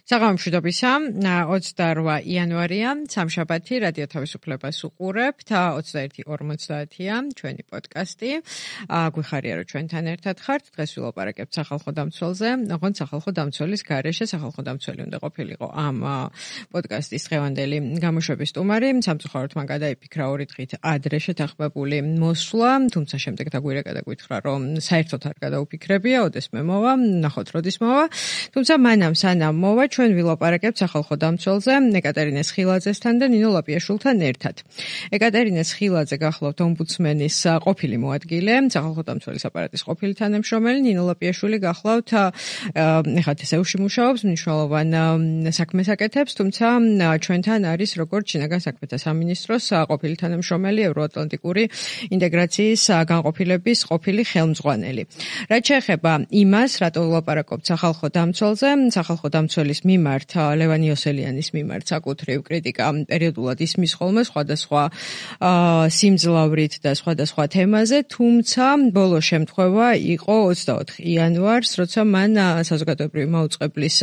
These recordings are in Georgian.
საღამომშვიდობისა 28 იანვარია სამშაბათი რადიო თავისუფლებას უყურებთ 21:50-ია ჩვენი პოდკასტი გვიხარია რომ ჩვენთან ერთად ხართ დღეს ვილაპარაკებთ სახალხო დამცველზე ოღონდ სახალხო დამცველის გარეშე სახალხო დამცველი უნდა ყოფილიყო ამ პოდკასტის დღევანდელი გამოშვების სტუმარი სამწუხაროდ მან გადაიფიქრა 2 დღით ადრე შეთანხმებული მოსვლა თუმცა შემდეგ დაგვირეკა და გითხრა რომ საერთოდ არ გადაუფიქრებია ოდესმე მოვა ნახოთ როდის მოვა თუმცა მანამ სანამ მოვა ჩვენ ვილაპარაკებთ სახალხო დამცველზე ეკატერინე სხილაძესთან და ნინო ლაპიაშვილთან ერთად. ეკატერინე სხილაძე გახლავთ ომბუდსმენის ყოფილი მოადგილე, სახალხო დამცველის აპარატის ყოფილი თანამშრომელი, ნინო ლაპიაშვილი გახლავთ ეხლა თესეუში მუშაობს, მნიშვნელოვან საქმეს აკეთებს, თუმცა ჩვენთან არის როგორც შინაგან საქმეთა სამინისტროს ყოფილი თანამშრომელი, ევროატლანტიკური ინტეგრაციის განყოფილების ყოფილი ხელმძღვანელი. რაც შეეხება იმას, რატო ვილაპარაკობთ სახალხო დამცველზე, სახალხო დამცველის მიმართ ლევან იოსელიანის მიმართ საკუთრივ კრიტიკა პერიოდულად ისმის ხოლმე სხვადასხვა სიმძლავრით და სხვადასხვა თემაზე, თუმცა ბოლო შემთხვევა იყო 24 იანვარს, როცა მან საზოგადოებრივი მაუწყებლის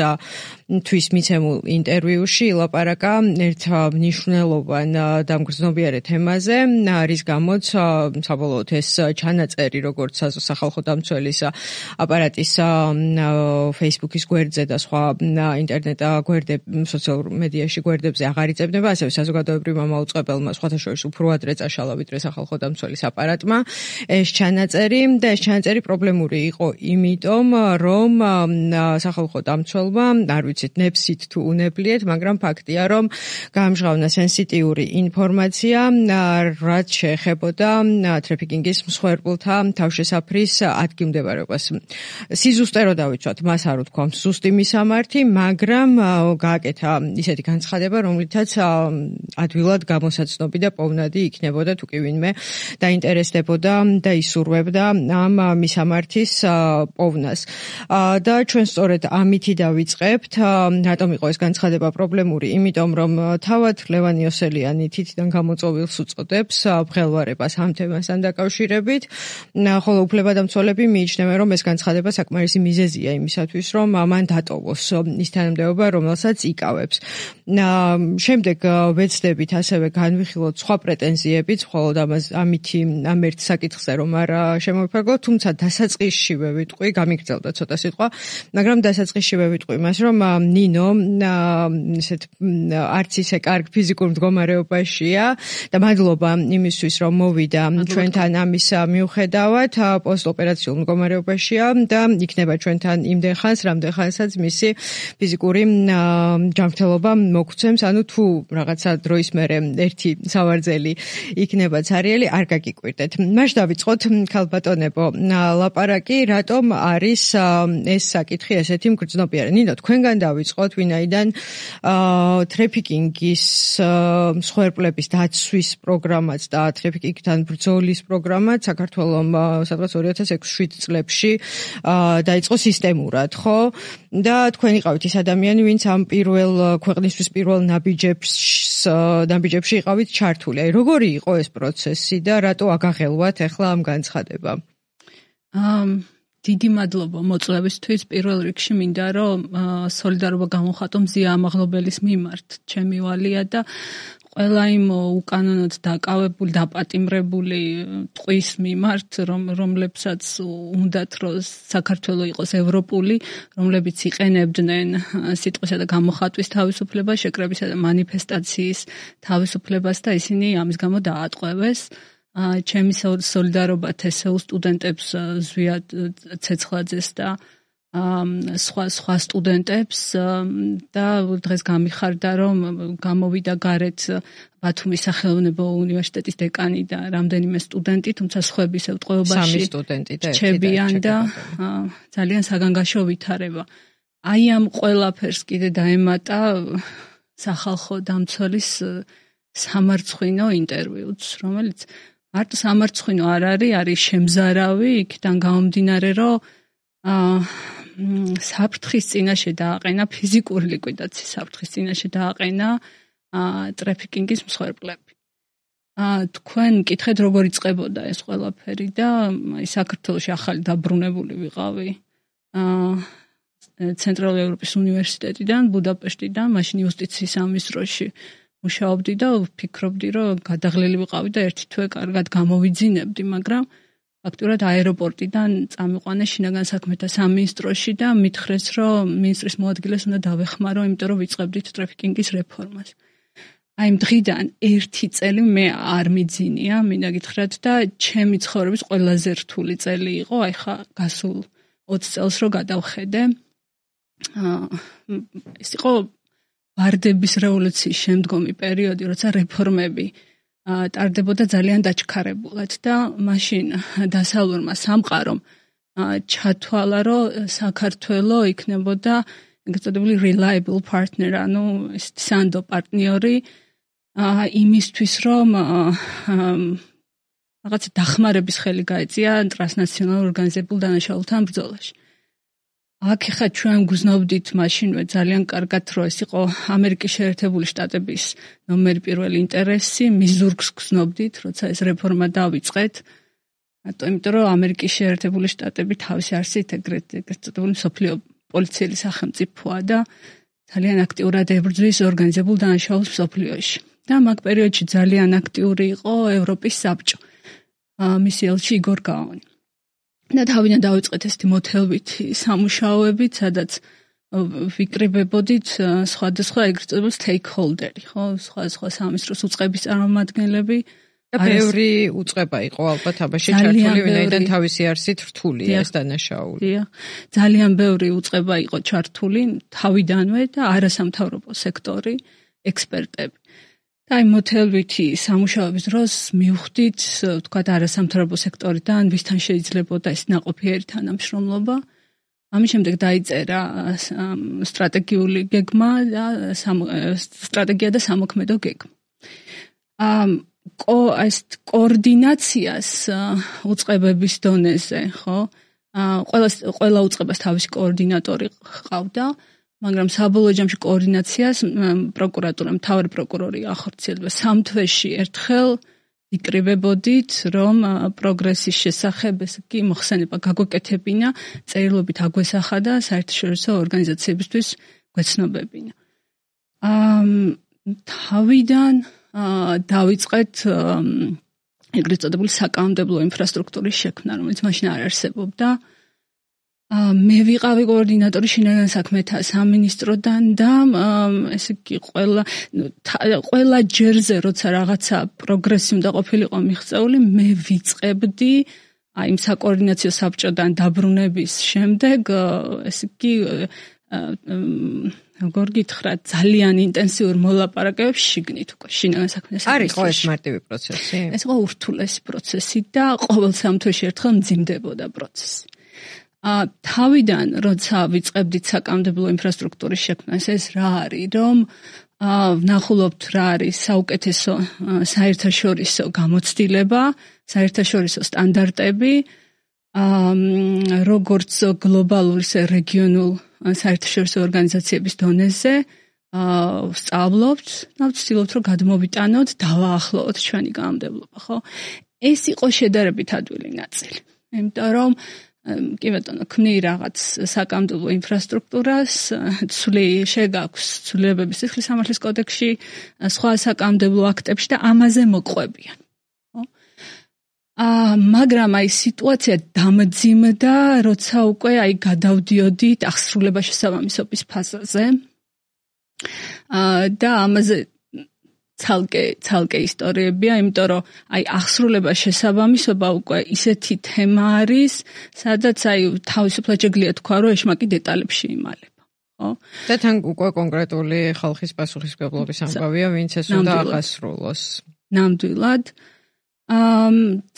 თვის მიცემულ ინტერვიუში ილაპარაკა ერთ მნიშვნელოვან და მგრძნობიარე თემაზე, რის გამოც საბოლოოდ ეს ჩანაწერი როგორც სახალხო დამცველის აპარატის Facebook-ის გვერდზე და სხვა ინტერნეტ სოციალურ მედიაში გვერდებზე აღარ იწებდება, ასევე საზოგადოებრივმა მაუწყებელმა სხვათა შორის უფრო ადრე წაშალა ვიდრე სახალხო დამცველის აპარატმა ეს ჩანაწერი და ეს ჩანაწერი პრობლემური იყო იმიტომ, რომ სახალხო დამცველმა, არ ვიცით, ნებსით თუ უნებლიეთ, მაგრამ ფაქტია, რომ გაამჟღავნა სენსიტიური ინფორმაცია, რაც შეეხებოდა ტრაფიკინგის მსხვერპლთა თავშესაფრის ადგილმდებარეობას. სიზუსტე რო დავიცვათ, მას არ ვთქვამს ზუსტი მისამართი, მაგრამ გააკეთა ისეთი განცხადება, რომლითაც ადვილად გამოსაცნობი და პოვნადი იქნებოდა თუ კი ვინმე დაინტერესდებოდა და ისურვებდა ამ მისამართის პოვნას. და ჩვენ სწორედ ამითი დავიწყებთ, რატომ იყო ეს განცხადება პრობლემური, იმიტომ რომ თავად ლევან იოსელიანი თითიდან გამოწვეულს უწოდებს მღელვარებას ამ თემასთან დაკავშირებით, ხოლო უფლებადამცველები მიიჩნევენ, რომ ეს განცხადება საკმარისი მიზეზია იმისათვის, რომ მან დატოვოს ის თანამდებობა, რომელსაც იკავებს. შემდეგ ვეცდებით ასევე განვიხილოთ სხვა პრეტენზიებიც, მხოლოდ ამ ერთ საკითხზე რომ არ შემოვიფარგლოთ, თუმცა დასაწყისშივე ვიტყვი, გამიგრძელდა ცოტა სიტყვა, მაგრამ დასაწყისშივე ვიტყვი იმას, რომ ნინო არც ისე კარგ ფიზიკურ მდგომარეობაშია და მადლობა იმისთვის, რომ მოვიდა ჩვენთან ამის მიუხედავად, პოსტოპერაციულ მდგომარეობაშია და იქნება ჩვენთან იმდენ ხანს, რამდენ ხანსაც მისი ფიზიკური ჯანმრთელობა მოგცემს, ანუ თუ რაღაცა დროის მერე ერთი სავარძელი იქნება ცარიელი, არ გაგიკვირდეთ. მაშ დავიწყოთ, ქალბატონებო, ლაპარაკი, რატომ არის ეს საკითხი ესეთი მგრძნობიარე. ნინო, თქვენგან დავიწყოთ, ვინაიდან ტრაფიკინგის მსხვერპლების დაცვის პროგრამაც და ტრაფიკინგთან ბრძოლის პროგრამაც საქართველომ სადღაც 2006-7 წლებში დაიწყო სისტემურად, ხო? და თქვენ იყავით ის ადამიანი, ვინც ამ ქვეყნისთვის პირველ ნაბიჯებში იყავით ჩართული. აი, როგორი იყო ეს პროცესი და რატო აგაღელვათ ახლა ამ განცხადებამ? დიდი მადლობა მოწვევისთვის. პირველ რიგში მინდა რომ სოლიდარობა გამოვხატო მზია ამაღლობელის მიმართ. ჩემი ვალია და ყველა იმ უკანონოდ დაკავებული, დაპატიმრებული ტყვის მიმართ, რომლებსაც უნდათ რომ საქართველო იყოს ევროპული, რომლებიც იყენებდნენ სიტყვისა და გამოხატვის თავისუფლებას, შეკრებისა და მანიფესტაციის თავისუფლებას და ისინი ამის გამო დაატყვევეს. ჩემი სოლიდარობა თესეულ სტუდენტებს ზვია ცეცხლაძეს და სხვა სტუდენტებს და დღეს გამიხარდა, რომ გამოვიდა გარეთ ბათუმის სახელმწიფო უნივერსიტეტის დეკანი და რამდენიმე სტუდენტი, თუმცა სხვები ისევ ტყვეობაში რჩებიან და ძალიან საგანგაშო ვითარება. აი ამ ყველაფერს კიდე დაემატა სახალხო დამცველის სამარცხვინო ინტერვიუც, რომელიც მარტო სამარცხვინო არ არის შემზარავი, იქიდან გამომდინარე, რომ საფრთხის წინაშე დააყენა, ფიზიკური ლიკვიდაციის საფრთხის წინაშე დააყენა ტრაფიკინგის მსხვერპლები. თქვენ მკითხეთ, როგორ იწყებოდა ეს ყველაფერი და საქართველოში ახალი დაბრუნებული ვიყავი. ცენტრალური ევროპის უნივერსიტეტიდან, ბუდაპეშტიდან, მაშინ იუსტიციის სამინისტროში მუშაობდი და ვფიქრობდი, რომ გადაღლილი ვიყავი და ერთი თვე კარგად გამოვიძინებდი, მაგრამ ფაქტურად აეროპორტიდან წამიყვანე შინაგან საქმეთა სამინისტროში და მითხრეს, რომ მინისტრის მოადგილეს უნდა დავეხმარო, იმიტომ რომ ვიწყებდით ტრაფიკინგის რეფორმას. აი იმ დღიდან 1 წელი მე არ მიძინია, მინდა გითხრათ და ჩემი ცხოვრების ყველაზე რთული წელი იყო, აი ხა გასულ 20 წელს რო გადავხედე. ეს იყო ვარდების რევოლუციის შემდგომი პერიოდი, როცა რეფორმები ტარდებოდა ძალიან დაჩქარებულად და მაშინ დასავლურმა სამყარომ ჩათვალა, რომ საქართველო იქნებოდა ეგრეთ წოდებული reliable partner, ანუ სანდო პარტნიორი იმისთვის, რომ რაღაც დახმარების ხელი გაეწია ტრანსნაციონალურ ორგანიზებულ დანაშაულთან ბრძოლაში. აქ ხა ჩვენ გრძნობდით მაშინვე ძალიან კარგად, რომ ეს იყო ამერიკის შეერთებული შტატების ნომერი პირველი ინტერესი, მის ზურგს გრძნობდით, როცა ეს რეფორმა დავიწყეთ. იმიტომ რომ ამერიკის შეერთებული შტატები თავისი არსით ეგრეთ წოდებული მსოფლიო პოლიციელი სახელმწიფოა და ძალიან აქტიურად ებრძვის ორგანიზებულ დანაშაულს მსოფლიოში. და მაგ პერიოდში ძალიან აქტიური იყო ევროპის საბჭო. მისი ელჩი იგორ გაონი. და თავიდან დავიწყეთ ესეთი მოთელვითი სამუშაოებით, სადაც ვიკრიბებოდით სხვადასხვა ეგრეთ წოდებული stakeholder-ი, ხო, სხვა სამინისტროს უწყების წარმომადგენლები და ბევრი უწყება იყო ალბათ აბაში ჩართული, ვინაიდან თავისი არსით რთულია ეს დანაშაული. ძალიან ბევრი უწყება იყო ჩართული თავიდანვე და არასამთავრობო სექტორი, ექსპერტები. და აი მოთელვითი სამუშაოების დროს მივხვდით, თქვათ, არასამთავრობო სექტორიდან ვისთან შეიძლებოდა ეს ნაყოფიერი თანამშრომლობა. ამის შემდეგ დაიწერა სტრატეგიული გეგმა და სტრატეგია და სამოქმედო გეგმა. ეს კოორდინაციას უწყებების დონეზე, ხო? ყველა უწყებას თავისი კოორდინატორი ჰყავდა. მაგრამ საბოლოო ჯამში კოორდინაციას პროკურატურა, მთავარი პროკურორი ახორციელდა. 3 თვეში ერთხელ ვიკრიბებოდით, რომ პროგრესის შესახებ ესე კი მოხსენება გაგვეკეთებინა, წერილობით აგვესახა და საერთაშორისო ორგანიზაციებისთვის გვეცნობებინა. თავიდან დავიწყეთ ეგრეთ წოდებული საკანონმდებლო ინფრასტრუქტურის შექმნა, რომელიც მაშინ არ არსებობდა. მე ვიყავი კოორდინატორი შინაგან საქმეთა სამინისტროდან და ესე იგი ყველა ჯერზე როცა რაღაცა პროგრესი უნდა ყოფილიყო მიღწეული, მე ვიწყებდი აი იმ საკოორდინაციო საბჭოდან დაბრუნების შემდეგ, ესე იგი როგორ გითხრათ, ძალიან ინტენსიურ მოლაპარაკებებს შიგნით უკვე შინაგან საქმეთა სამინისტროში. არ იყო ეს მარტივი პროცესი? ეს იყო ურთულესი პროცესი და ყოველ 3 თვეში ერთხელ მძიმდებოდა პროცესი. თავიდან, როცა ვიწყებდით საკანონმდებლო ინფრასტრუქტურის შექმნას, ეს რა არის, რომ ვნახულობთ რა არის საუკეთესო საერთაშორისო გამოცდილება, საერთაშორისო სტანდარტები, როგორც გლობალურ, ისე რეგიონულ საერთაშორისო ორგანიზაციების დონეზე ვსწავლობთ და ვცდილობთ, რომ გადმოვიტანოთ, დავაახლოვოთ ჩვენი კანონმდებლობა, ხო? ეს იყო შედარებით ადვილი ნაწილი. იმიტომ რომ კი ბატონო, ქმნი რაღაც საკანონმდებლო ინფრასტრუქტურას, შეგაქვს ცვლილებები სიხლის სამართლის კოდექსში, სხვა საკანონმდებლო აქტებში და ამაზე მოყვებიან. ხო? მაგრამ აი სიტუაცია დამძიმდა, როცა უკვე აი გადავდიოდით აღსრულება შესაბამისობის ფაზაზე. და ამაზე ცალკე ისტორიებია, იმიტომ რომ აი აღსრულება შესაბამისობა უკვე ისეთი თემა არის, სადაც აი თავისუფლად შეგვიძლია თქვა, რომ ეშმაკი დეტალებში იმალება, ხო? და თან უკვე კონკრეტული ხალხის პასუხისმგებლობის ამბავია, ვინც ეს უნდა აღასრულოს. ნამდვილად.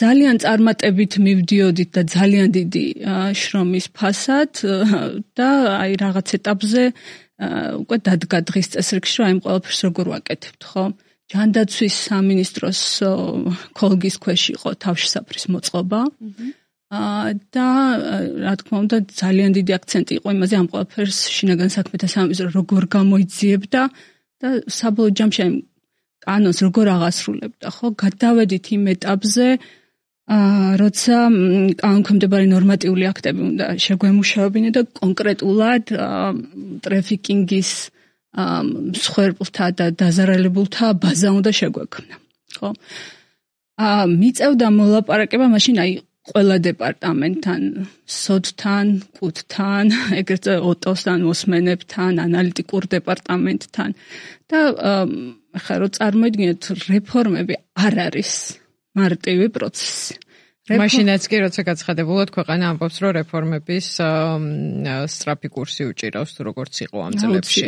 ძალიან წარმატებით მივდიოდით და ძალიან დიდი შრომის ფასად და აი რაღაც ეტაპზე უკვე დადგა დღის წესრიგში, რომ აი ყველაფერს როგორ ვაკეთებთ, ხო? ჯანდაცვის სამინისტროს ქოლგის ქვეშ იყო თავშესაფრის მოწყობა და რა თქმა უნდა ძალიან დიდი აქცენტი იყო იმაზე, ამ ყველაფერს შინაგან საქმეთა სამინისტრო როგორ გამოიძიებდა და საბოლოო ჯამში კანონს როგორ აღასრულებდა, ხო? გადავედით იმ ეტაპზე, როცა კანონქვემდებარე ნორმატიული აქტები უნდა შეგვემუშავებინა და კონკრეტულად ტრაფიკინგის მსხვერპლთა და დაზარალებულთა ბაზა უნდა შეგვექმნა. ხო? მიწევდა მოლაპარაკება მაშინ ყველა დეპარტამენტთან, სოდთან, კუთთან, ეგრეთ ოტოსთან, მოსმენებთან, ანალიტიკურ დეპარტამენტთან და ხა რო წარმოიდგინეთ რეფორმები არ არის მარტივი პროცესი. მაშინაც კი როცა გაცხადებულად ქვეყანა ამბობს რომ რეფორმების სწრაფი კურსი უჭირავს თუ როგორც იყო ამ წლებში.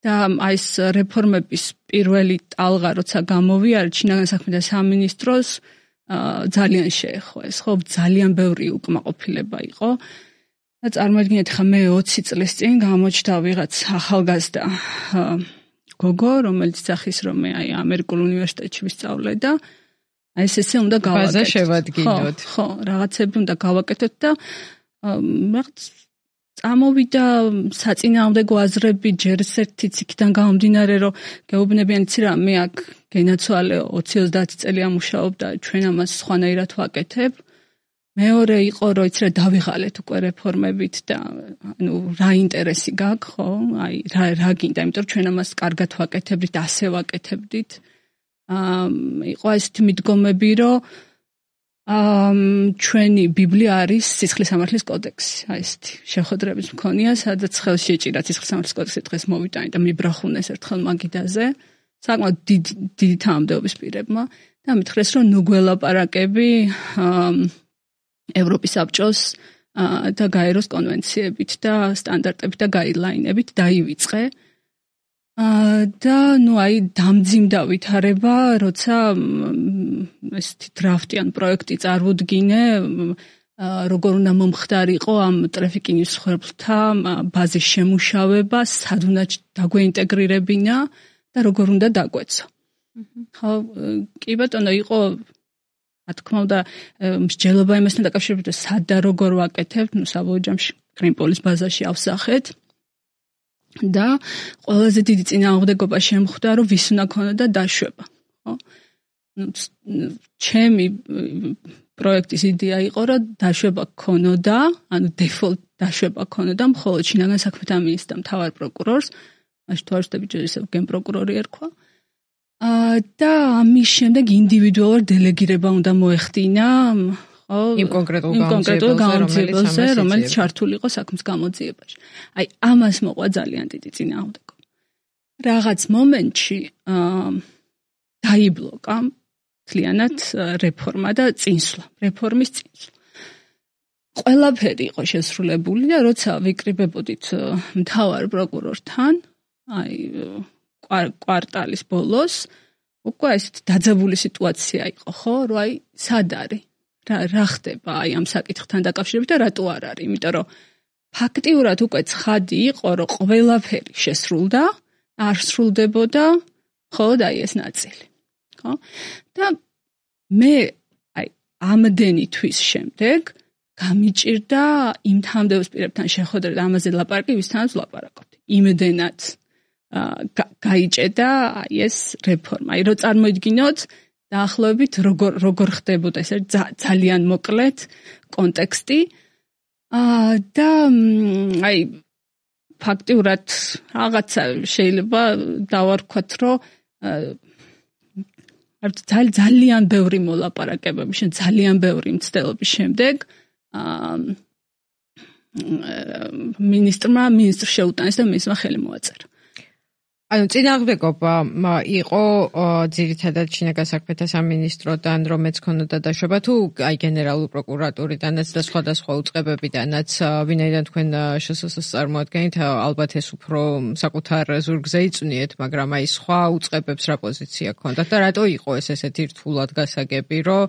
და აი ეს რეფორმების პირველი ტალღა როცა გამოვიარა ჩინაგან საქმეთა სამინისტროს ძალიან შეეხო ეს ხო ძალიან ბევრი უკმაყოფილება იყო და წარმოიდგინეთ ხა მე 20 წლის წინ გამოჩნდა ვიღაც ახალგაზრდა გოგო რომელიც სახის რომ მე აი ამერიკულ უნივერსიტეტში ვისწავლე და აი ესე უნდა გავაკეთოთ. ბაზა შევადგინოთ. ხო, რაღაცები უნდა გავაკეთოთ და რაღაც წამოვიდა საწინააღმდეგო აზრები ჯერ ერთი ციკიდან გამომდინარე რომ გეუბნებიან იცი რა მე აქ გენაცვალე 20-30 წელია მუშაობ და ჩვენ ამას სხვანაირად ვაკეთებ. მეორე იყო რომ იცი რა დავიღალეთ უკვე რეფორმებით და ანუ რა ინტერესი გაქვს ხო? აი რა გინდა, იმიტომ რომ ჩვენ ამას კარგად ვაკეთებდით, ასე ვაკეთებდით. იყო ესეთი მიდგომები რომ ჩვენი ბიბლია არის სისხლის სამართლის კოდექსი, აი ესეთი შეხვედრების მქონია, სადაც ხელში ეჭირა სისხლის სამართლის კოდექსი დღეს მოვიტანე და მიბრახუნეს ერთხელ მაგიდაზე, საკმაოდ დიდი თანამდებობის პირებმა და მითხრეს რომ ნუ გველაპარაკები ევროპის საბჭოს და გაეროს კონვენციებით და სტანდარტებით და გაიდლაინებით დაივიწყე. და ნუ აი დამძიმდა ვითარება, როცა ესეთი დრაფტიან პროექტი წარუდგინე, როგორ უნდა მომხდარიყო ამ ტრაფიკინგის მსხვერპლთა ბაზის შემუშავება, სად უნდა დაგვეინტეგრირებინა და როგორ უნდა დაგვეცო. ხო, კი ბატონო, იყო რა თქმა უნდა მსჯელობა იმასთან დაკავშირებით, სად და როგორ ვაკეთებთ, ნუ საბოლოო ჯამში კრიმპოლის ბაზაში ავსახეთ. და ყველაზე დიდი წინააღმდეგობა შემხვდა რომ ვის უნდა ქონოდა დაშვება, ხო? ჩემი პროექტის იდეა იყო რომ დაშვება ქონოდა, ანუ დეფოლტ დაშვება ქონოდა მხოლოდ ჩინაგან საქმეთა მინისტრს და მთავარ პროკურორს, მაშინ თუ არ ვშტები ჯერ ისევ გენპროკურორი ერქვა. და ამის შემდეგ ინდივიდუალურ დელეგირება უნდა მოეხდინა, ხო? იმ კონკრეტულ გამოძიებელზე, რომელიც ჩართული იყო საქმის გამოძიებაში. აი, ამას მოყვა ძალიან დიდი წინააღმდეგობა. რაღაც მომენტში დაიბლოკა მთლიანად რეფორმა და წინსვლა, რეფორმის წინსვლა. ყველაფერი იყო შესრულებული და როცა ვიკრიბებოდით მთავარ პროკურორთან, აი კვარტალის ბოლოს, უკვე ესეთ დაძაბული სიტუაცია იყო, ხო, რომ აი სად არის? რა ხდება აი ამ საკითხთან დაკავშირებით და რატო არ არის? იმიტომ რომ ფაქტიურად უკვე ცხადი იყო, რომ ყველაფერი შესრულდა, არ სრულდებოდა მხოლოდ აი ეს ნაწილი. ხო? და მე აი ამდენი თვის შემდეგ გამიჭირდა იმ თანამდებობის პირებთან შეხვედრა და ამაზე ლაპარაკი, ვისთანაც ვლაპარაკობთ. იმდენად გაიჭედა აი ეს რეფორმა. აი რო წარმოიდგინოთ დაახლოებით როგორ ხდებოდა ეს ძალიან მოკლედ კონტექსტი და აი ფაქტიურად რაღაცა შეიძლება დავარქვათ რომ ძალიან ბევრი მოლაპარაკებები ძალიან ბევრი მცდელობის შემდეგ მინისტრს შეუტანეს და მისმა ხელი მოაწერა. ანუ წინააღმდეგობა იყო ძირითადად ჩინაგან საქმეთა სამინისტროდან, რომელიც ქონოდა დაშვება, თუ აი გენერალური პროკურატურიდანაც და სხვადასხვა უწყებებიდანაც, ვინაიდან თქვენ შსს წარმოადგენთ, ალბათ ეს უფრო საკუთარ ზურგზე იწვნიეთ, მაგრამ აი სხვა უწყებებს რა პოზიცია ქონდათ და რატო იყო ეს ესეთი რთულად გასაგები, რომ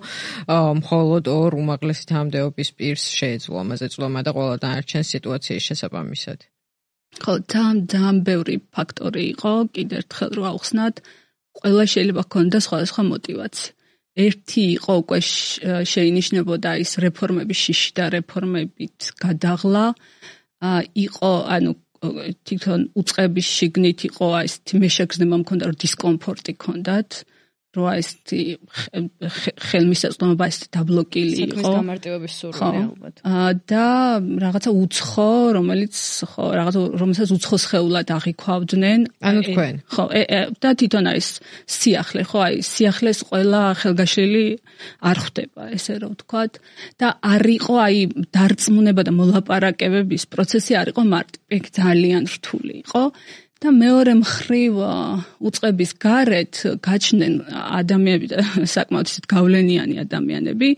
მხოლოდ ორ უმაღლესი თანამდებობის პირს შეეძლო ამაზე წვლილმა და ყველა დანარჩენ სიტუაციის შესაბამისად? ხო, ძალიან ბევრი ფაქტორი იყო, კიდევ ერთხელ რო ავხსნათ, ყველა შეიძლება ქონდა სხვადასხვა мотиваცია. ერთი იყო უკვე შეინიშნებოდა ის რეფორმების შიში და რეფორმებით გადაღლა, იყო ანუ თვითონ უწყების შიგნით იყო ეს მაშეგზნება მქონდა რომ დისკომფორტი ქონდათ, რა ესეთი ხელმისაწვდომობა ესეთი დაბლოკილი იყო. საქმის გამარტივების სურვილი ალბათ. და რაღაცა უცხო, რომელსაც უცხო სხეულად აღიქვავდნენ. ანუ თქვენ. ხო, და თვითონ არის სიახლე, ხო, აი სიახლეს ყველა ხელგაშლილი არ ხვდება, ესე რომ ვთქვათ. და არ იყო აი დარწმუნება და მოლაპარაკებების პროცესი არ იყო მარტივი, ძალიან რთული იყო. და მეორე მხრივ უწყების გარეთ გაჩნდნენ ადამიანები და საკმაოდ გავლენიანი ადამიანები,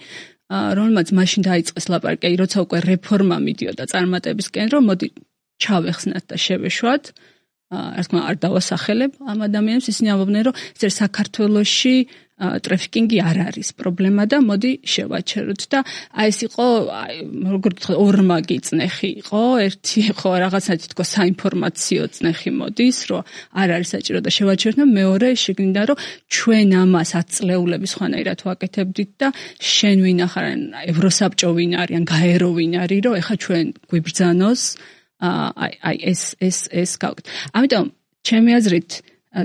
რომელმაც მაშინ დაიწყეს ლაპარაკი, როცა უკვე რეფორმა მიდიოდა წარმატებისკენ, რომ მოდი ჩავეხსნათ და შევეშვათ. რა თქმა უნდა, არ დავასახელებ ამ ადამიანებს, ისინი ამბობდნენ, რომ საქართველოში ტრაფიკინგი არ არის პრობლემა და მოდი შევაჩეროთ და აი ეს იყო როგორ ვთქვათ ორმაგი წნეხი იყო ერთი ხო რაღაცა თითქოს საინფორმაციო წნეხი მოდის რომ არ არის საჭირო და შევაჩეროთ და მეორე შეგნიდა რომ ჩვენ ამას 10 წლეულების ხანაირად ვაკეთებდით და შენ ვინ ახარ ევროსაბჭო ვინ არის ან გაერო ვინ არის რომ ეხა ჩვენ გვიბრძანოს აი ეს გავკეთ ამიტომ ჩემი აზრით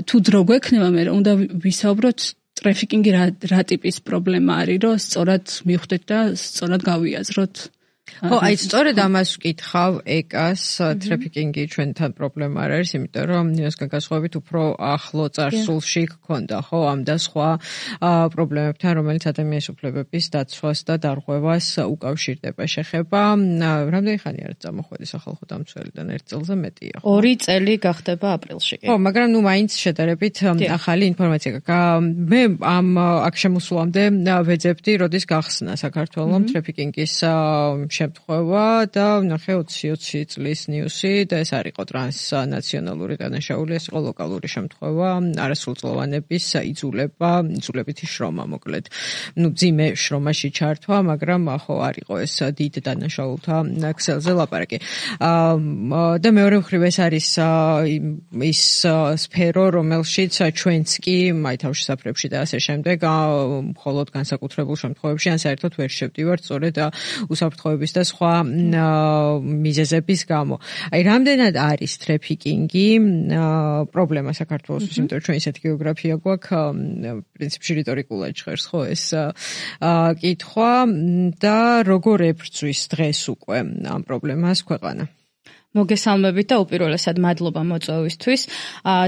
თუ დრო გვექნება მე უნდა ვისაუბროთ ტრაფიკინგი რა ტიპის პრობლემა არის, რომ სწორად მივხვდეთ და სწორად გავიაზროთ. ხო, აი სწორედ ამას ვკითხავ ეკას ტრაფიკინგი ჩვენთან პრობლემა არ არის, იმიტომ რომ ნიოსგან განსხვავებით უფრო ახლო წარსულში გქონდა, ხო, ამ და სხვა პრობლემებთან, რომელიც ადამიანის უფლებების დაცვას და დარღვევას უკავშირდება. შეხება, რამდენი ხანი არის წამოხვედი სახალხო დამცველიდან 1 წელზე მეტია, ხო? 2 წელი გახდება აპრილში. ხო, მაგრამ ნუ მაინც შედარებით ახალი ინფორმაცია გაქვს. მე ამ აქ შემოსვლამდე ვეძებდი, როდის გახსნა საქართველოს ტრაფიკინგის შემთხვევა და ნახე 20 წლის ნიუსი და ეს არ იყო ტრანსნაციონალური დანაშაული, ეს იყო ლოკალური შემთხვევა, არასრულწლოვანების იძულებითი შრომა მოკლედ. ნუ ძიმე შრომაში ჩართვა, მაგრამ ხო არ იყო ეს დიდ დანაშაულთა ქსელზე ლაპარაკი. და მეორე მხრივ ეს არის ის სფერო, რომელშიც ჩვენც კი აი თავშესაფრებში და ასე შემდეგ მხოლოდ განსაკუთრებულ შემთხვევებში ან საერთოდ ვერ შევდივართ სწორედ უსაფრთხოების და სხვა მიზეზების გამო. აი რამდენად არის ტრაფიკინგი პრობლემა საქართველოსთვის, იმიტომ რომ ჩვენ ისეთი გეოგრაფია გვაქვს, პრინციპში რიტორიკულად ჟღერს ხო ეს კითხვა და როგორ ებრძვის დღეს უკვე ამ პრობლემას ქვეყანა. მოგესალმებით და უპირველესად მადლობა მოწვევისთვის.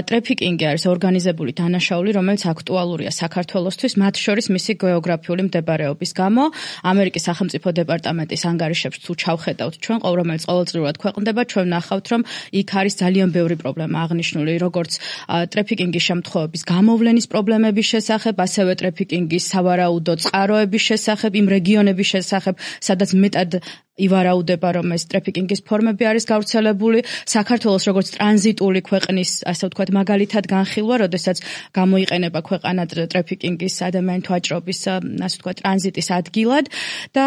ტრაფიკინგი არის ორგანიზებული დანაშაული, რომელიც აქტუალურია საქართველოსთვის, მათ შორის მისი გეოგრაფიული მდებარეობის გამო. ამერიკის სახელმწიფო დეპარტამენტის ანგარიშებს თუ ჩავხედავთ ჩვენ, რომელიც ყოველწლიურად ქვეყნდება, ჩვენ ვნახავთ, რომ იქ არის ძალიან ბევრი პრობლემა აღნიშნული, როგორც ტრაფიკინგის შემთხვევების გამოვლენის პრობლემების შესახებ, ასევე ტრაფიკინგის სავარაუდო წყაროების შესახებ, იმ რეგიონების შესახებ, სადაც მეტად ივარაუდება, რომ ეს ტრაფიკინგის ფორმები არის გავრცელებული. საქართველოს როგორც ტრანზიტული ქვეყნის, ასე ვთქვათ, მაგალითად განხილვა, როდესაც გამოიყენება ქვეყანა ტრაფიკინგის ადამიანთა ვაჭრობის, ასე ვთქვათ, ტრანზიტის ადგილად და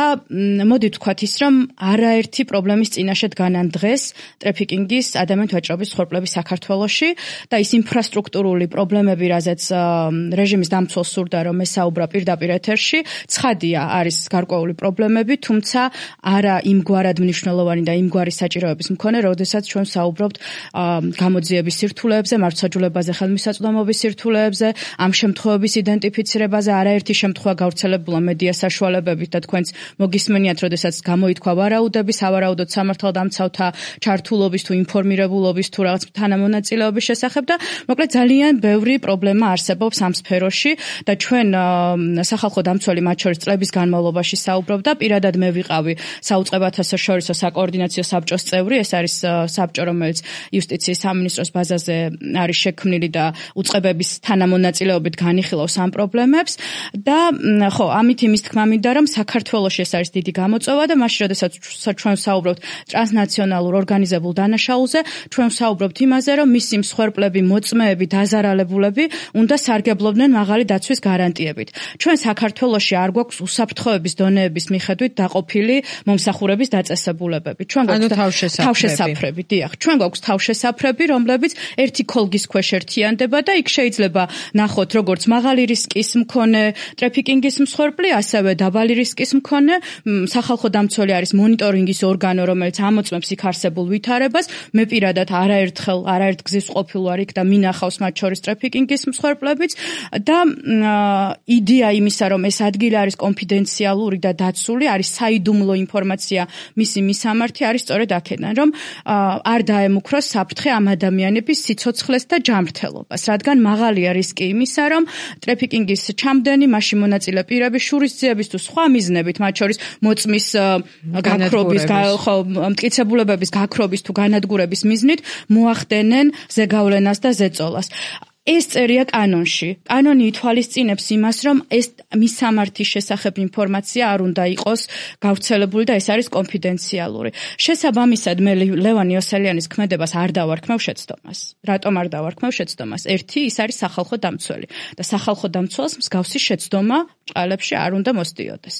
მოდი ვთქვათ ის, რომ არაერთი პრობლემის წინაშე დგანან დღეს ტრაფიკინგის ადამიანთა ვაჭრობის ხორბლები საქართველოში და ის ინფრასტრუქტურული პრობლემები, რაზეც რეჟიმის დამცველს სურდა, რომ ესაუბრა პირდაპირ ეთერში, ცხადია, არის გარკვეული პრობლემები, თუმცა არა იმგვარად მნიშვნელოვანი და იმგვარი საჭიროების მქონე, როდესაც ჩვენ საუბრობთ გამოძიების სირთულეებზე, მართლმსაჯულებაზე, ხელმისაწვდომობის სირთულეებზე, ამ შემთხვევების იდენტიფიცირებაზე, არაერთი შემთხვევა გავრცელებულა მედია საშუალებებით და თქვენც მოგისმენიათ, როდესაც გამოითქვა ვარაუდები, სავარაუდოდ სამართალდამცავთა ჩართულობის თუ ინფორმირებულობის თუ რაღაც თანამონაწილეობის შესახებ და მოკლედ ძალიან ბევრი პრობლემა არსებობს ამ სფეროში და ჩვენ სახალხო დამცველი მათ შორის წლების განმავლობაში საუბრობ და პირადად მე ვიყავი საუწყებათა საერთაშორისო საკოორდინაციო საბჭოს წევრი, ეს არის საბჭო, რომელიც იუსტიციის სამინისტროს ბაზაზე არის შექმნილი და უწყებების თანამონაწილეობით განიხილავს ამ პრობლემებს და ხო, ამით იმის თქმა მინდა, რომ საქართველოში ეს არის დიდი გამოწვევა და მაშინ, როდესაც ჩვენ საუბრობთ ტრანსნაციონალურ ორგანიზებულ დანაშაულზე, ჩვენ საუბრობთ იმაზე, რომ მისი მსხვერპლები, მოწმეები, დაზარალებულები უნდა სარგებლობდნენ მაღალი დაცვის გარანტიებით. ჩვენ საქართველოში არ გვაქვს უსაფრთხოების დონეების მიხედვით დაყოფილი მომსახურება გადახურების დაწესებულებები. ჩვენ გვაქვს თავშესაფრები, დიახ. ჩვენ გვაქვს თავშესაფრები, რომლებიც ერთი ქოლგის ქვეშ ერთიანდება და იქ შეიძლება ნახოთ როგორც მაღალი რისკის მქონე ტრაფიკინგის მსხვერპლი, ასევე დაბალი რისკის მქონე. სახალხო დამცველი არის მონიტორინგის ორგანო, რომელიც ამოწმებს იქ არსებულ ვითარებას. მე პირადად არაერთგზის ყოფილ ვარ იქ და მინახავს მათ შორის ტრაფიკინგის მსხვერპლებიც და იდეა იმისა, რომ ეს ადგილი არის კონფიდენციალური და დაცული, არის საიდუმლო ინფორმაცია მისი მისამართი არის სწორედ აქედან, რომ არ დაემუქროს საფრთხე ამ ადამიანების სიცოცხლეს და ჯანმრთელობას, რადგან მაღალია რისკი იმისა, რომ ტრაფიკინგის ჩამდენი, მასში მონაწილე პირების შურისძიების თუ სხვა მიზნებით, მათ შორის მოწმის გაქრობის, მტკიცებულებების გაქრობის თუ განადგურების მიზნით მოახდენენ ზეგავლენას და ზეწოლას. ეს წერია კანონში. კანონი ითვალისწინებს იმას, რომ ეს მისამართის შესახებ ინფორმაცია არ უნდა იყოს გავრცელებული და ეს არის კონფიდენციალური. შესაბამისად, მე ლევან იოსელიანის ქმედებას არ დავარქმევ შეცდომას. რატომ არ დავარქმევ შეცდომას? ერთი, ის არის სახალხო დამცველი და სახალხო დამცველს მსგავსი შეცდომა ჭყალებში არ უნდა მოსდიოდეს.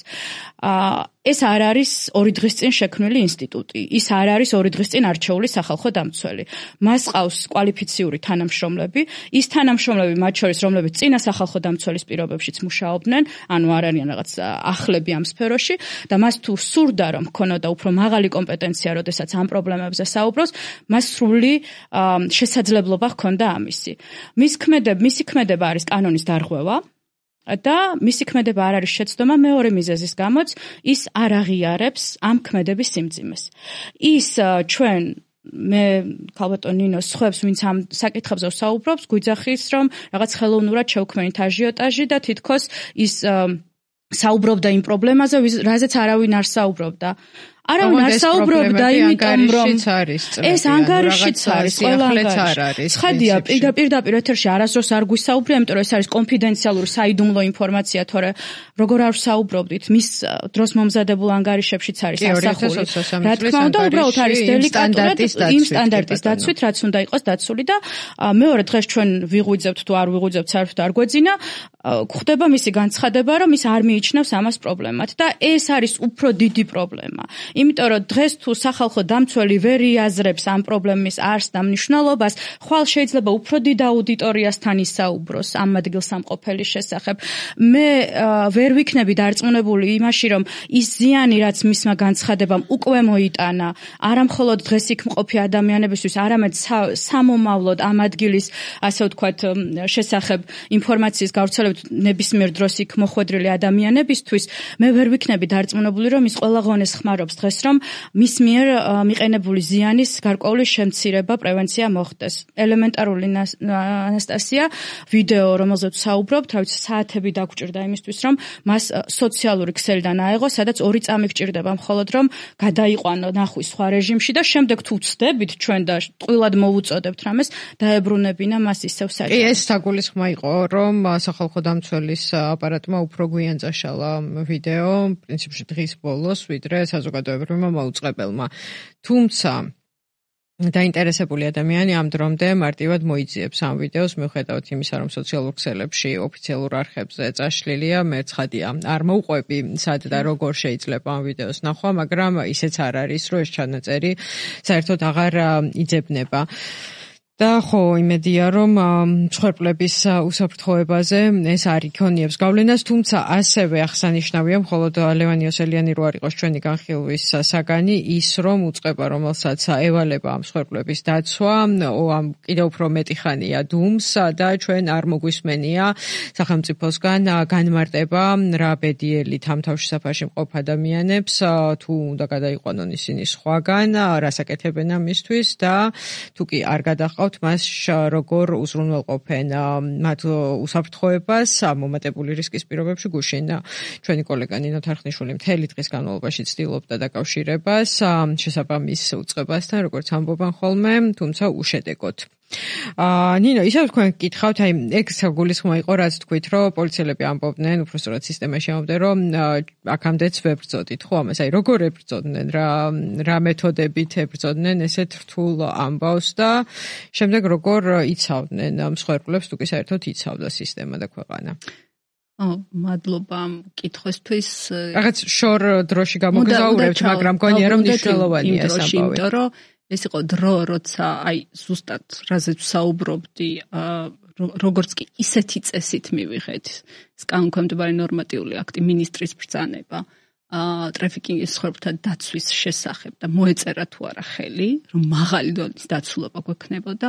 ეს არ არის 2 დღის წინ შექმნილი ინსტიტუტი. ის არ არის 2 დღის წინ არჩეული სახალხო დამცველი. მას ყავს კვალიფიციური თანამშრომლები. ის თანამშრომლები მათ შორის, რომლებიც წინა სახალხო დამცველის პირობებშიც მუშაობდნენ, ანუ არ არიან რაღაც ახლები ამ სფეროში და მას თუ სურდა რომ ქონოდა უფრო მაღალი კომპეტენცია, როდესაც ამ პრობლემებზე საუბრობს, მას სრული შესაძლებლობა ჰქონდა ამისი. მისი ქმედება არის კანონის დარღვევა. და მისი ქმედება არ არის შეცდომა მეორე მიზეზის გამოც ის არ აღიარებს ამ ქმედების სიმძიმეს. ის ჩვენ მე ქალბატონ ნინოს ხვებს ვინც ამ საკითხებზე საუბრობს გვიძახის რომ რაღაც ხელოვნურად შევქმნით აჟიოტაჟი და თითქოს ის საუბრობდა იმ პრობლემაზე რაზეც არავინ არ საუბრობდა. არავინ არ საუბრობდა იმიტომ რომ ეს ანგარიშიც არის ყველა ანგარიში. ცხადია პირდაპირ ეთერში არასდროს არ გვისაუბრია, იმიტომ რომ ეს არის კონფიდენციალური საიდუმლო ინფორმაცია, თორე როგორ არ საუბრობდით, მის დროს მომზადებულ ანგარიშებშიც არის ასახული. რა თქმა უნდა, უბრალოდ არის დელიკატურად იმ სტანდარტის დაცვით, რაც უნდა იყოს დაცული და მეორე დღეს ჩვენ ვიღვიძებთ თუ არ ვიღვიძებთ, საერთოდ არ გვეძინა, გვხდება მისი განცხადება, რომ ის არ მიიჩნევს ამას პრობლემად და ეს არის უფრო დიდი პრობლემა. იმიტომ რომ დღეს თუ სახალხო დამცველი ვერ იაზრებს ამ პრობლემის არსს და მნიშვნელობას, ხვალ შეიძლება უფრო დიდ აუდიტორიასთან ისაუბროს ამ ადგილსამყოფელის შესახებ. მე ვერ ვიქნები დარწმუნებული იმაში, რომ ის ზიანი, რაც მისმა განცხადებამ უკვე მოიტანა, არა მხოლოდ დღეს იქ მყოფი ადამიანებისთვის, არამედ სამომავლოდ ამ ადგილის, ასე ვთქვათ, შესახებ ინფორმაციის გავრცელებით ნებისმიერ დროს იქ მოხვედრილი ადამიანებისთვის, მე ვერ ვიქნები დარწმუნებული, რომ ის ყველა ღონეს ხმარობს დღეს, რომ მის მიერ მიყენებული ზიანის გარკვეული შემცირება, პრევენცია მოხდეს. ელემენტარული ანასტასია ვიდეო, რომელზეც საუბრობთ, რა ვიცი, საათები დაგჭირდა იმისთვის, რომ მას სოციალური ქსელიდან აეღო, სადაც 2 წამი გჭირდება მხოლოდ, რომ გადაიყვანო ნახვის სხვა რეჟიმში და შემდეგ თუ ვწდებით ჩვენ და ტყუილად მოვუწოდებთ რამეს, დაებრუნებინა მას ისევ საჭირო. ეს საგულისხმო იყო, რომ სახალხო დამცველის აპარატმა უფრო გვიან წაშალა ვიდეო, პრინციპში დღის ბოლოს, ვიდრე საზოგადოებრივმა მოუწყებელმა. თუმცა დაინტერესებული ადამიანი ამ დრომდე მარტივად მოიძიებს ამ ვიდეოს, მიუხედავად იმისა, რომ სოციალურ ქსელებში ოფიციალურ არხებზე წაშლილია, მე ცხადია, არ მოუყვები სად და როგორ შეიძლება ამ ვიდეოს ნახვა, მაგრამ ისეც არ არის, რომ ეს ჩანაწერი საერთოდ აღარ იძებნება. და ხო, იმედია, რომ მსხვერპლების უსაფრთხოებაზე ეს არ იქონიებს გავლენას, თუმცა ასევე აღსანიშნავია, მხოლოდ ლევან იოსელიანი რო არ იყოს ჩვენი განხილვის საგანი, ის რომ უწყება, რომელსაც ევალება ამ მსხვერპლების დაცვა, კიდევ უფრო მეტი ხანია დუმს და ჩვენ არ მოგვისმენია სახელმწიფოსგან განმარტება რა ბედიელით ამ თავშესაფარში მყოფ ადამიანებს, თუ უნდა გადაიყვანონ ისინი სხვაგან, რას აკეთებენ ამისთვის და თუ კი არ გადაჰყავთ მას როგორ უზრუნველყოფენ მათ უსაფრთხოებას მომატებული რისკის პირობებში. გუშინ ჩვენი კოლეგა ნინო თარხნიშვილი მთელი დღის განმავლობაში ცდილობდა დაკავშირებას შესაბამის უწყებასთან, როგორც ამბობენ ხოლმე, თუმცა უშედეგოდ. ნინო, ისევ თქვენ გკითხავთ, ეგ საგულისხმო იყო, რაც თქვით, რომ პოლიციელები ამბობდნენ, უბრალოდ სისტემაში ამბობდნენ, რომ აქამდეც ვებრძოდით, ხო, ამას როგორ ებრძოდნენ, რა მეთოდებით ებრძოდნენ ესეთ რთულ ამბავს და შემდეგ როგორ იცავდნენ მსხვერპლებს, თუ კი საერთოდ იცავდა სისტემა და ქვეყანა. მადლობა კითხვისთვის. რაღაც შორ დროში გამოგზაურებთ, მაგრამ გონია რომ მნიშვნელოვანია ეს ამბავი. იმიტომ რომ ეს იყო დრო, როცა ზუსტად რაზეც ვსაუბრობდი, როგორც კი ისეთი წესით მივიღეთ ეს კანონქვემდებარე ნორმატიული აქტი მინისტრის ბრძანება ტრაფიკინგის მსხვერპლთა დაცვის შესახებ და მოეწერა თუ არა ხელი, რომ მაღალი დონის დაცულობა გვექნებოდა,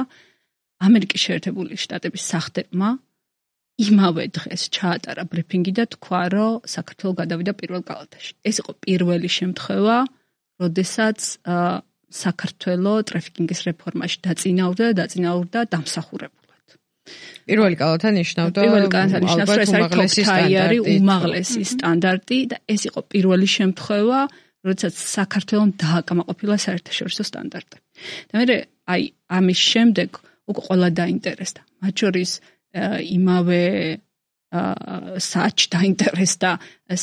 ამერიკის შეერთებული შტატების სახდებმა იმავე დღეს ჩაატარა ბრიფინგი და თქვა, რომ საქართველო გადავიდა პირველ კალათაში. ეს იყო პირველი შემთხვევა, როდესაც საქართველო ტრაფიკინგის რეფორმაში დაწინაურდა დამსახურებულად. პირველი კალათა ნიშნავდა უმაღლესი სტანდარტი და ეს იყო პირველი შემთხვევა, როდესაც საქართველომ დააკმაყოფილა საერთაშორისო სტანდარტები. და მე ამის შემდეგ უკვე ყველა დაინტერესდა. მათ შორის იმავე საათში დაინტერესდა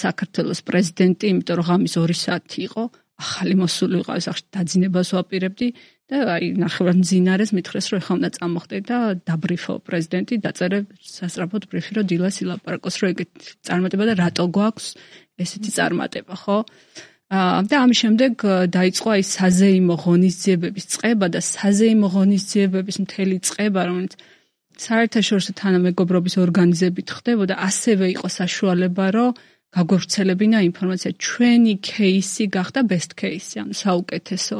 საქართველოს პრეზიდენტი, იმიტომ რომ ღამის 2 საათი იყო, ახალი მოსული იყო სახში დაძინებას ვაპირებდი და ნახევრად მძინარეს მითხრეს, რომ ეხლა უნდა წამოხდე და დაბრიფო პრეზიდენტი, დაწერე სასწრაფოდ ბრიფი, რომ დილას ილაპარაკოს, რომ ეგეთი წარმატება და რატო გვაქვს ესეთი წარმატება, ხო? და ამის შემდეგ დაიწყო საზეიმო ღონისძიებების წყება და საზეიმო ღონისძიებების მთელი წყება, რომელიც საერთაშორისო თანამეგობრობის ორგანიზებით ხდებოდა, ასევე იყო საშუალება, რომ გაგვევრცელებინა ინფორმაცია. ჩვენი кейსი გახდა best case, ანუ საუკეთესო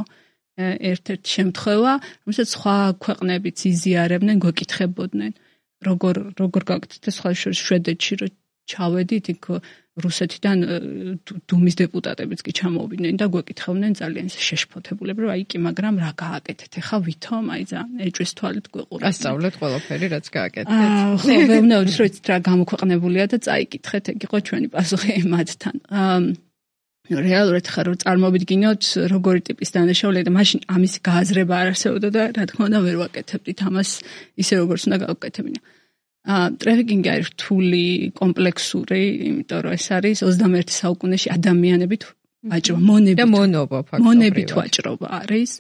ერთ-ერთი შემთხვევა, რომელსაც სხვა ქვეყნებიც იზიარებდნენ, გვეკითხებოდნენ, როგორ გაკეთეთ სხვა შორის შვედეთში, რომ ჩავედით, იქ რუსეთიდან დუმის დეპუტატებიც კი ჩამოვიდნენ და გვეკითხებდნენ ძალიან შეშფოთებულები, რომ კი, მაგრამ რა გააკეთეთ? ეხა ვითომ ძალიან ეჭვის თვალით გვეყურებთ. ასწავლეთ ყველაფერი, რაც გააკეთეთ. ხო, ვეუბნებოდით, რომ იცით რა გამოქვეყნებულია და წაიკითხეთ, ეგ იყო ჩვენი პასუხი მათთან. რეალურად ხარ რომ წარმოვიდგინოთ, როგორი ტიპის დანაშაულია და მაშინ ამის გააზრება არ არსებობდა და რა თქმა უნდა ვერ ვაკეთებდით ამას ისე როგორც უნდა გავაკეთებინა. ტრაფიკინგი არის რთული, კომპლექსური, იმიტომ რომ ეს არის 21 საუკუნეში ადამიანებით ვაჭრობა, მონებით ვაჭრობა არის.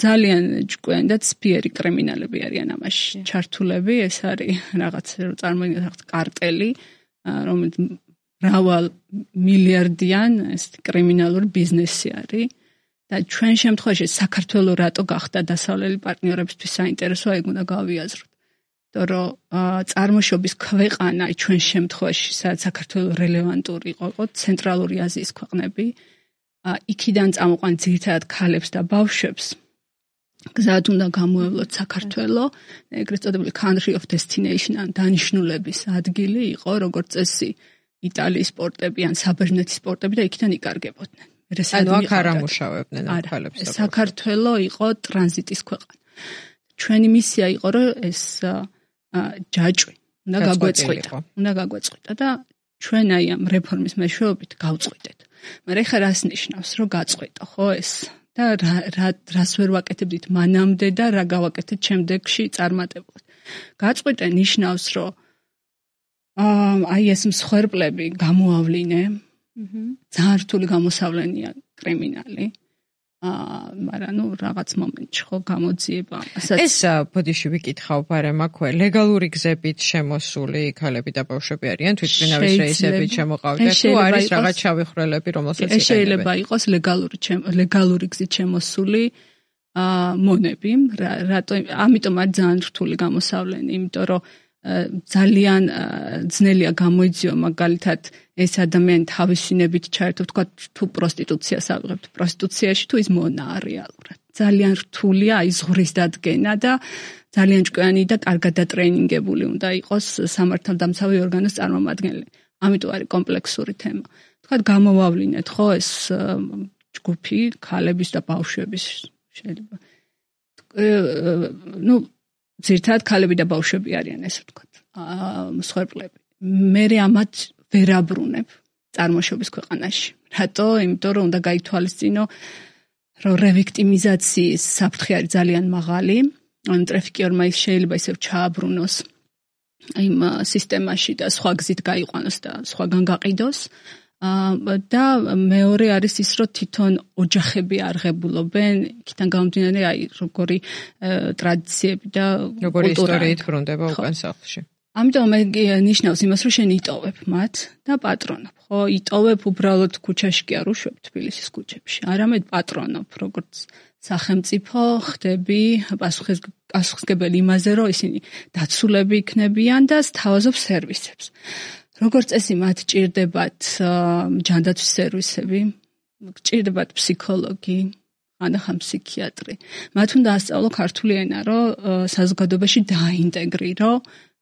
ძალიან ჭკვიანი და ცფიერი კრიმინალები არიან ამაში ჩართულები, ეს არის რაღაც წარმოიდგინეთ კარტელი, რომელიც მრავალ მილიარდიან ეს კრიმინალური ბიზნესი არის და ჩვენ შემთხვევაში საქართველოს რატო გახდა დასავლელი პარტნიორებისთვის საინტერესო, ეგ უნდა გავიაზროთ. რომ წარმოშობის ქვეყანა ჩვენ შემთხვევაში სადაც საქართველოს რელევანტური იყო ცენტრალური აზიის ქვეყნები, იქიდან წამოყვან ძირითადად ქალებს და ბავშვებს გზად უნდა გამოევლოთ საქართველო, ეგრეთ წოდებული country of destination, ან დანიშნულების ადგილი იყო როგორც წესი იტალიის პორტები ან საბერძნეთის პორტები და იქიდან იკარგებოდნენ. ანუ აქ არ ამუშავებდნენ ქალებს და საქართველო იყო ტრანზიტის ქვეყანა. ჩვენი მისია იყო რომ ეს ჯაჭვი უნდა გაგვეწყვიტა და ჩვენ ამ რეფორმის მეშვეობით გავწყვიტეთ. მაგრამ ეხლა რას ნიშნავს რომ გაწყვიტა, ხო ეს? და რას ვერ ვაკეთებდით მანამდე და რა გავაკეთეთ შემდეგში წარმატებულად. გაწყვიტა ნიშნავს რომ ეს მსხვერპლები გამოავლინე. ძალიან რთული გამოსავლენია კრიმინალი. მაგრამ რაღაც მომენტში ხო გამოძიება. ეს ბოდიში ვიკითხავ ბარემაქვე, ლეგალური გზებით შემოსული ქალები და ბავშვები არიან თვითმფრინავის რეისებით შემოყავდეთ თუ არის რაღაც შავი რომელსაც ეს შეიძლება იყოს ლეგალური გზით შემოსული მონები, ამიტომ არის ძალიან რთული გამოსავლენი, იმიტომ რომ ძალიან ძნელია გამოიძიო მაგალითად ეს ადამიანი თავისინებით ჩაერთო, თქვა თუ პროსტიტუციას ავიღებთ, პროსტიტუციაში თუ ის მონაა რეალურად. ძალიან რთულია აი ზღრის დადგენა და ძალიან ჭკვიანი და კარგად დატრეინინგებული უნდა იყოს სამართალდამცავი ორგანოს წარმომადგენელი. ამიტომ არის კომპლექსური თემა. თქვა გამოვავლინეთ ხო ეს ჯგუფი ქალების და ბავშვების შეიძლება. ძირითადად ქალები და ბავშვები არიან ესე ვთქვათ, მსხვერპლები. მე ამათ ვერ აბრუნებ წარმოშობის ქვეყანაში. რატო? იმიტომ რომ უნდა გაითვალისწინო, რომ რევიქტიმიზაციის საფრთხე არის ძალიან მაღალი. ან ტრაფიკერმა შეიძლება ისევ ჩააბრუნოს იმ სისტემაში და სხვა გზით გაიყვანოს და სხვაგან გაყიდოს. და მეორე არის ის, რომ თვითონ ოჯახები არღებულობენ, იქიდან გამომდინარე, აი, როგორი ტრადიციები და როგორი ისტორიით ბრუნდება უკან სახლში. ამიტომ მე ნიშნავს იმას, რომ შენ იტოვებ მათ და პატრონობ, ხო? იტოვებ უბრალოდ ქუჩაში კი არ უშვებ თბილისის ქუჩებში, არამედ პატრონობ, როგორც სახელმწიფო ხდები პასუხისმგებელი იმაზე, რომ ისინი დაცულები იქნებიან და სთავაზობ სერვისებს. როგორც წესი მათ ჭირდებათ ჯანდაცვის სერვისები, ჭირდებათ ფსიქოლოგი, ანახან ფსიქიატრი. მათ უნდა ასწავლო ქართული ენა, რომ საზოგადოებაში დააინტეგრირო,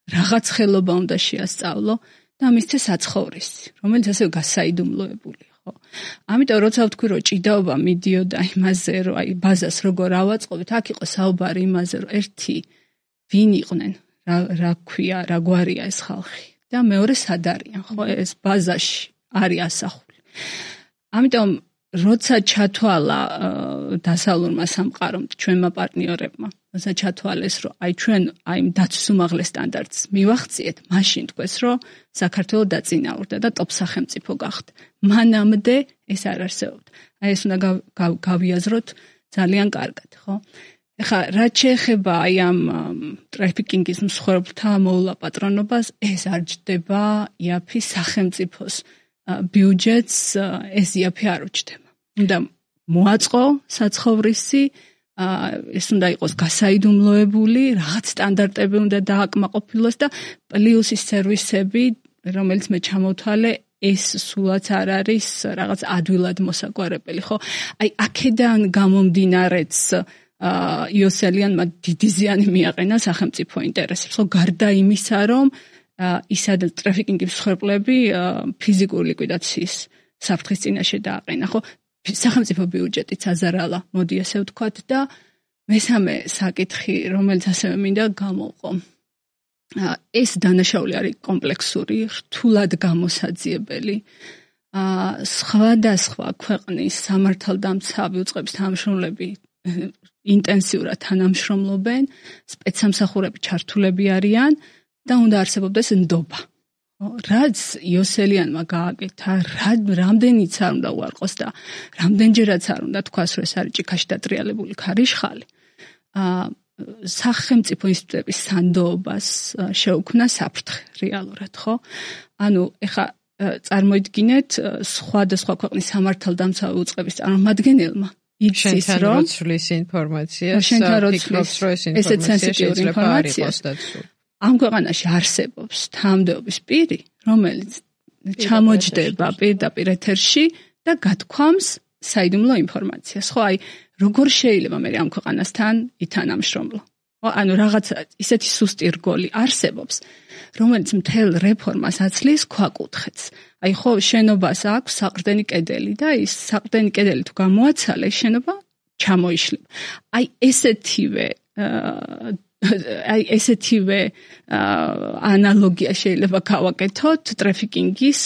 რაღაც ხელობა უნდა შეასწავლო და მისცეს საცხოვრისი, რომელიც ასე გასაიდუმლოებული, ხო? ამიტომ როცა ვთქვი, რომ ჭიდაობა მიდიოდა იმაზე, რომ აი ბაზას როგორ ავაწყობთ, აქ იყო საუბარი იმაზე, რომ ერთი ვინ იყვნენ, რა ქვია, რა გვარია ეს ხალხი და მეორე სად არიან, ხო? ეს ბაზაში არის ასახული. ამიტომ როცა ჩათვალა დასავლურმა სამყარომ, ჩვენმა პარტნიორებმა, როცა ჩათვალეს, რომ აი ჩვენ აი დაცვის უმაღლეს სტანდარტს მივახციეთ, მაშინ თქვეს, რომ საქართველო დაწინაურდა და ტოპ სახელმწიფო გახდა. მანამდე ეს არ არსებობდა. აი ეს უნდა გავიაზროთ ძალიან კარგად, ხო? ეხლა რაც შეეხება აი ამ ტრაფიკინგის მსხვერპლთა მოვლა პატრონობას, ეს არ ჯდება იაფის სახელმწიფოს ბიუჯეტს, ეს იაფი არ უჩდება. უნდა მოაწყო საცხოვრისი, ეს უნდა იყოს გასაიდუმლოებული, რაღაც სტანდარტები უნდა დააკმაყოფილოს და პლუს ის სერვისები, რომელიც მე ჩამოვთვალე, ეს სულაც არ არის რაღაც ადვილად მოსაგვარებელი, ხო? აი აქედან გამომდინარეც იოსელიანმა დიდი ზიანი მიაყენა სახელმწიფო ინტერესებს, ხო? გარდა იმისა, რომ ისად ტრაფიკინგის მსხვერპლები ფიზიკური ლიკვიდაციის საფრთხის წინაშე დააყენა, ხო? სახელმწიფო ბიუჯეტიც აზარალა, მოდი ასე ვთქვათ და მესამე საკითხი, რომელიც ასევე მინდა გამოვყო. ეს დანაშაული არის კომპლექსური, რთულად გამოსაძიებელი. სხვადასხვა ქვეყნის სამართალდამცავი უწყების თანამშრომლები ინტენსიურად თანამშრომლობენ, სპეცსამსახურები ჩართულები არიან და უნდა არსებობდეს ნდობა. რაც იოსელიანმა გააკეთა, რამდენიც არ უნდა უარყოს და რამდენჯერაც არ უნდა თქვას, რომ ეს არის ჭიქაში დატრიალებული ქარიშხალი. სახელმწიფო ინსტიტუტების სანდოობას შეუქმნა საფრთხე რეალურად, ხო? ანუ ეხა წარმოიდგინეთ სხვადასხვა ქვეყნის სამართალდამცავი უწყების წარმომადგენელმა იცის, რომ შენთან ინფორმაციას ფიქრობს, რომ ეს ინფორმაცია შეიძლება არ იყოს დაცული. ამ ქვეყანაში არსებობს თანამდებობის პირი, რომელიც ჩამოჯდება პირდაპირ ეთერში და გათქვამს საიდუმლო ინფორმაციას. ხო, აი, როგორ შეიძლება მე ამ ქვეყანასთან ითანამშრომლო? ხო, ანუ რაღაცა ისეთი სუსტი რგოლი არსებობს, რომელიც მთელ რეფორმას აცლის ქვაკუთხედს. აი, ხო, შენობას აქვს საყრდენი კედელი და ის საყრდენი კედელი თუ გამოაცალე, შენობა ჩამოიშლება. აი, ესეთივე ანალოგია შეიძლება გავაკეთოთ ტრაფიკინგის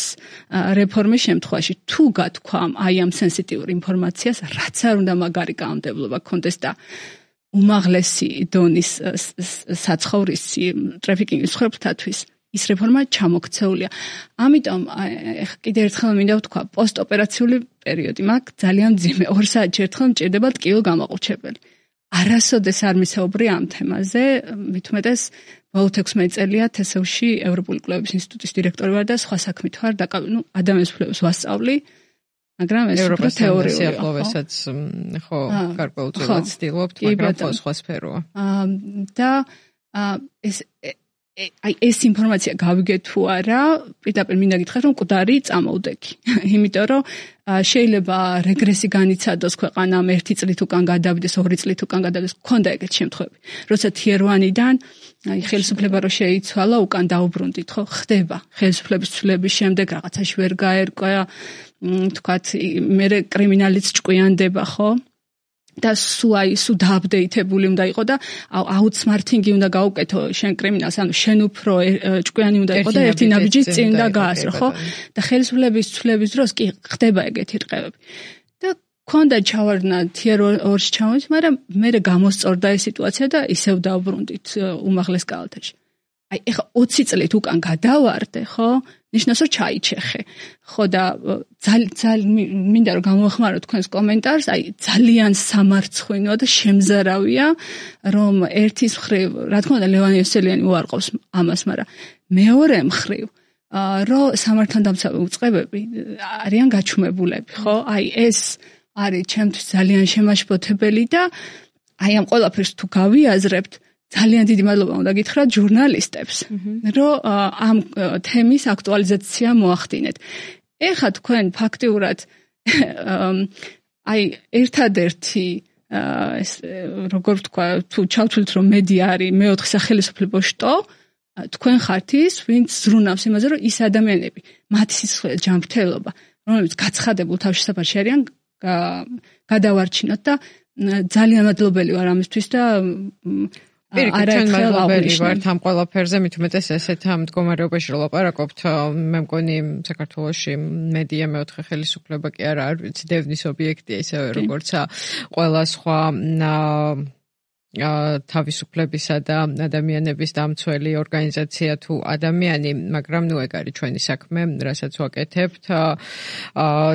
რეფორმის შემთხვევაში. თუ გათქვამ აი ამ სენსიტიურ ინფორმაციას, რაც არ უნდა მაგარი კანონმდებლობა გქონდეს და უმაღლესი დონის საცხოვრისი ტრაფიკინგის მსხვერპლთათვის, ის რეფორმა ჩამოქცეულია. ამიტომ კიდევ ერთხელ მინდა ვთქვა, პოსტოპერაციული პერიოდი მაგ ძალიან მძიმე 2 საათში ერთხელ მჭირდება ტკივილ გამაყურჩებელი. არასოდეს არ მისაუბრე ამ თემაზე, მით უმეტეს ბოლო 16 წელია თესევში ევროპული კვლევების ინსტიტუტის დირექტორი ვარ და სხვა საქმით ვარ და ადამიანის უფლებებს ვასწავლი, მაგრამ ეს უფრო თეორიულია. სიახლოვესაც ხო, გარკვეულწილად ვცდილობთ, მაგრამ ხო სხვა სფეროა. და ეს ინფორმაცია გავიგე თუ არა, პირდაპირ მინდა გითხრათ, რომ მკვდარი წამოვდექი. იმიტომ რომ შეიძლება რეგრესი განიცადოს ქვეყანამ 1 წლით უკან გადავიდეს, 2 წლით უკან გადავიდეს, გქონდა ეგეთი შემთხვევები. როცა tier 1-დან აი ხელისუფლება რო შეიცვალა, უკან დაუბრუნდით, ხო? ხდება. ხელისუფლების ცვლილების შემდეგ რაღაცაში ვერ გაერკვა, თქვათ, მე კრიმინალიც ჭკვიანდება, ხო? და სუ დააპდეიტებული უნდა იყო და აუთსმართინგი უნდა გაუკეთო შენ კრიმინალს, ანუ შენ უფრო ჭკვიანი უნდა იყო და ერთი ნაბიჯის წინ უნდა გაასრო, ხო? და ხელისუფლების ცვლილების დროს კი ხდება ეგეთი რყევები. და ქონდა ჩავარდნა tier 2-ში ჩამოვით, მაგრამ მე გამოსწორდა ეს სიტუაცია და ისევ დავბრუნდით უმაღლეს კალათაში. აი ეხა 20 წლით უკან გადავარდე, ხო? ნიშნავს რომ ჩაიჩეხე. ხო და მინდა რომ გამოვხმარო თქვენს კომენტარს, აი ძალიან სამარცხვინო და შემზარავია რომ ერთის მხრივ, რა თქმა უნდა ლევან იოსელიანი უარყოფს ამას, მაგრამ მეორე მხრივ რომ სამართალდამცავი უწყებები არიან გაჩუმებულები, ხო? აი ეს არის ჩემთვის ძალიან შემაშფოთებელი და აი ამ ყველაფერს თუ გავიაზრებთ, ძალიან დიდი მადლობა უნდა გითხრათ ჟურნალისტებს, რომ ამ თემის აქტუალიზაცია მოახდინეთ. ეხლა თქვენ ფაქტიურად აი ერთადერთი ეს როგორ ვთქვა, თუ ჩავთვლით რომ მედია არის მეოთხე სახელმწიფო შტო, თქვენ ხართ ის, ვინც ზრუნავს იმაზე, რომ ის ადამიანები, მათი სისხლის ჯანმრთელობა, რომლებიც გაცხადებულ თავშესაფარში არიან, გადავარჩინოთ და ძალიან მადლობელი ვარ ამისთვის და ჩვენ მადლობელი ვართ ამ ყველაფერზე, მით უმეტეს ესეთ მდგომარეობაში რომ ლაპარაკობთ, მე მგონი საქართველოში მედია მეოთხე ხელისუფლება კი არა, არ ვიცი, დევნის ობიექტია ისევე როგორც ყველა სხვა თავისუფლებისა და ადამიანების დამცველი ორგანიზაცია თუ ადამიანი, მაგრამ ნუ ეგ არის ჩვენი საქმე, რასაც ვაკეთებთ.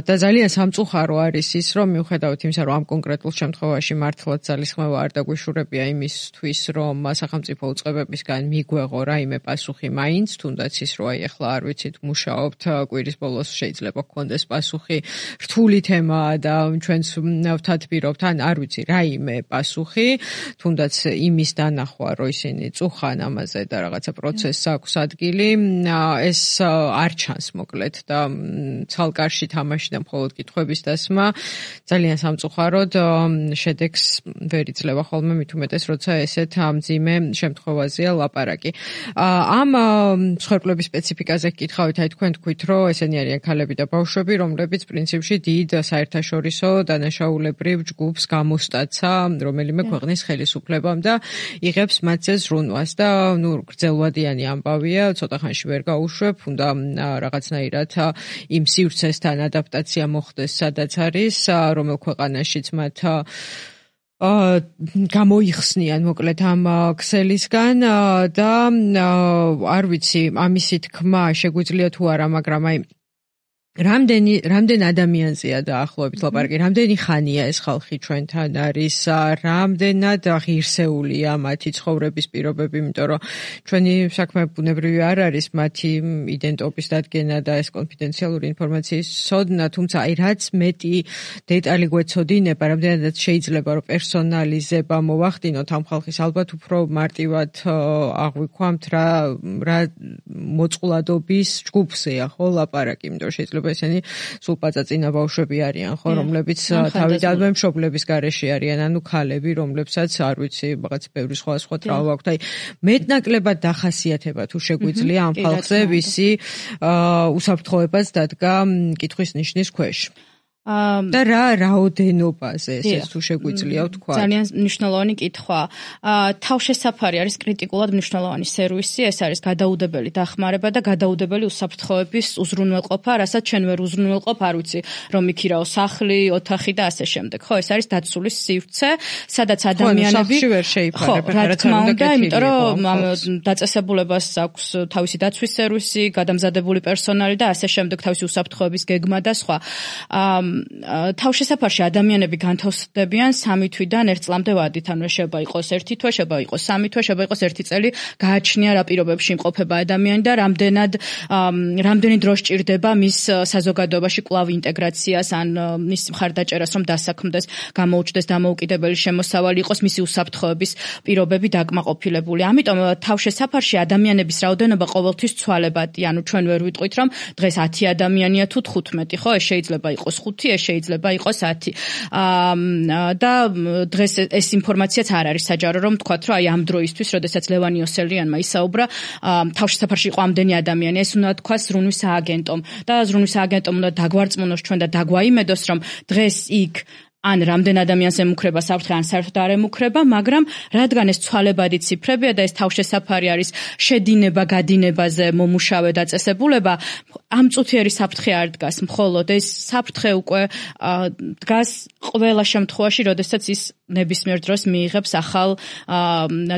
და ძალიან სამწუხარო არის ის, რომ მიუხედავად იმისა, რომ ამ კონკრეტულ შემთხვევაში მართლაც ძალისხმევა არ დაგვიშურებია იმისთვის, რომ სახელმწიფო უწყებებისგან მიგვეღო რაიმე პასუხი მაინც, თუნდაც ის, რომ აი ახლა არ ვიცით, მუშაობთ, კვირის ბოლოს შეიძლება გქონდეს პასუხი, რთული თემაა და ჩვენც ვთათბირობთ, ან არ ვიცი, რაიმე პასუხი, თუნდაც იმის დანახვა, რომ ისინი წუხან ამაზე და რაღაცა პროცესს აქვს ადგილი, ეს არ ჩანს მოკლედ და ცალკარში თამაში და მხოლოდ კითხვების დასმა ძალიან სამწუხაროდ შედეგს ვერ იძლევა ხოლმე, მით უმეტეს, როცა ესეთ მძიმე შემთხვევაზეა ლაპარაკი. ამ მსხვერპლების სპეციფიკაზე გკითხავით, აი თქვენ თქვით, რომ ესენი არიან ქალები და ბავშვები, რომლებიც პრინციპში დიდ საერთაშორისო დანაშაულებრივ ჯგუფს გამოსტაცა რომელიმე ქვეყნის ხელისუფლებამ და იღებს მათზე ზრუნვას და ნუ გრძელვადიანი ამბავია, ცოტა ხანში ვერ გაუშვებ, უნდა რაღაცნაირად იმ სივრცესთან ადაპტაცია მოხდეს, სადაც არის, რომელ ქვეყანაშიც მათ გამოიხსნიან მოკლედ ამ ქსელისგან და არ ვიცი, ამისი თქმა შეგვიძლია თუ არა, მაგრამ აი რამდენ ადამიანზეა დაახლოებით ლაპარაკი, რამდენი ხანია ეს ხალხი ჩვენთან არის, რამდენად ღირსეულია მათი ცხოვრების პირობები, იმიტომ რომ ჩვენი საქმე ბუნებრივი არ არის მათი იდენტობის დადგენა და ეს კონფიდენციალური ინფორმაციის ცოდნა, თუმცა აი რაც მეტი დეტალი გვეცოდინება, რამდენადაც შეიძლება რომ პერსონალიზება მოვახდინოთ ამ ხალხის, ალბათ უფრო მარტივად აღვიქვამთ რა მოწყვლადობის ჯგუფზეა ხო ლაპარაკი, იმიტომ შეიძლება ესენი სულ პაწაწინა ბავშვები არიან, ხო, რომლებიც თავიდანვე მშობლების გარეშე არიან, ანუ ქალები, რომლებსაც არ ვიცი, რაღაც ბევრი სხვა ტრავმა აქვთ. აი, მეტნაკლებად დახასიათება თუ შეგვიძლია ამ ხალხზე ვისი უსაფრთხოებას დადგა კითხვის ნიშნის ქვეშ. და რაოდენობაზე ეს თუ შეგვიძლია ვთქვა. ძალიან მნიშვნელოვანი კითხვა. თავშესაფარი არის კრიტიკულად მნიშვნელოვანი სერვისი, ეს არის გადაუდებელი დახმარება და გადაუდებელი უსაფრთხოების უზრუნველყოფა, რასაც ჩვენ ვერ უზრუნველყოფ, არ ვიცი, რომ იქირაო სახლი, ოთახი და ასე შემდეგ. ხო, ეს არის დაცული სივრცე, სადაც ადამიანები ვერ შეიფარებ, რა თქმა უნდა, იმიტომ რომ დაწესებულებას აქვს თავისი დაცვის სერვისი, გადამზადებული პერსონალი და ასე შემდეგ, თავისი უსაფრთხოების გეგმა და სხვა. თავშესაფარში ადამიანები განთავსდებიან 3 თვიდან 1 წლამდე ვადით, ანუ შეიძლება იყოს 1 თვე, შეიძლება იყოს 3 თვე, შეიძლება იყოს 1 წელი, გააჩნია რა პირობებში იმყოფება ადამიანი და რამდენი დრო სჭირდება მის საზოგადოებაში კვლავ ინტეგრაციას, ან მის მხარდაჭერას, რომ დასაქმდეს, გამოუჩნდეს დამოუკიდებელი შემოსავალი, იყოს მისი უსაფრთხოების პირობები დაკმაყოფილებული. ამიტომ თავშესაფარში ადამიანების რაოდენობა ყოველთვის ცვალებადია, ანუ ჩვენ ვერ ვიტყვით, რომ დღეს 10 ადამიანია თუ 15, ხო, ეს შეიძლება იყოს 5, ეს შეიძლება იყოს 10. და დღეს ეს ინფორმაციაც არ არის საჯარო, რომ თქვათ, რომ აი ამ დროისთვის, როდესაც ლევან იოსელიანმა ისაუბრა, თავშესაფარში იყო ამდენი ადამიანი, ეს უნდა თქვას ზრუნვის სააგენტომ და ზრუნვის სააგენტომ უნდა დაგვარწმუნოს ჩვენ და დაგვაიმედოს, რომ დღეს იქ ან რამდენ ადამიანს ემუქრება საფრთხე, ან საერთოდ არ ემუქრება, მაგრამ რადგან ეს ცვალებადი ციფრებია და ეს თავშესაფარი არის შედინება, გადინებაზე მომუშავე დაწესებულება, ამ წუთიერი საფრთხე არ დგას, მხოლოდ ეს საფრთხე უკვე დგას ყველა შემთხვევაში, როდესაც ის ნებისმიერ დროს მიიღებს ახალ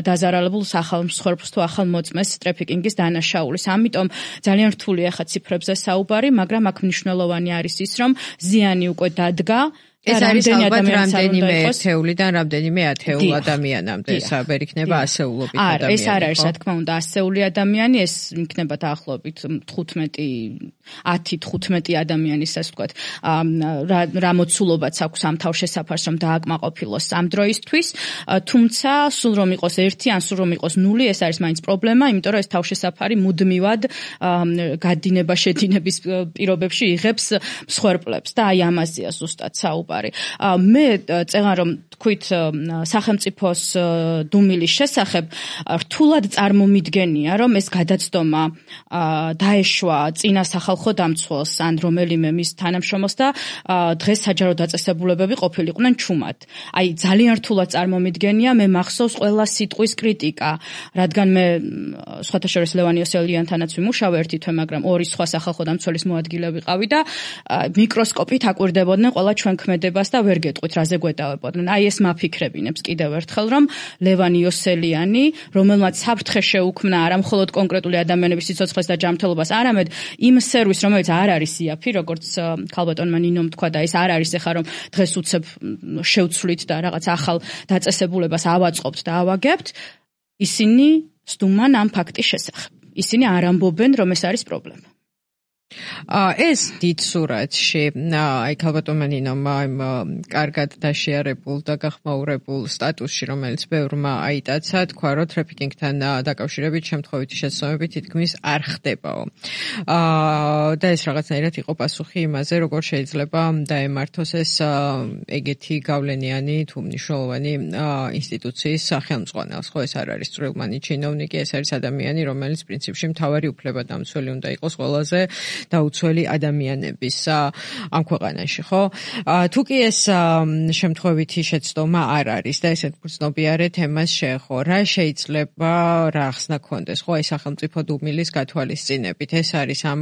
დაზარალებულ ახალ მსხვერპლს თუ ახალ მოწმეს ტრაფიკინგის დანაშაულის. ამიტომ ძალიან რთულია ხა ციფრებზე საუბარი, მაგრამ აქ მნიშვნელოვანი არის ის, რომ ზიანი უკვე დადგა. ეს არის ალბათ რამდენიმე ერთეულიდან რამდენიმე ათეულ ადამიანამდე, საბერ იქნება ასეულობით ადამიანი. ეს არ არის, რა თქმა უნდა, ასეული ადამიანი, ეს იქნება დაახლოებით 10-15 ადამიანის, ასე ვთქვათ, რა მოცულობაც აქვს ამ თავშესაფარს, რომ დააკმაყოფილოს ამ დროისთვის, თუმცა სულ რომ იყოს 1, ან სულ რომ იყოს 0, ეს არის მაინც პრობლემა, იმიტომ რომ ეს თავშესაფარი მუდმივად გადინება შედინების პირობებში იღებს მსხვერპლებს და აი ამაზეა ზუსტად საუბარი. მე წეღან რომ თქვით სახელმწიფოს დუმილის შესახებ რთულად წარმომიდგენია, რომ ეს გადაცდომა დაეშვა წინა სახალხო დამცველს ან რომელიმე მის თანამშრომელს და დღეს საჯარო დაწესებულებები ყოფილიყვნენ ჩუმად. აი ძალიან რთულად წარმომიდგენია, მე მახსოვს ყველა სიტყვის კრიტიკა, რადგან მე სხვათა შორის ლევან იოსელიანთანაც ვიმუშავე ერთი თვე, მაგრამ ორი სხვა სახალხო დამცველის მოადგილე ვიყავი და მიკროსკოპით აკვირდებოდნენ ყველა ჩვენ ქმედებას და ვერ გეტყვით რაზე გვეტავებოდნენ. აი ეს მაფიქრებინებს კიდევ ერთხელ, რომ ლევან იოსელიანი, რომელმაც საფრთხე შეუქმნა არა მხოლოდ კონკრეტული ადამიანების სიცოცხლეს და ჯანმრთელობას, არამედ იმ სერვისს, რომელიც არ არის იაფი, როგორც ქალბატონმა ნინომ თქვა და ეს არ არის ეხა რომ დღეს უცებ შევცვლით და რაღაც ახალ დაწესებულებას ავაწყობთ და ავაგებთ, ისინი სტუმან ამ ფაქტის შესახებ. ისინი არ ამბობენ, რომ ეს არის პრობლემა. ეს დიდ სურათში, აი ქალბატონმა ნინომ კარგად დაშიარებულ და გახმაურებულ სტატუსში, რომელიც ბევრმა აიტაცა, თქვა, რომ ტრაფიკინგთან დაკავშირებით შემთხვევითი შეცდომები თითქმის არ ხდებაო. და ეს რაღაცნაირად იყო პასუხი იმაზე, როგორ შეიძლება დაემართოს ეს ეგეთი გავლენიანი თუ მნიშვნელოვანი ინსტიტუციის სახელმძღვანელს. ხო, ეს არ არის წვრილმანი ჩინოვნიკი, ეს არის ადამიანი, რომელიც პრინციპში მთავარი უფლებადამცველი უნდა იყოს ყველაზე დაუცველი ადამიანების ამ ქვეყანაში, ხო? თუკი ეს შემთხვევითი შეცდომა არ არის და ესეთ გრძნობიარე თემას შეეხო, რა შეიძლება რა ახსნა ქონდეს, ხო? ეს სახელმწიფო დუმილის გათვალისწინებით, ეს არის ამ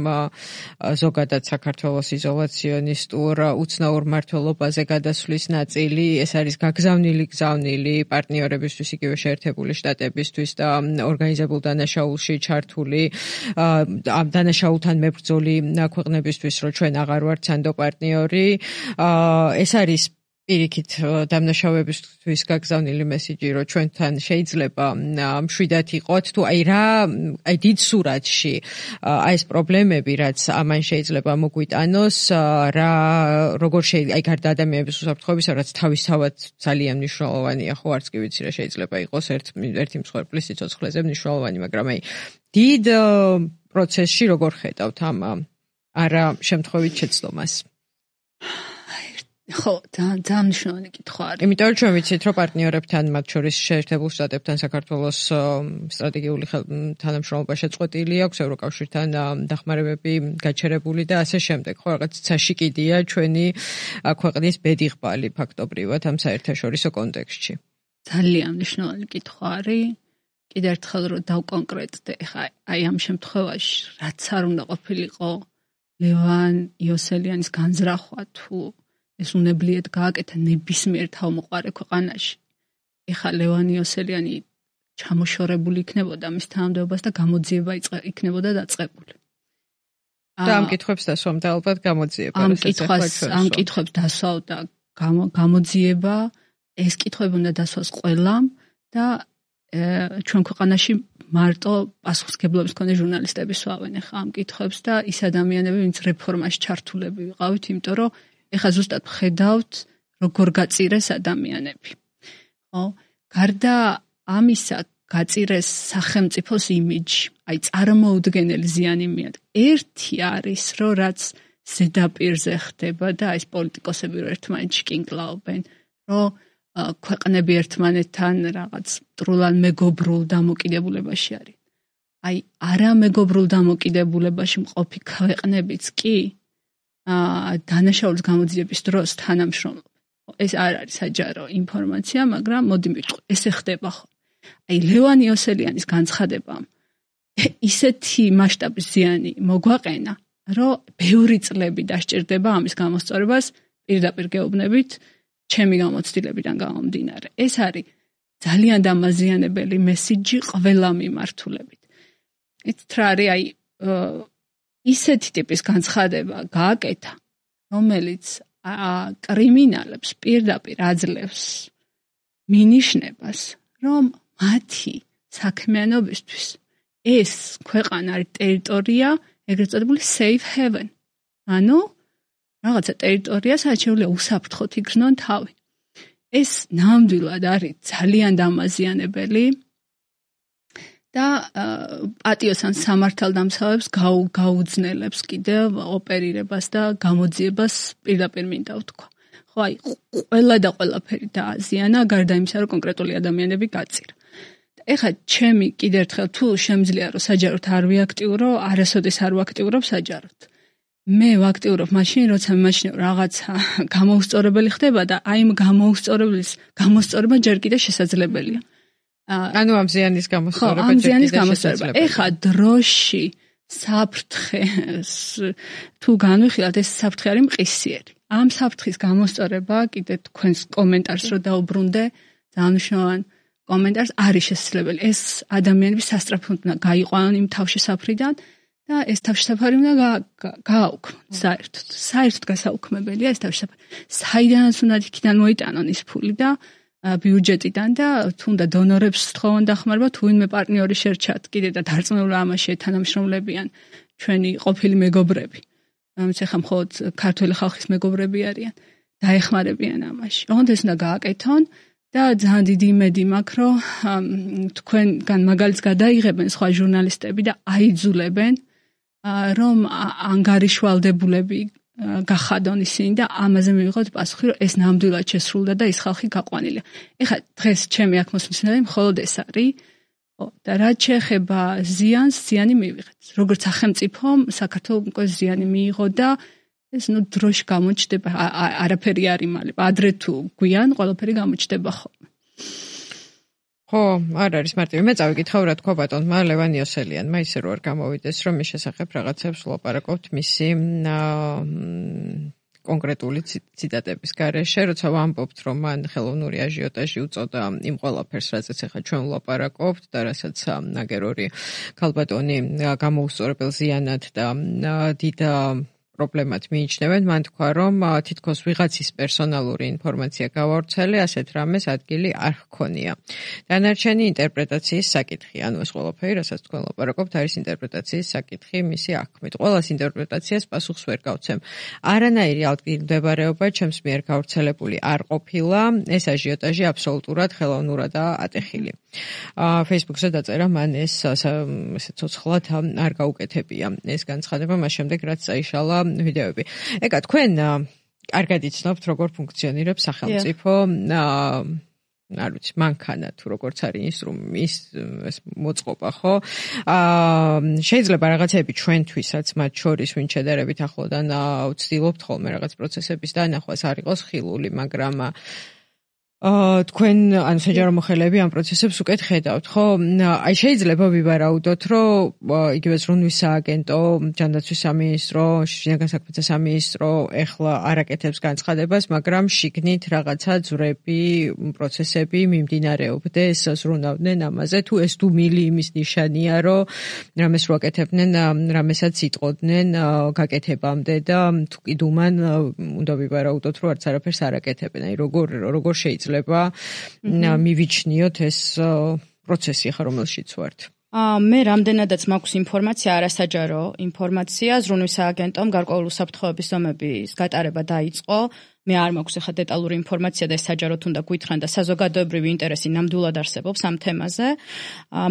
ზოგადად საქართველოს იზოლაციონისტურ უცნაურ მმართველობაზე გადასვლის ნაწილი, ეს არის გაგზავნილი პარტნიორებისთვის, იგივე შეერთებული შტატებისთვის და ორგანიზებულ დანაშაულში ჩართული ამ დანაშაულთან მებრძოლი ქვეყნებისთვის, რომ ჩვენ აღარ ვართ სანდო პარტნიორი, ეს არის პირიქით დამნაშავეებისთვის გაგზავნილი მესიჯი, რომ ჩვენთან შეიძლება მშვიდად იყოთ, თუ აი დიდ სურათში აი ეს პრობლემები, რაც ამან შეიძლება მოგვიტანოს, როგორ შეიძლება აი გარდა ადამიანების უსაფრთხოებისა, რაც თავისთავად ძალიან მნიშვნელოვანია, ხო, არც კი ვიცი რა შეიძლება იყოს ერთი მსხვერპლის სიცოცხლეზე მნიშვნელოვანი, მაგრამ აი დიდ პროცესში როგორ ხედავთ ამ არა შემთხვევით შეცდომას? ხო, ძალიან მნიშვნელოვანი კითხვა არის. იმიტომ რომ ჩვენ ვიცით, რომ პარტნიორებთან, მათ შორის შეერთებულ შტატებთან საქართველოს სტრატეგიული თანამშრომლობა შეწყვეტილი აქვს, ევროკავშირთან დახმარებები გაჩერებული და ასე შემდეგ. ხო, რაღაც საშიკიდია ჩვენი ქვეყნის ბედიღბალი ფაქტობრივად ამ საერთაშორისო კონტექსტში. ძალიან მნიშვნელოვანი კითხვა არის. კიდევ ერთხელ რომ დავკონკრეტდე, ხა აი ამ შემთხვევაში რაც არ უნდა ყოფილიყო ლევან იოსელიანის განზრახვა თუ ეს უნებლიეთ გააკეთა ნებისმიერ თავმოყარე ქვეყანაში. ეხა ლევან იოსელიანი ჩამოშორებული იქნებოდა მის თანამდებობას და გამოძიება იქნებოდა დაწყებული. და ამ კითხვებს დასვამდა ალბათ გამოძიება. ამ კითხვებს დასვავდა გამოძიება, ეს კითხვები უნდა დასვას ყველამ და ჩვენ ქვეყანაში მარტო პასუხისმგებლობის მქონე ჟურნალისტები სვავენ ახლა ამ კითხვებს და ის ადამიანები, ვინც რეფორმაში ჩართულები ვიყავით, იმიტომ რომ ეხლა ზუსტად ხედავთ, როგორ გაწირეს ადამიანები. ხო? გარდა ამისა, გაწირეს სახელმწიფოს იმიჯი, აი წარმოუდგენელი ზიანი მიადგა. ერთი არის, რომ რაც ზედაპირზე ხდება და ეს პოლიტიკოსები რო ერთმანეთში კინკლაობენ, რომ ქვეყნები ერთმანეთთან რაღაც მტრულად მეგობრულ დამოკიდებულებაში არის. აი არა მეგობრულ დამოკიდებულებაში მყოფი ქვეყნებიც კი დანაშაულის გამოძიების დროს თანამშრომლობენ. ეს არ არის საჯარო ინფორმაცია, მაგრამ მოდი მივიტყვი, ესე ხდება ხო? აი ლევან იოსელიანის განცხადებამ ისეთი მასშტაბის ზიანი მოგვაყენა, რომ ბევრი წლები დასჭირდება ამის გამოსწორებას პირდაპირ გეუბნებით ჩემი გამოცდილებიდან გამომდინარე. ეს არის ძალიან დამაზიანებელი მესიჯი ყველა მიმართულებით. იცით რა არის აი ისეთი ტიპის განცხადება გააკეთა, რომელიც კრიმინალებს პირდაპირ აძლევს მინიშნებას, რომ მათი საქმიანობისთვის ეს ქვეყანა არის ტერიტორია, ეგრეთ წოდებული safe haven. ანუ რაღაცა ტერიტორია, სადაც შეუძლია უსაფრთხოდ იგრძნონ თავი. ეს ნამდვილად არის ძალიან დამაზიანებელი და პატიოსან სამართალდამცავებს გაუძნელებს კიდევ ოპერირებას და გამოძიებას პირდაპირ მინდა ვთქვა. ხო, აი, ყველა და ყველაფერი დააზიანა, გარდა იმისა, რომ კონკრეტული ადამიანები გაწირა. ეხლა ჩემი კიდევ ერთხელ თუ შემიძლია რომ საჯაროდ არ ვიაქტიურო, არასოდეს არ ვაქტიურობ საჯაროდ. მე ვაქტიურობ მაშინ, როცა მიმაჩნევ რაღაცა გამოუსწორებელი ხდება და აი იმ გამოუსწორებლის გამოსწორება ჯერ კიდევ შესაძლებელია. ანუ ამ ზიანის გამოსწორება ჯერ კიდევ შესაძლებელია. ეხლა დროში საფრთხე თუ განვიხილავთ, ეს საფრთხე არის მყისიერი. ამ საფრთხის გამოსწორება კიდე თქვენს კომენტარს რო დაუბრუნდე, ძალიან მნიშვნელოვანი კომენტარს არის შესაძლებელი. ეს ადამიანები სასწრაფოდ უნდა გაიყვანონ იმ თავშესაფრიდან და ეს თავშესაფარი უნდა გააუქმონ საერთოდ. საერთოდ გასაუქმებელია ეს თავშესაფარი. საიდანაც უნდა იქიდან მოიტანონ ის ფული და ბიუჯეტიდან და თუნდა დონორებს თხოვონ დახმარება, თუ ვინმე პარტნიორი შერჩათ კიდე და დარწმუნებული ამაში თანამშრომლებიან ჩვენი ყოფილი მეგობრები. ამის ახლა მხოლოდ ქართველი ხალხის მეგობრები არიან, დაეხმარებიან ამაში. ოღონდ ეს უნდა გააკეთონ და ძალიან დიდი იმედი მაქვს, რომ თქვენგან მაგალითს გადაიღებენ სხვა ჟურნალისტები და აიძულებენ, რომ ანგარიშვალდებულები გახადონ ისინი და ამაზე მივიღოთ პასუხი, რომ ეს ნამდვილად შესრულდა და ის ხალხი გაყვანილია. ეხლა დღეს ჩემი აქ მოსმისნელი მხოლოდ ეს არის, ხო, და რაც შეეხება ზიანს, ზიანი მივიღეთ. როგორც სახელმწიფომ საქართველოს უკვე ზიანი მიიღო და ეს დროში გამოჩნდება, არაფერი არ იმალება. ადრე თუ გვიან ყველაფერი გამოჩნდება ხოლმე. ხო, არ არის მარტივი. მე წავიკითხავ რა თქვა ბატონმა ლევან იოსელიანმა, ისე რომ არ გამოვიდეს, რომ მის შესახებ რაღაცებს ვლაპარაკობთ მისი კონკრეტული ციტატების გარეშე, როცა ვამბობთ, რომ მან ხელოვნური აჟიოტაჟი უწოდა იმ ყველაფერს, რაზეც ახლა ჩვენ ვლაპარაკობთ და რასაც ნაგერორი ქალბატონი გამოუსწორებელ ზიანად და დიდ პრობლემად მიიჩნევენ, მან თქვა, რომ თითქოს ვიღაცის პერსონალური ინფორმაცია გავავრცელე, ასეთ რამეს ადგილი არ ჰქონია. დანარჩენი ინტერპრეტაციის საკითხი, ანუ ეს ყველაფერი, რასაც თქვენ ლაპარაკობთ, არის ინტერპრეტაციის საკითხი მისი აქმით. ყველას ინტერპრეტაციას პასუხს ვერ გავცემ. არანაირი ადგილმდებარეობა ჩემს მიერ გავრცელებული არ ყოფილა, ეს აჟიოტაჟი აბსოლუტურად ხელოვნურადაა ატეხილი. Facebook-ზე დაწერა მან ეს ესე ცოცხლად არ გაუკეთებია ეს განცხადება, მას შემდეგ რაც წაიშალა ვიდეოები. ეკა, თქვენ კარგად იცნობთ, როგორ ფუნქციონირებს სახელმწიფო, არ ვიცი, მანქანა თუ როგორც არის ინსტრუმენტის მოწყობა, ხო? შეიძლება რაღაცები ჩვენთვისაც, მათ შორის ვინ შედარებით ახლოდან ვცდილობთ ხოლმე რაღაც პროცესების დანახვას, არ იყოს ხილული, მაგრამ თქვენ ანუ საჯარო მოხელეები ამ პროცესებს უკეთ ხედავთ, ხო? აი შეიძლება ვივარაუდოთ, რომ იგივე ზრუნვის სააგენტო, ჯანდაცვის სამინისტრო, შინაგან საქმეთა სამინისტრო ეხლა არაკეთებს განცხადებას, მაგრამ შიგნით რაღაცა ძვრები, პროცესები მიმდინარეობდეს, ზრუნავდნენ ამაზე, თუ ეს დუმილი იმის ნიშანია, რომ რამეს რო აკეთებდნენ, რამესაც იტყოდნენ გაკეთებამდე და თუ კი დუმან, უნდა ვივარაუდოთ, რომ არც არაფერს არ აკეთებენ. აი როგორ შეიძლება მივიჩნიოთ ეს პროცესი ახლა რომელშიც ვართ. მე რამდენადაც მაქვს ინფორმაცია, არასაჯარო ინფორმაცია, ზრუნვის სააგენტომ გარკვეული უსაფრთხოების ზომების გატარება დაიწყო. მე არ მაქვს ახლა დეტალური ინფორმაცია და ეს საჯაროდ უნდა გითხრან და საზოგადოებრივი ინტერესი ნამდვილად არსებობს ამ თემაზე.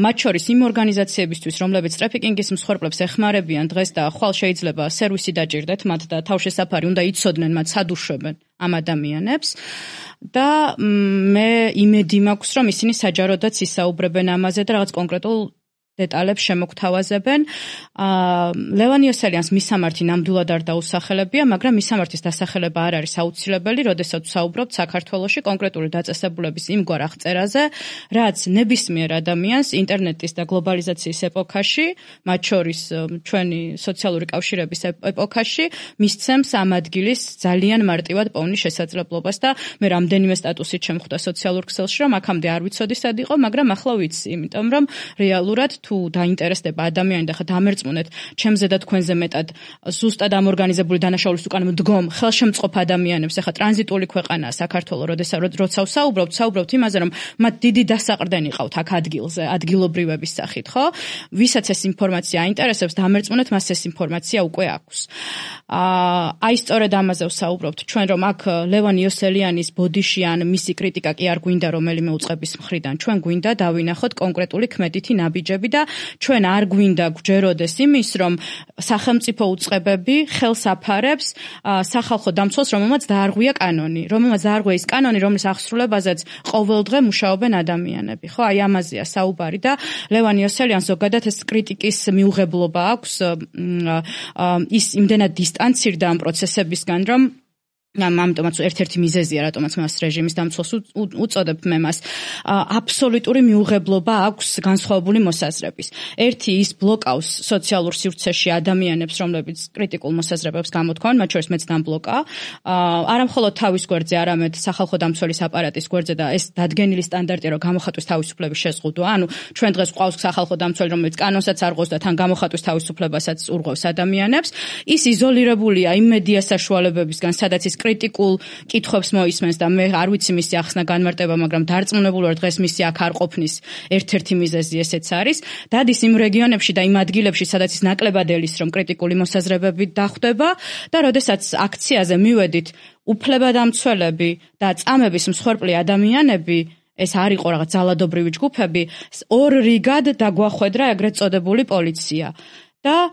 მათ შორის იმ ორგანიზაციებისთვის, რომლებიც ტრაფიკინგის მსხვერპლებს ეხმარებიან დღეს და ხვალ შეიძლება სერვისი დაჭირდეთ მათ და თავშესაფარი უნდა იცოდნენ მათ სად უშვებენ ამ ადამიანებს. და მე იმედი მაქვს, რომ ისინი საჯაროდაც ისაუბრებენ ამაზე და რაღაც კონკრეტულ დეტალებს შემოგთავაზებენ. ლევან იოსელიანს მისამართი ნამდვილად არ დაუსახელებია, მაგრამ მისამართის დასახელება არ არის აუცილებელი, როდესაც საუბრობთ საქართველოში კონკრეტული დაწესებულების იმგვარ აღწერაზე, რაც ნებისმიერ ადამიანს ინტერნეტის და გლობალიზაციის ეპოქაში, მათ შორის ჩვენი სოციალური კავშირების ეპოქაში, მისცემს ამ ადგილის ძალიან მარტივად პოვნის შესაძლებლობას და მე რამდენიმე სტატუსით შემხვდა სოციალურ ქსელში, რომ აქამდე არ ვიცოდი სად იყო, მაგრამ ახლა ვიცი, იმიტომ რომ რეალურად თუ დაინტერესდება ადამიანი და ხა დამერწმუნეთ ჩემზე და თქვენზე მეტად ზუსტად ამ ორგანიზებული დანაშაულის უკან მდგომ ხელშემწყობ ადამიანებს, ახლა ტრანზიტული ქვეყანაა საქართველო, როცა საუბრობთ იმაზე, რომ მათ დიდი დასაყრდენი ყავთ აქ ადგილზე, ადგილობრივების სახით, ხო? ვისაც ეს ინფორმაცია აინტერესებს, დამერწმუნეთ მას ეს ინფორმაცია უკვე აქვს. აი სწორედ ამაზე ვსაუბრობთ ჩვენ, რომ აქ ლევან იოსელიანის ბოდიში ან მისი კრიტიკა კი არ გვინდა რომელიმე უწყების მხრიდან. ჩვენ გვინდა დავინახოთ კონკრეტული ქმედითი ნაბიჯები და ჩვენ არ გვინდა გვჯეროდეს იმის, რომ სახელმწიფო უწყებები ხელს აფარებს სახალხო დამცველს, რომელმაც დაარღვია კანონი, ის კანონი, რომლის აღსრულებაზეც ყოველდღე მუშაობენ ადამიანები. ხო, აი ამაზეა საუბარი და ლევან იოსელიანს ზოგადად ეს კრიტიკის მიუღებლობა აქვს, ის იმდენად დისტანცირდა ამ პროცესებისგან, რომ ამიტომაც ერთ-ერთი მიზეზია, რატომაც მას რეჟიმის დამცველს უწოდებ მე მას, აბსოლუტური მიუღებლობა აქვს განსხვავებული მოსაზრების. ერთი ის ბლოკავს სოციალურ სივრცეში ადამიანებს, რომლებიც კრიტიკულ მოსაზრებებს გამოთქვამენ, მათ შორის მეც დამბლოკა. არა მხოლოდ თავის გვერდზე, არამედ სახალხო დამცველის აპარატის გვერდზე და ეს დადგენილი სტანდარტია, რომ გამოხატვის თავისუფლების შეზღუდვა. ანუ ჩვენ დღეს გვყავს სახალხო დამცველი, რომელიც კანონსაც არ ღვევს და თან გამოხატვის თავისუფლებასაც ურღვევს ადამიანებს. ის იზოლირებულია იმ მედია საშუალებებისგან, სადაც ის კრიტიკულ კითხვებს მოისმენს და მე არ ვიცი მისი ახსნა განმარტება, მაგრამ დარწმუნებული ვარ დღეს მისი აქ არ ყოფნის ერთ-ერთი მიზეზი ესეც არის. დადის იმ რეგიონებში და იმ ადგილებში, სადაც ის ნაკლებად ელის, რომ კრიტიკული მოსაზრებები დახვდება და როდესაც აქციაზე მივედით უფლებადამცველები და წამების მსხვერპლი ადამიანები, ეს არ იყო რაღაც ძალადობრივი ჯგუფები, ორ რიგად დაგვახვედრა ეგრეთ წოდებული პოლიცია. და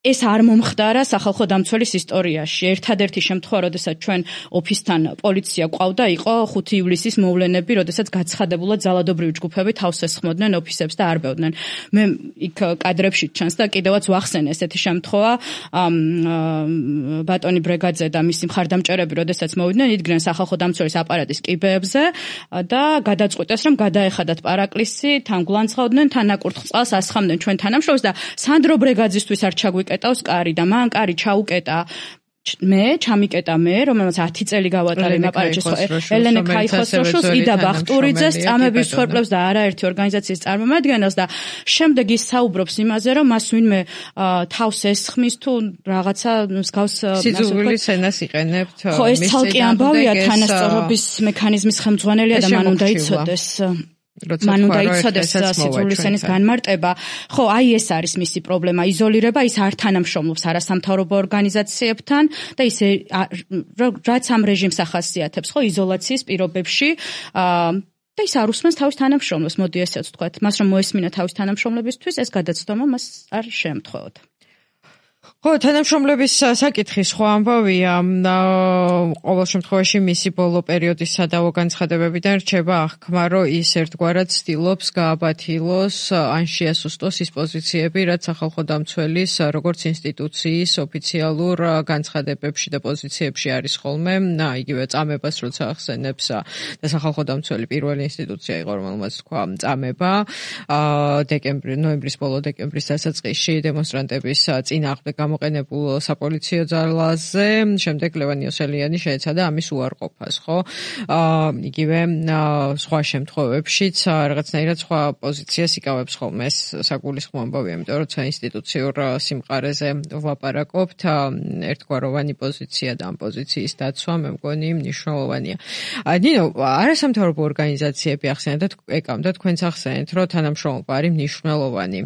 ეს არ მომხდარა სახალხო დამცველის ისტორიაში. ერთადერთი შემთხვევა, როდესაც ჩვენ ოფისთან პოლიცია ყავდა, იყო 5 ივლისის მოვლენები, როდესაც გაცხადებულად ძალადობრივი ჯგუფები თავს ესხმოდნენ ოფისებს და არბევდნენ. მე იქ კადრებში ჩანს და კიდევაც ვახსენე ესეთი შემთხვევა, ბატონი ბრეგაძე და მისი მხარდამჭერები, როდესაც მოვიდნენ, იდგნენ სახალხო დამცველის აპარატის კიბეებზე და გადაწყვიტეს, რომ გადაეხადათ პარაკლისი, თან გულანძღავდნენ, თან აკურთხ წყალს ასხამდნენ ჩვენ თანამშრომლებს და სანდრო ბრეგაძისთვის არ ჩაგვიკეტავს კარი და მან კარი ჩაუკეტა ჩამიკეტა მე, რომელმაც 10 წელი გავატარე იმ აპარატში, ელენე ქაიხოსროშულს, იდა ბახტურიძეს, წამების მსხვერპლებს და არაერთი ორგანიზაციის წარმომადგენელს და შემდეგ ის საუბრობს იმაზე, რომ მას ვინმე თავს ესხმის თუ რაღაცა მსგავს სიძულვილის ენას იყენებთ. ხო, ეს ცალკე ამბავია, თანასწორობის მექანიზმის ხელმძღვანელია და მან უნდა იცოდეს. მან უნდა იცოდეს სიძულვილის ენის განმარტება. ხო, აი ეს არის მისი პრობლემა, იზოლირება, ის არ თანამშრომლობს არასამთავრობო ორგანიზაციებთან და ის რაც ამ რეჟიმს ახასიათებს, ხო, იზოლაციის პირობებში და ის არ უსმენს თავის თანამშრომლებს, მოდი ესეც ვთქვათ, მას რომ მოესმინა თავის თანამშრომლებისთვის, ეს გადაცდომა მას არ შეემთხვეოდა. ხო, თანამშრომლების საკითხი სხვა ამბავია. ყოველ შემთხვევაში მისი ბოლო პერიოდის სადავო განცხადებებიდან რჩება აღქმა, რომ ის ერთგვარად ცდილობს გააბათილოს ან შეასუსტოს ის პოზიციები, რაც სახალხო დამცველის როგორც ინსტიტუციის ოფიციალურ განცხადებებში და პოზიციებში არის ხოლმე. იგივე წამებას როცა ახსენებს და სახალხო დამცველი პირველი ინსტიტუცია იყო, რომელმაც თქვა წამება ნოემბრის ბოლო დეკემბრის დასაწყისში დემონსტრანტების წინააღმდეგ გამოყენებულ საპოლიციო ძალაზე, შემდეგ ლევან იოსელიანი შეეცადა ამის უარყოფას, ხო? იგივე სხვა შემთხვევებშიც რაღაცნაირად სხვა პოზიციას იკავებს ხოლმე, ეს საგულისხმო ამბავია, იმიტომ რომ როცა ინსტიტუციურ სიმყარეზე ვლაპარაკობთ, ერთგვაროვანი პოზიცია და ამ პოზიციის დაცვა მე მგონი მნიშვნელოვანია. ნინო, არასამთავრობო ორგანიზაციები ახსენეთ და ეკავდა თქვენც ახსენეთ, რომ თანამშრომლობა არის მნიშვნელოვანი.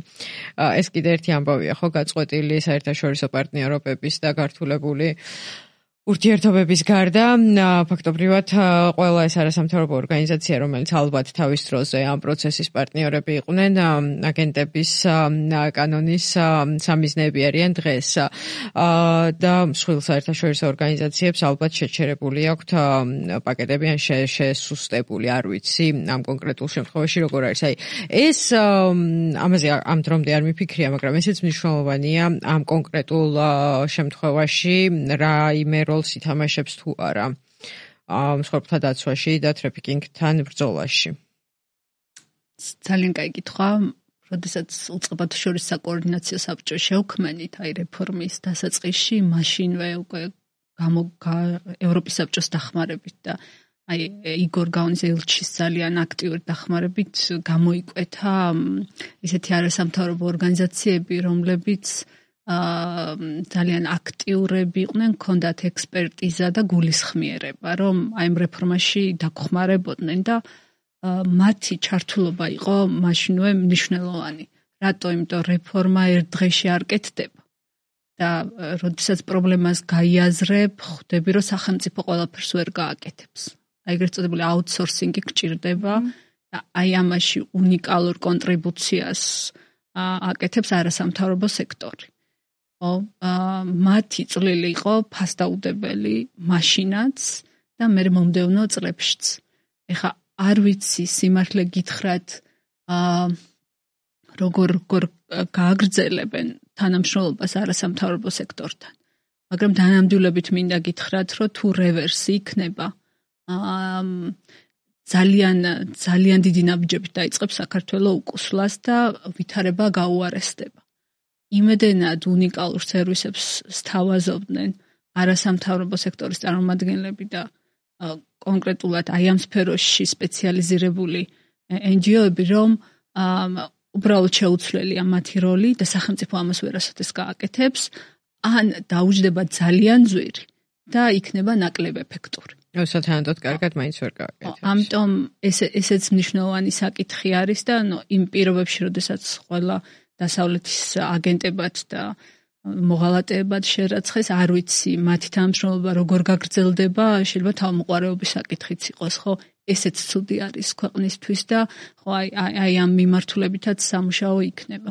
ეს კიდე ერთი ამბავია, ხო, გაწყვეტილი საერთაშორისო პარტნიორობების და გართულებული ურთიერთობების გარდა ფაქტობრივად ყველა ეს არასამთავრობო ორგანიზაცია, რომელიც ალბათ თავის დროზე ამ პროცესის პარტნიორები იყვნენ, აგენტების კანონის სამიზნეები არიან დღეს და მსხვილ საერთაშორისო ორგანიზაციებს ალბათ შეჩერებული აქვთ პაკეტები ან შესუსტებული, არ ვიცი ამ კონკრეტულ შემთხვევაში როგორ არის. აი ეს ამაზე ამ დრომდე არ მიფიქრია, მაგრამ ესეც მნიშვნელოვანია ამ კონკრეტულ შემთხვევაში რაიმე როლს ითამაშებს თუ არა მსხვერპლთა დაცვაში და ტრაფიკინგთან ბრძოლაში. ძალიან კაი კითხვა. როდესაც უწყებათა შორის საკოორდინაციო საბჭო შევქმნით აი რეფორმის დასაწყისში, მაშინვე უკვე ევროპის საბჭოს დახმარებით და აი იგორ გაონის ელჩის ძალიან აქტიური დახმარებით გამოიკვეთა ისეთი არასამთავრობო ორგანიზაციები, რომლებიც ძალიან აქტიურები იყვნენ, ჰქონდათ ექსპერტიზა და გულისხმიერება, რომ აი ამ რეფორმაში დაგხმარებოდნენ და მათი ჩართულობა იყო მაშინვე მნიშვნელოვანი. რატო? იმიტომ რეფორმა ერთ დღეში არ კეთდება. და როდესაც პრობლემას გაიაზრებ, ხვდები, რომ სახელმწიფო ყველაფერს ვერ გააკეთებს. აი ეგრეთ წოდებული აუთსორსინგი გჭირდება და აი ამაში უნიკალურ კონტრიბუციას აკეთებს არასამთავრობო სექტორი. მათი წვლილი იყო ფასდაუდებელი მაშინაც და მე მომდევნო წლებშიც. ეხა არ ვიცი სიმართლე გითხრათ როგორ გააგრძელებენ თანამშრომლობას არასამთავრობო სექტორთან. მაგრამ დანამდვილებით მინდა გითხრათ, რომ თუ რევერსი იქნება, ძალიან დიდი ნაბიჯებით დაიწყებს საქართველოს უკუსლას და ვითარება გაუარესდება. იმედენად უნიკალურ სერვისებს სთავაზობდნენ არასამთავრობო სექტორის წარმომადგენლები და კონკრეტულად აი ამ სფეროში სპეციალიზირებული NGO-ები, რომ უბრალოდ შეუცვლელია მათი როლი და სახელმწიფო ამას ვერასოდეს გააკეთებს, ან დაუჯდება ძალიან ძვირი და იქნება ნაკლებ ეფექტური. სათანადოდ კარგად მაინც ვერ გააკეთებს. ამიტომ ესეც მნიშვნელოვანი საკითხი არის და იმ პირობებში, როდესაც ყველა დასავლეთის აგენტებად და მოღალატეებად შერაცხეს, არ ვიცი მათი თანამშრომლობა როგორ გაგრძელდება, შეიძლება თავმოყარების საკითხიც იყოს, ხო? ესეც ცუდი არის ქვეყნისთვის და ხო აი ამ მიმართულებითაც სამუშაო იქნება.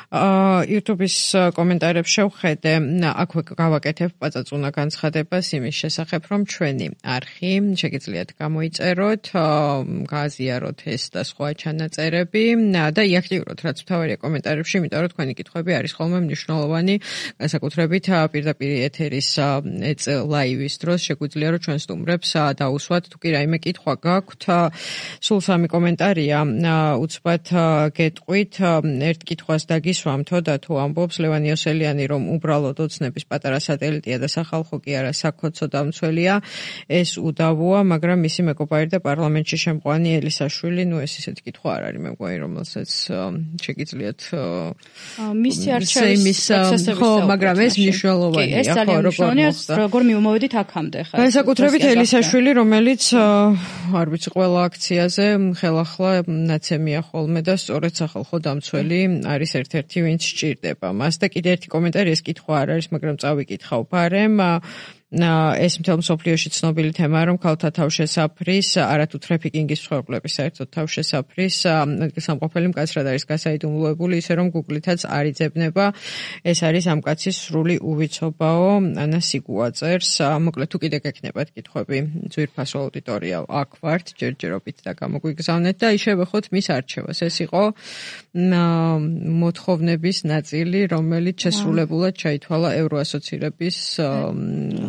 YouTube-ის კომენტარებს შევხედე, აქვე გავაკეთებ პაწაწუნა განცხადებას იმის შესახებ, რომ ჩვენი არხი შეგიძლიათ გამოიწეროთ, გააზიაროთ ეს და სხვა ჩანაწერები და იაქტიუროთ, რაც მთავარია კომენტარებში, იმიტომ რომ თქვენი კითხვები არის ხოლმე მნიშვნელოვანი, განსაკუთრებით პირდაპირ ეთერის ლაივის დროს შეგვიძლია რომ ჩვენ სტუმრებს დაუსვათ, თუ კი რაიმე კითხვა გაქვთ, სულ 3 კომენტარია, უცბად გეტყვით, ერთ კითხვას დაგისვამთო და თუ ამბობს ლევან იოსელიანი, რომ უბრალოდ ოცნების პატარა სატელიტია და სახალხო კი არა საქოცო დამცველია, ეს უდავოა, მაგრამ მისი მეგობარი და პარლამენტში შემყვანი ელისაშვილი, ეს ისეთი კითხვა არ არის, მე მგონი, რომელსაც შეგიძლიათ მისი არჩევის პროცესების ხო, მაგრამ ეს მნიშვნელოვანია, ხო, როგორ მივმოვედით აქამდე ხა. განსაკუთრებით ელისაშვილი, რომელიც არ ვიცი, ყველა აქციაზე ხელახლა ნაცემია ხოლმე და სწორედ სახალხო დამცველი არის ერთ-ერთი ვინც სჭირდება მას და კიდე ერთი კომენტარი, ეს კითხვა არ არის, მაგრამ წავიკითხავ ბარემ. ეს მთელ მსოფლიოში ცნობილი თემაა, რომ ქალთა თავშესაფრის, არათუ ტრაფიკინგის მსხვერპლების საერთოდ თავშესაფრის ადგილსამყოფელი მკაცრად არის გასაიდუმლოებული, ისე რომ Google-ითაც არ იძებნება. ეს არის ამ კაცის სრული უვიცობაო, ანა სიგუაწერს. მოკლედ თუ კიდე გექნებათ კითხვები, ძვირფასო აუდიტორია აქ ვართ, ჯერჯერობით და გამოგვიგზავნეთ და იშევეხოთ მის არჩევას. ეს იყო მოთხოვნების ნაწილი, რომელიც შესრულებულად ჩაითვალა ევროასოცირების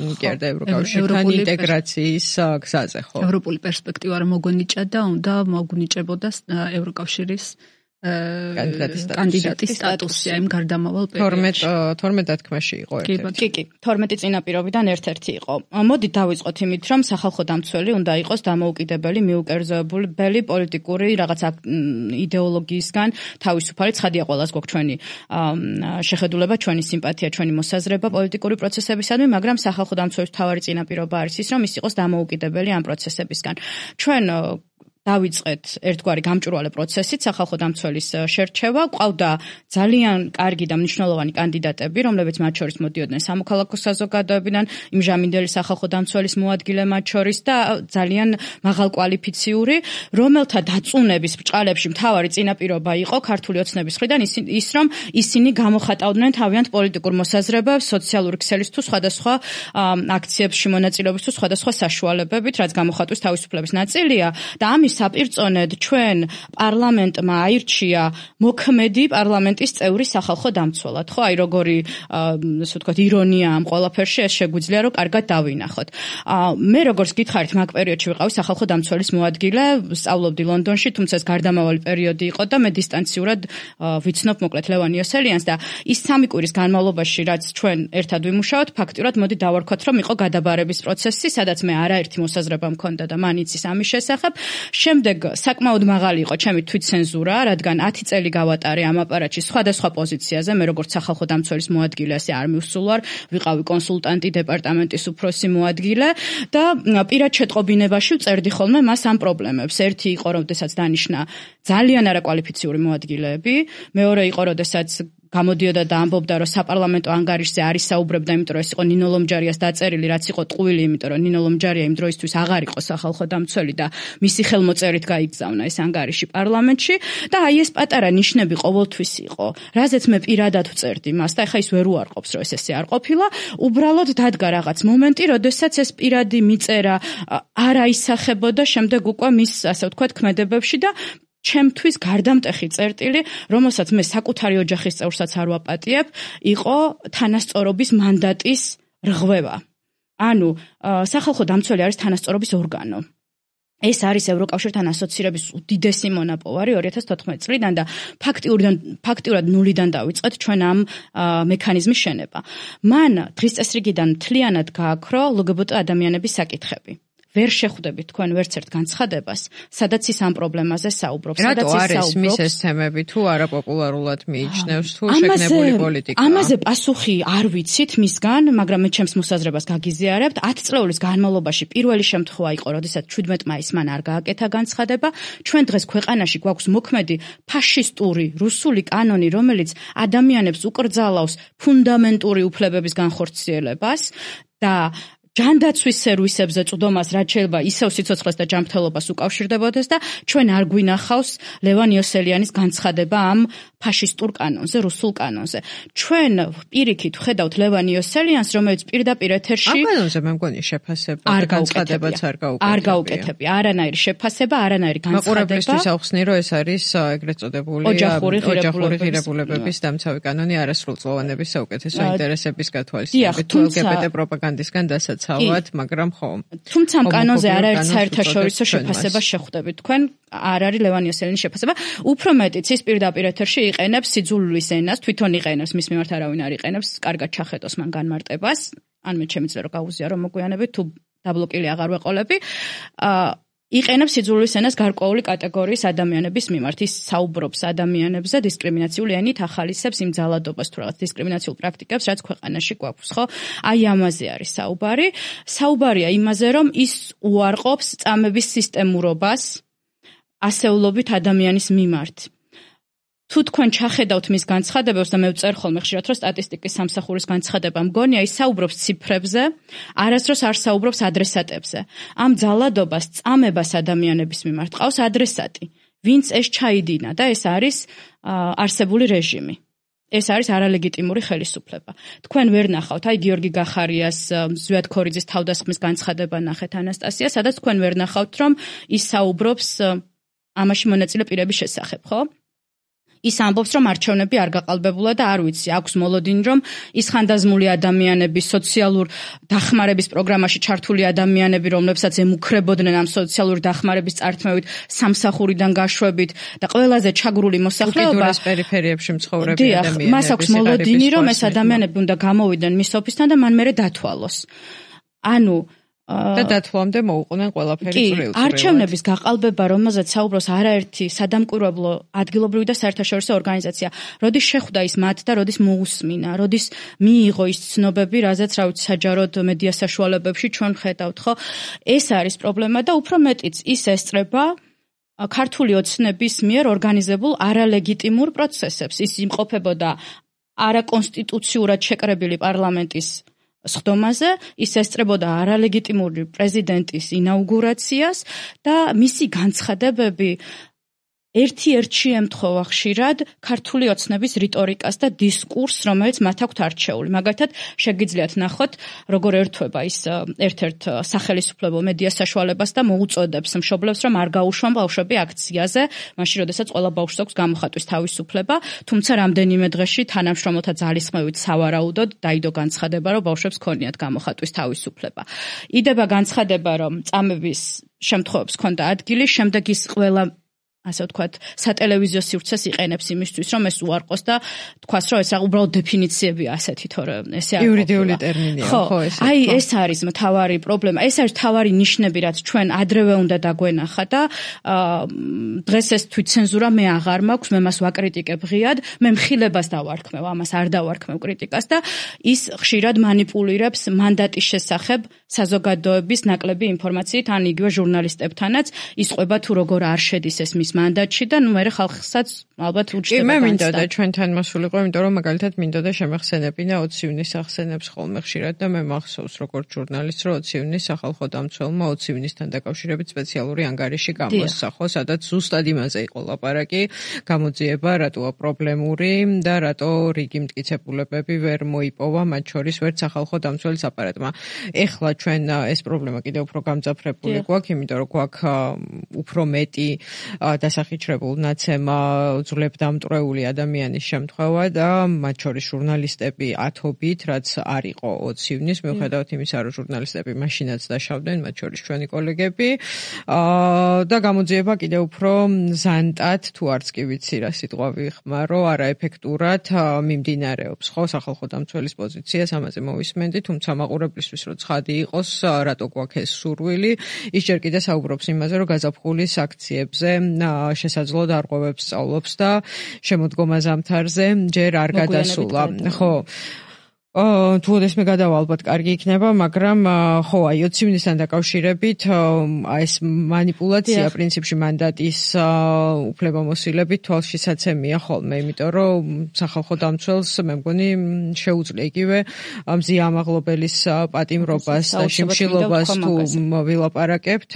კი არა ევროკავშირთან ინტეგრაციის გზაზე, ხო. ევროპული პერსპექტივა რომ მოგონიჭა და უნდა მოგონიჭებოდა ევროკავშირის კანდიდატის სტატუსი იმ გარდამავალ პერიოდში. 12 დათქმაში იყო ერთ-ერთი. კი, 12 წინაპირობიდან ერთ-ერთი იყო. მოდით დავიწყოთ იმით, რომ სახალხო დამცველი უნდა იყოს დამოუკიდებელი, მიუკერძოებული პოლიტიკური რაღაცა იდეოლოგიისგან თავისუფალი. ცხადია ყველას გვაქვს ჩვენი შეხედულება, ჩვენი სიმპათია, ჩვენი მოსაზრება პოლიტიკური პროცესებისადმი, მაგრამ სახალხო დამცველის მთავარი წინაპირობა არის ის, რომ ის იყოს დამოუკიდებელი ამ პროცესებისგან. ჩვენ დავიწყეთ ერთგვარი გამჭვირვალე პროცესით სახალხო დამცველის შერჩევა. ყავდა ძალიან კარგი და მნიშვნელოვანი კანდიდატები, რომლებიც მათ შორის მოდიოდნენ სამოქალაქო საზოგადოებიდან, იმჟამინდელი სახალხო დამცველის მოადგილე მათ შორის და ძალიან მაღალკვალიფიციური, რომელთა დაწუნების ბრჭყალებში მთავარი წინაპირობა იყო ქართული ოცნების მხრიდან ის, რომ ისინი გამოხატავდნენ თავიანთ პოლიტიკურ მოსაზრებებს, სოციალური ქსელის თუ სხვადასხვა აქციებში მონაწილეობის თუ სხვადასხვა საშუალებებით, რაც გამოხატვის თავისუფლების ნაწილია და ამის საპირწონედ ჩვენ პარლამენტმა აირჩია მოქმედი პარლამენტის წევრი სახალხო დამცველად, ხო? აი როგორი ასე ვთქვათ ირონია ამ ყველაფერში, ეს შეგვიძლია რომ კარგად დავინახოთ. მე როგორც გითხარით, მაგ პერიოდში ვიყავი სახალხო დამცველის მოადგილე, სწავლობდი ლონდონში, თუმცა ეს გარდამავალი პერიოდი იყო და მე დისტანციურად ვიცნობ მოკლედ ლევან იოსელიანს და ის 3 კვირის განმავლობაში, რაც ჩვენ ერთად ვიმუშაოთ, ფაქტიურად მოდი დავარქვათ, რომ იყო გადაბარების პროცესი, სადაც მე არაერთი მოსაზრება მქონდა და მან იცის ამის შესახებ. შემდეგ საკმაოდ მაღალი იყო ჩემი თვითცენზურა, რადგან 10 წელი გავატარე ამ აპარატში სხვადასხვა პოზიციაზე, მე როგორც სახალხო დამცველის მოადგილე, ასე არ მივსულვარ, ვიყავი კონსულტანტი, დეპარტამენტის უფროსი მოადგილე და პირად შეტყობინებაში ვწერდი ხოლმე მას ამ პრობლემებს. ერთი იყო, როდესაც დანიშნა ძალიან არაკვალიფიციური მოადგილეები, მეორე იყო, როდესაც გამოდიოდა და ამბობდა, რომ საპარლამენტო ანგარიშზე არ ისაუბრებდა, იმიტომ რომ ეს იყო ნინო ლომჯარიას დაწერილი, რაც იყო ტყუილი, იმიტომ რომ ნინო ლომჯარია იმ დროისთვის აღარ იყო სახალხო დამცველი და მისი ხელმოწერით გაიგზავნა ეს ანგარიში პარლამენტში და აი ეს პატარა ნიშნები ყოველთვის იყო, რაზეც მე პირადად ვწერდი მას და ეხა ის ვერ უარყოფს, რომ ესე არ ყოფილა, უბრალოდ დადგა რაღაც მომენტი, როდესაც ეს პირადი მიწერა არ აისახებოდა შემდეგ უკვე მის, ასე ვთქვათ, ქმედებებში და ჩემთვის გარდამტეხი წერტილი, რომელსაც მე საკუთარი ოჯახის წევრსაც არ ვაპატიებ, იყო თანასწორობის მანდატის რღვევა. ანუ სახალხო დამცველი არის თანასწორობის ორგანო. ეს არის ევროკავშირთან ასოცირების უდიდესი მონაპოვარი 2014 წლიდან და ფაქტიურად ნულიდან დავიწყეთ ჩვენ ამ მექანიზმის შენება. მან დღის წესრიგიდან მთლიანად გააქრო LGBT ადამიანების საკითხები. ვერ შეხვდებით თქვენ ვერც ერთ განცხადებას, სადაც ის ამ პრობლემაზე საუბრობს, სადაც ის საუბრობს. რატო არის მის ეს თემები თუ არაპოპულარულად მიიჩნევს თუ შეგნებული პოლიტიკა? ამაზე პასუხი არ ვიცით მისგან, მაგრამ მე ჩემს მოსაზრებას გაგიზიარებთ. 10 წლეულის განმავლობაში პირველი შემთხვევა იყო, როდესაც 17 მაისს მან არ გააკეთა განცხადება. ჩვენ დღეს ქვეყანაში გვაქვს მოქმედი ფაშისტური რუსული კანონი, რომელიც ადამიანებს უკრძალავს ფუნდამენტური უფლებების განხორციელებას და ჯანდაცვის სერვისებზე წვდომას რაც შეიძლება ისევ სიცოცხლეს და ჯანმრთელობას უკავშირდებოდეს და ჩვენ არ გვინახავს ლევან იოსელიანის განცხადება ამ ფაშისტურ კანონზე, რუსულ კანონზე. ჩვენ პირიქით ვხედავთ ლევან იოსელიანს, რომელიც პირდაპირ ეთერში ამ კანონზე მე მგონი შეფასება და განცხადებაც არ გაუკეთებია. არანაირი შეფასება, არანაირი განცხადება. მაყურებლისთვის ავხსნი, რომ ეს არის ეგრეთ წოდებული ოჯახური ღირებულებების დამცავი კანონი არასრულწლოვანების საუკეთესო ინტერესების გათვალისწინებით თუ LGBT პროპაგანდისგან დასაცავად, მაგრამ ხო. თუმცა ამ კანონზე არაერთ საერთაშორისო შეფასებას შეხვდებით თქვენ, არ არის ლევან იოსელინის შეფასება. უფრო მეტიც ის პირდაპირ ეთერში იყენებს სიძულვილის ენას, თვითონ იყენებს, მის მიმართ არავინ არ იყენებს, კარგად ჩახედოს მან განმარტებას. ან მე შემიძლია რომ გავუზიარო მოგვიანებით თუ დაბლოკილი აღარ ვეყოლები. იყენებს სიძულვილის ენას გარკვეული კატეგორიის ადამიანების მიმართ. ის საუბრობს ადამიანებზე დისკრიმინაციული ენით, ახალისებს იმ ძალადობას თუ რაღაც დისკრიმინაციულ პრაქტიკებს, რაც ქვეყანაში გვაქვს, ხო? აი ამაზე არის საუბარი. საუბარია იმაზე, რომ ის უარყოფს წამების სისტემურობას ასეულობით ადამიანის მიმართ. თუ თქვენ ჩახედავთ მის განცხადებებს და მე ვწერ ხოლმე ხშირად რომ სტატისტიკის სამსახურის განცხადება მგონია ის საუბრობს ციფრებზე, არასდროს არ საუბრობს ადრესატებზე. ამ ძალადობას წამებას ადამიანების მიმართ ყავს ადრესატი, ვინც ეს ჩაიდინა და ეს არის არსებული რეჟიმი. ეს არის არალეგიტიმური ხელისუფლება. თქვენ ვერ ნახავთ, აი გიორგი გახარიას, ზვიად ქორიძის თავდასხმის განცხადება ნახეთ ანასტასია, სადაც თქვენ ვერ ნახავთ, რომ ის საუბრობს ამაში მონაწილე პირების შესახებ, ხო? ის ამბობს, რომ არჩევნები არ გაყალბებულა და არ ვიცი, აქვს მოლოდინი, რომ ის ხანდაზმული ადამიანები, სოციალურ დახმარების პროგრამაში ჩართული ადამიანები, რომლებსაც ემუქრებოდნენ ამ სოციალური დახმარების წართმევით, სამსახურიდან გაშვებით და ყველაზე ჩაგრული მოსახლეობა უკიდურეს პერიფერიებში მცხოვრები ადამიანები. მას აქვს მოლოდინი, რომ ეს ადამიანები უნდა გამოვიდნენ მის ოფისთან და მან მერე დათვალოს. ანუ და დათვლამდე მოუყვნენ ყველაფერი წვრილ-წვრილად. არჩევნების გაყალბება, რომელზეც საუბრობს არაერთი სადამკვირვებლო ადგილობრივი და საერთაშორისო ორგანიზაცია, როდის შეხვდა ის მათ და როდის მოусმინა, როდის მიიღო ის ცნობები, რაზეც რა ვიცი საჯაროდ მედია საშუალებებში ჩვენ ხედავთ, ხო? ეს არის პრობლემა და უფრო მეტიც ის ესწრება ქართული ოცნების მიერ ორგანიზებულ არალეგიტიმურ პროცესებს. ის იმყოფებოდა არაკონსტიტუციურად შეკრებილი პარლამენტის სხდომაზე, ის ესწრებოდა არალეგიტიმური პრეზიდენტის ინაუგურაციას და მისი განცხადებები ერთ-ერთ შემთხვევა ხშირად ქართული ოცნების რიტორიკას და დისკურსს, რომელიც მათ აქვთ არჩეული. მაგალითად, შეგიძლიათ ნახოთ, როგორ ერთვება ის ერთ-ერთ სახელისუფლებელ მედია საშუალებას და მოუწოდებს მშობლებს, რომ არ გაუშვან ბავშვები აქციაზე, მაშინ, როდესაც ყველა ბავშვს აქვს გამოხატვის თავისუფლება, თუმცა რამდენიმე დღეში თანამშრომელთა ძალისხმევით სავარაუდოდ დაიდო განცხადება, რომ ბავშვებს ქონიათ გამოხატვის თავისუფლება. იდება განცხადება, რომ წამების შემთხვევებს ჰქონდა ადგილი, შემდეგ ის ყველა ასე ვთქვათ, სატელევიზიო სივრცეს იყენებს იმისთვის, რომ ეს უარყოს და თქვას, რომ ეს უბრალოდ დეფინიციებია ასეთი, თორე ესე არ იურიდიული ტერმინია, ხო, ეს. აი, ეს არის მთავარი პრობლემა, ეს არის მთავარი ნიშნები, რაც ჩვენ ადრევე უნდა დაგვენახა და დღეს ეს თვითცენზურა მე აღარ მაქვს, მე მას ვაკრიტიკებ ღიად, მე მხილებას დავარქმევ, ამას არ დავარქმევ კრიტიკას და ის ხშირად манипуლირებს მანდატის შესახებ საზოგადოების ნაკლები ინფორმაციით, ან იგივე ჟურნალისტებთანაც ისყვება თუ როგორ არ შედის ეს მის მანდატში და ნუ მე ხალხსაც ალბათ უჩნდება. მე მინდოდა ჩვენთან მოსულიყო, იმიტომ რომ მაგალითად მინდოდა შემეხსენებინა 20 ივნისს ახსენებს ხოლმე ხშირად და მე მახსოვს როგორც ჟურნალისტ, რომ 20 ივნისს სახალხო დამცველმა 20 ივნისთან დაკავშირებით სპეციალური ანგარიში გამოსახო, სადაც ზუსტად იმაზე იყო ლაპარაკი, გამოძიება რატოა პრობლემური და რატო რიგი მტკიცებულებები ვერ მოიპოვა, მათ შორის ვერც სახალხო დამცველის აპარატმა. ეხლა ჩვენ ეს პრობლემა კიდევ უფრო გამძაფრებული გვაქვს, იმიტომ რომ გვაქვს უფრო მეტი დასახიჩრებულ ნაცემა ძვლებდამტვრეული ადამიანის შემთხვევა და მათ შორის ჟურნალისტები ათობით, რაც არ იყო 20 ივნისს, მიუხედავად იმისა, რომ ჟურნალისტები მაშინაც დაშავდნენ, მათ შორის ჩვენი კოლეგები და გამოძიება კიდევ უფრო ზანტად, თუ არც კი ვიცი რა სიტყვა ვიხმარო, არაეფექტურად მიმდინარეობს, ხო, სახალხო დამცველის პოზიციას ამაზე მოვისმენდი, თუმცა მაყურებლისთვის რომ ცხადი იყოს, რატო გვაქვს ეს სურვილი, ის ჯერ კიდე საუბრობს იმაზე, რომ გაზაფხულის აქციებზე შესაძლო დარღვევებს სწავლობს და შემოდგომა ზამთარზე ჯერ არ გადასულა. ხო. თუ ოდესმე გადავა ალბათ კარგი იქნება, მაგრამ ხო, აი 20 ივნისთან დაკავშირებით ეს манипуляция პრინციპში მანდატის უფლებამოსილებით თვალშისაცემია ხოლმე, იმიტომ რომ სახალხო დამცველს მე მგონი შეუძლია იგივე მზია ამაღლობელის პატიმრობას და შიმშილობას თუ ვილაპარაკებთ,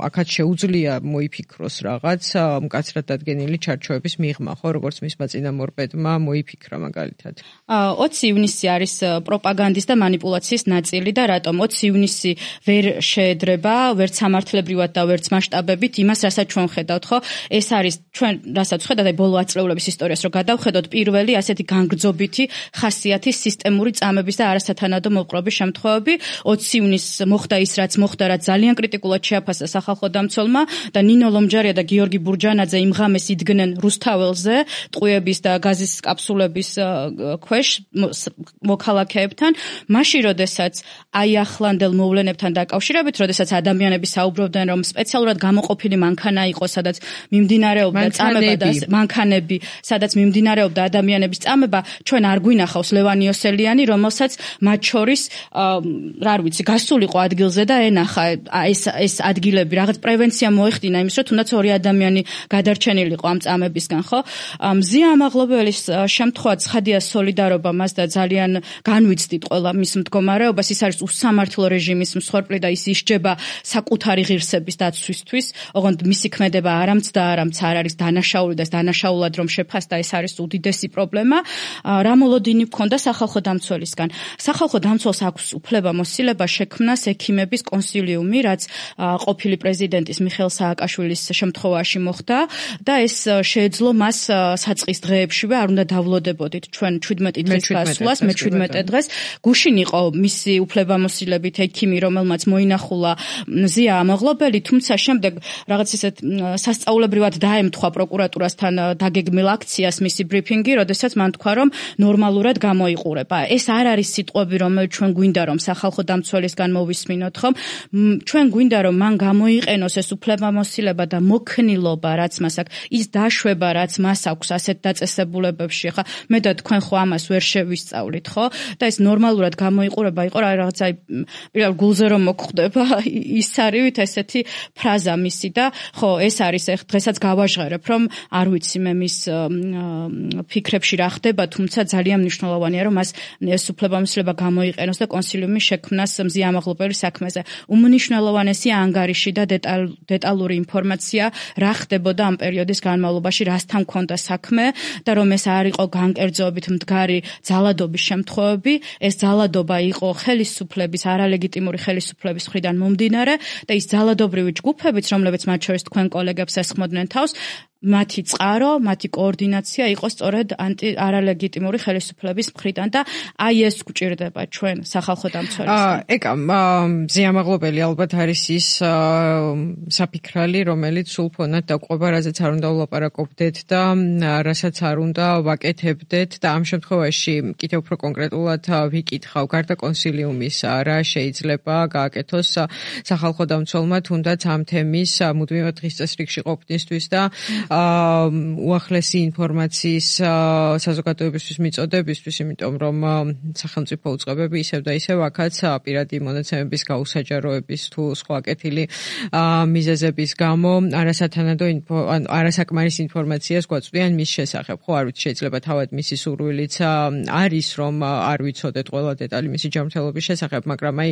აქაც შეუძლია მოიფიქროს რაღაც მკაცრად დადგენილი ჩარჩოების მიღმა, ხო, როგორც მისმა წინამორბედმა მოიფიქრა მაგალითად. 20 ივნისი არის პროპაგანდის და манипуляციის ნაწილი და რატომ 20 ივნისი ვერ შეედრება, ვერც სამართლებრივად და ვერც მასშტაბებით იმას, რასაც ჩვენ ხედავთ, ხო? ეს არის ჩვენ რასაც ხედავთ, აი ბოლო ათწლეულების ისტორიას რო გადავხედოთ, პირველი ასეთი განგრძობითი ხასიათის სისტემური წამების და არასათანადო მოპყრობის შემთხვევები. 20 ივნისს მოხდა ის, რაც მოხდა, რაც ძალიან კრიტიკულად შეაფასა სახალხო დამცველმა და ნინო ლომჯარია და გიორგი ბურჯანაძე იმ ღამეს იდგნენ რუსთაველზე, ტყუების და გაზის კაფსულების ქვეშ მოქალაქეებთან, მაშინ როდესაც აი ახლანდელ მოვლენებთან დაკავშირებით, როდესაც ადამიანები საუბრობდნენ, რომ სპეციალურად გამოყოფილი მანქანა იყო, სადაც მიმდინარეობდა წამება და მანქანები, სადაც მიმდინარეობდა ადამიანების წამება, ჩვენ არ გვინახავს ლევან იოსელიანი, რომელსაც მათ შორის რა ვიცი, გასულიყო ადგილზე და ენახა ეს ადგილები, რაღაც პრევენცია მოეხდინა იმის, რომ თუნდაც ორი ადამიანი გადარჩენილიყო ამ წამებისგან, ხო? მზია ამაღლობელის შემთხვევა ცხადია სოლიდარობა მას და ძალიან განვიცდით ყველა მის მდგომარეობას, ის არის უსამართლო რეჟიმის მსხვერპლი და ის ისჯება საკუთარი ღირსების დაცვისთვის, ოღონდ მისი ქმედება არამც არ არის დანაშაული და ეს დანაშაულად რომ შეფასდა, ეს არის უდიდესი პრობლემა. რა მოლოდინი ჰქონდა სახალხო დამცველისგან? სახალხო დამცველს აქვს უფლებამოსილება შექმნას ექიმების კონსილიუმი, რაც ყოფილი პრეზიდენტის მიხეილ სააკაშვილის შემთხვევაში მოხდა და ეს შეეძლო მას საწყის დღეებშივე არ უნდა დავლოდებოდით ჩვენ 17 დღის გასვლას, მე 17 დღეს გუშინ იყო მისი უფლებამოსილებით ექიმი, რომელმაც მოინახულა მზია ამაღლობელი, თუმცა შემდეგ რაღაც ისეთ სასწაულებრივად დაემთხვა პროკურატურასთან დაგეგმილ აქციას მისი ბრიფინგი, როდესაც მან თქვა, რომ ნორმალურად გამოიყურება. ეს არ არის სიტყვები, რომელიც ჩვენ გვინდა რომ სახალხო დამცველისგან მოვისმინოთ, ხომ? ჩვენ გვინდა რომ მან გამოიყენოს ეს უფლებამოსილება და მოქნილობა, რაც მას აქვს, ის დაშვება, რაც მას აქვს ასეთ დაწესებულებებში. ხა მე და თქვენ ხო ამას ვერ შევისწავლით, ხო? ხო? და ეს ნორმალურად გამოიყურება იყო რაღაცა პირდაპირ გულზე რომ მოგხვდება ის არივით ესეთი ფრაზა მისი და ხო ეს არის დღესაც გავაჟღერებ რომ არ ვიცი მე მის ფიქრებში რა ხდება, თუმცა ძალიან მნიშვნელოვანია რომ მას ეს უფლებამოსილება გამოიყენოს და კონსილიუმის შექმნას მზია ამაღლობელი საქმეზე. უმნიშვნელოვანესია ანგარიში და დეტალური ინფორმაცია რა ხდებოდა ამ პერიოდის განმავლობაში, რასთან ჰქონდა საქმე და რომ ეს არ იყო განკერძოებით მდგარი ძალადობის შემთხვევები, ეს ძალადობა იყო ხელისუფლების, არალეგიტიმური ხელისუფლების მხრიდან მომდინარე და ის ძალადობრივი ჯგუფებიც, რომლებიც მათ შორის თქვენ კოლეგებს ესხმოდნენ თავს, მათი წყარო, მათი კოორდინაცია იყო სწორედ არალეგიტიმური ხელისუფლების მხრიდან და აი ეს გვჭირდება ჩვენ სახალხო დამცველისგან. ეკა, მზია ამაღლობელი ალბათ არის ის საფიქრალი, რომელიც სულ ფონად დაყვება, რაზეც არ უნდა ვლაპარაკობდეთ და რასაც არ უნდა ვაკეთებდეთ და ამ შემთხვევაში კიდევ უფრო კონკრეტულად ვიკითხავ, გარდა კონსილიუმის რა შეიძლება გააკეთოს სახალხო დამცველმა თუნდაც ამ თემის მუდმივად დღის წესრიგში ყოფნისთვის და უახლესი ინფორმაციის საზოგადოებისთვის მიწოდებისთვის, იმიტომ რომ სახელმწიფო უწყებები ისევ და ისევ აქაც პირადი მონაცემების გაუსაჯაროების თუ სხვა კეთილი მიზეზების გამო არასაკმარის ინფორმაციას გვაწვდიან მის შესახებ. ხო, არ ვიცი, შეიძლება თავად მისი სურვილიც არის, რომ არ ვიცოდეთ ყველა დეტალი მისი ჯანმრთელობის შესახებ, მაგრამ აი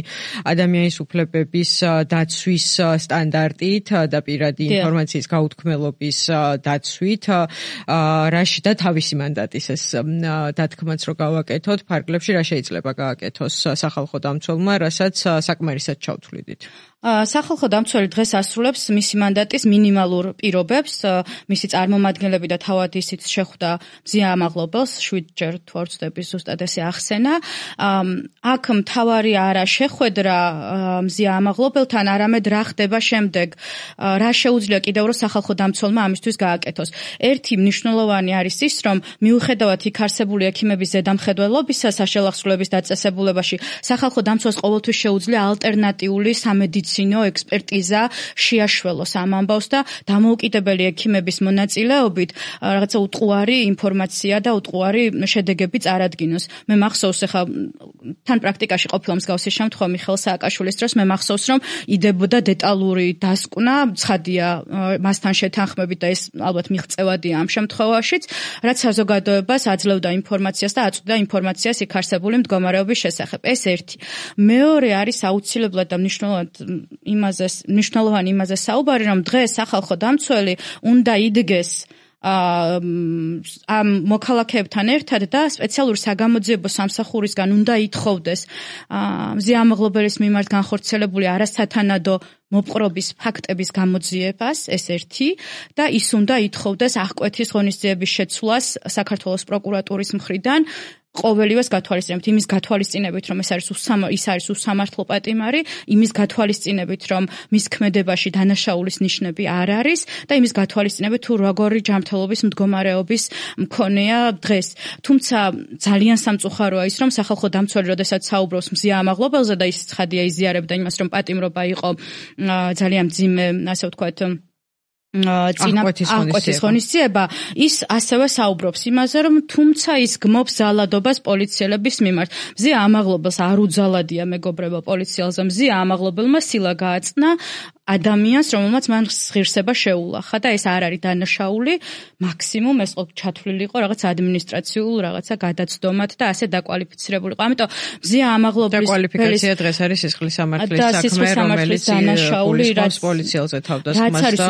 ადამიანის უფლებების დაცვის სტანდარტით და პირადი ინფორმაციის გაუთქმელობის დაცვით რაში და თავისი მანდატის ეს დათქმაც რო გავაკეთოთ ფარგლებში რა შეიძლება გააკეთოს სახალხო დამცველმა, რასაც საკმარისად ჩავთვლიდით. სახალხო დამცველი დღეს ასრულებს მისი მანდატის მინიმალურ პირობებს, მისი წარმომადგენლები და თავად ისიც შეხვდა მზია ამაღლობელს, 7-ჯერ თუ არ ვცდები ზუსტად ესე ახსენა. აქ მთავარი არა შეხვედრა მზია ამაღლობელთან, არამედ რა ხდება შემდეგ, რა შეუძლია კიდევ რომ სახალხო დამცველმა ამისთვის გააკეთოს. ერთი მნიშვნელოვანი არის ის, რომ მიუხედავად იქ არსებული ექიმების ზედამხედველობისა საშელახსრულების დაწესებულებაში, სახალხო დამცველს ყოველთვის შეუძლია ალტერნატიული სამედიცინო ექსპერტიზა შეაშველოს ამ ამბავს და დამოუკიდებელი ექიმების მონაწილეობით რაღაცა უტყუარი ინფორმაცია და უტყუარი შედეგები წარადგინოს. მე მახსოვს ახლა თან პრაქტიკაში ყოფილა მსგავსი შემთხვევა მიხეილ სააკაშვილის დროს, მე მახსოვს რომ იდებოდა დეტალური დასკვნა, ცხადია მასთან შეთანხმებით და ეს ალბათ მიღწევადია ამ შემთხვევაშიც, რაც საზოგადოებას აძლევდა ინფორმაციას და აწვდიდა ინფორმაციას იქ არსებული მდგომარეობის შესახებ. ეს ერთი. მეორე არის აუცილებლად და მნიშვნელოვანი იმაზე საუბარი, რომ დღეს სახალხო დამცველი უნდა იდგეს ამ მოქალაქეებთან ერთად და სპეციალური საგამოძიებო სამსახურისგან უნდა ითხოვდეს მზია ამაღლობელის მიმართ განხორციელებული არასათანადო მოპყრობის ფაქტების გამოძიებას, ეს ერთი, და ის უნდა ითხოვდეს აღკვეთის ღონისძიების შეცვლას საქართველოს პროკურატურის მხრიდან, ყოველივეს გათვალისწინებით, იმის გათვალისწინებით, რომ ის არის უსამართლო პატიმარი, იმის გათვალისწინებით, რომ მის ქმედებაში დანაშაულის ნიშნები არ არის და იმის გათვალისწინებით, თუ როგორი ჯანმრთელობის მდგომარეობის მქონეა დღეს. თუმცა ძალიან სამწუხაროა ის, რომ სახალხო დამცველი, როდესაც საუბრობს მზია ამაღლობელზე და ის ცხადია იზიარებდა იმას, რომ პატიმრობა იყო ძალიან მძიმე, ასე ვთქვათ, აღკვეთის ღონისძიება, ის ასევე საუბრობს იმაზე, რომ თუმცა ის გმობს ძალადობას პოლიციელების მიმართ. მზია ამაღლობელს არ უძალადია მეგობრებო პოლიციელზე, მზია ამაღლობელმა სილა გააწნა ადამიანს, რომელმაც მან ღირსება შეულახა და ეს არ არის დანაშაული, მაქსიმუმ ეს ჩათვლილი იყო რაღაც ადმინისტრაციულ რაღაცა გადაცდომად და ასე დაკვალიფიცირებული იყო. ამიტომ მზია ამაღლობელის დაკვალიფიკაცია დღეს არის სისხლის სამართლის საქმე, რომელიც გულისხმობს პოლიციელზე თავდასხმას და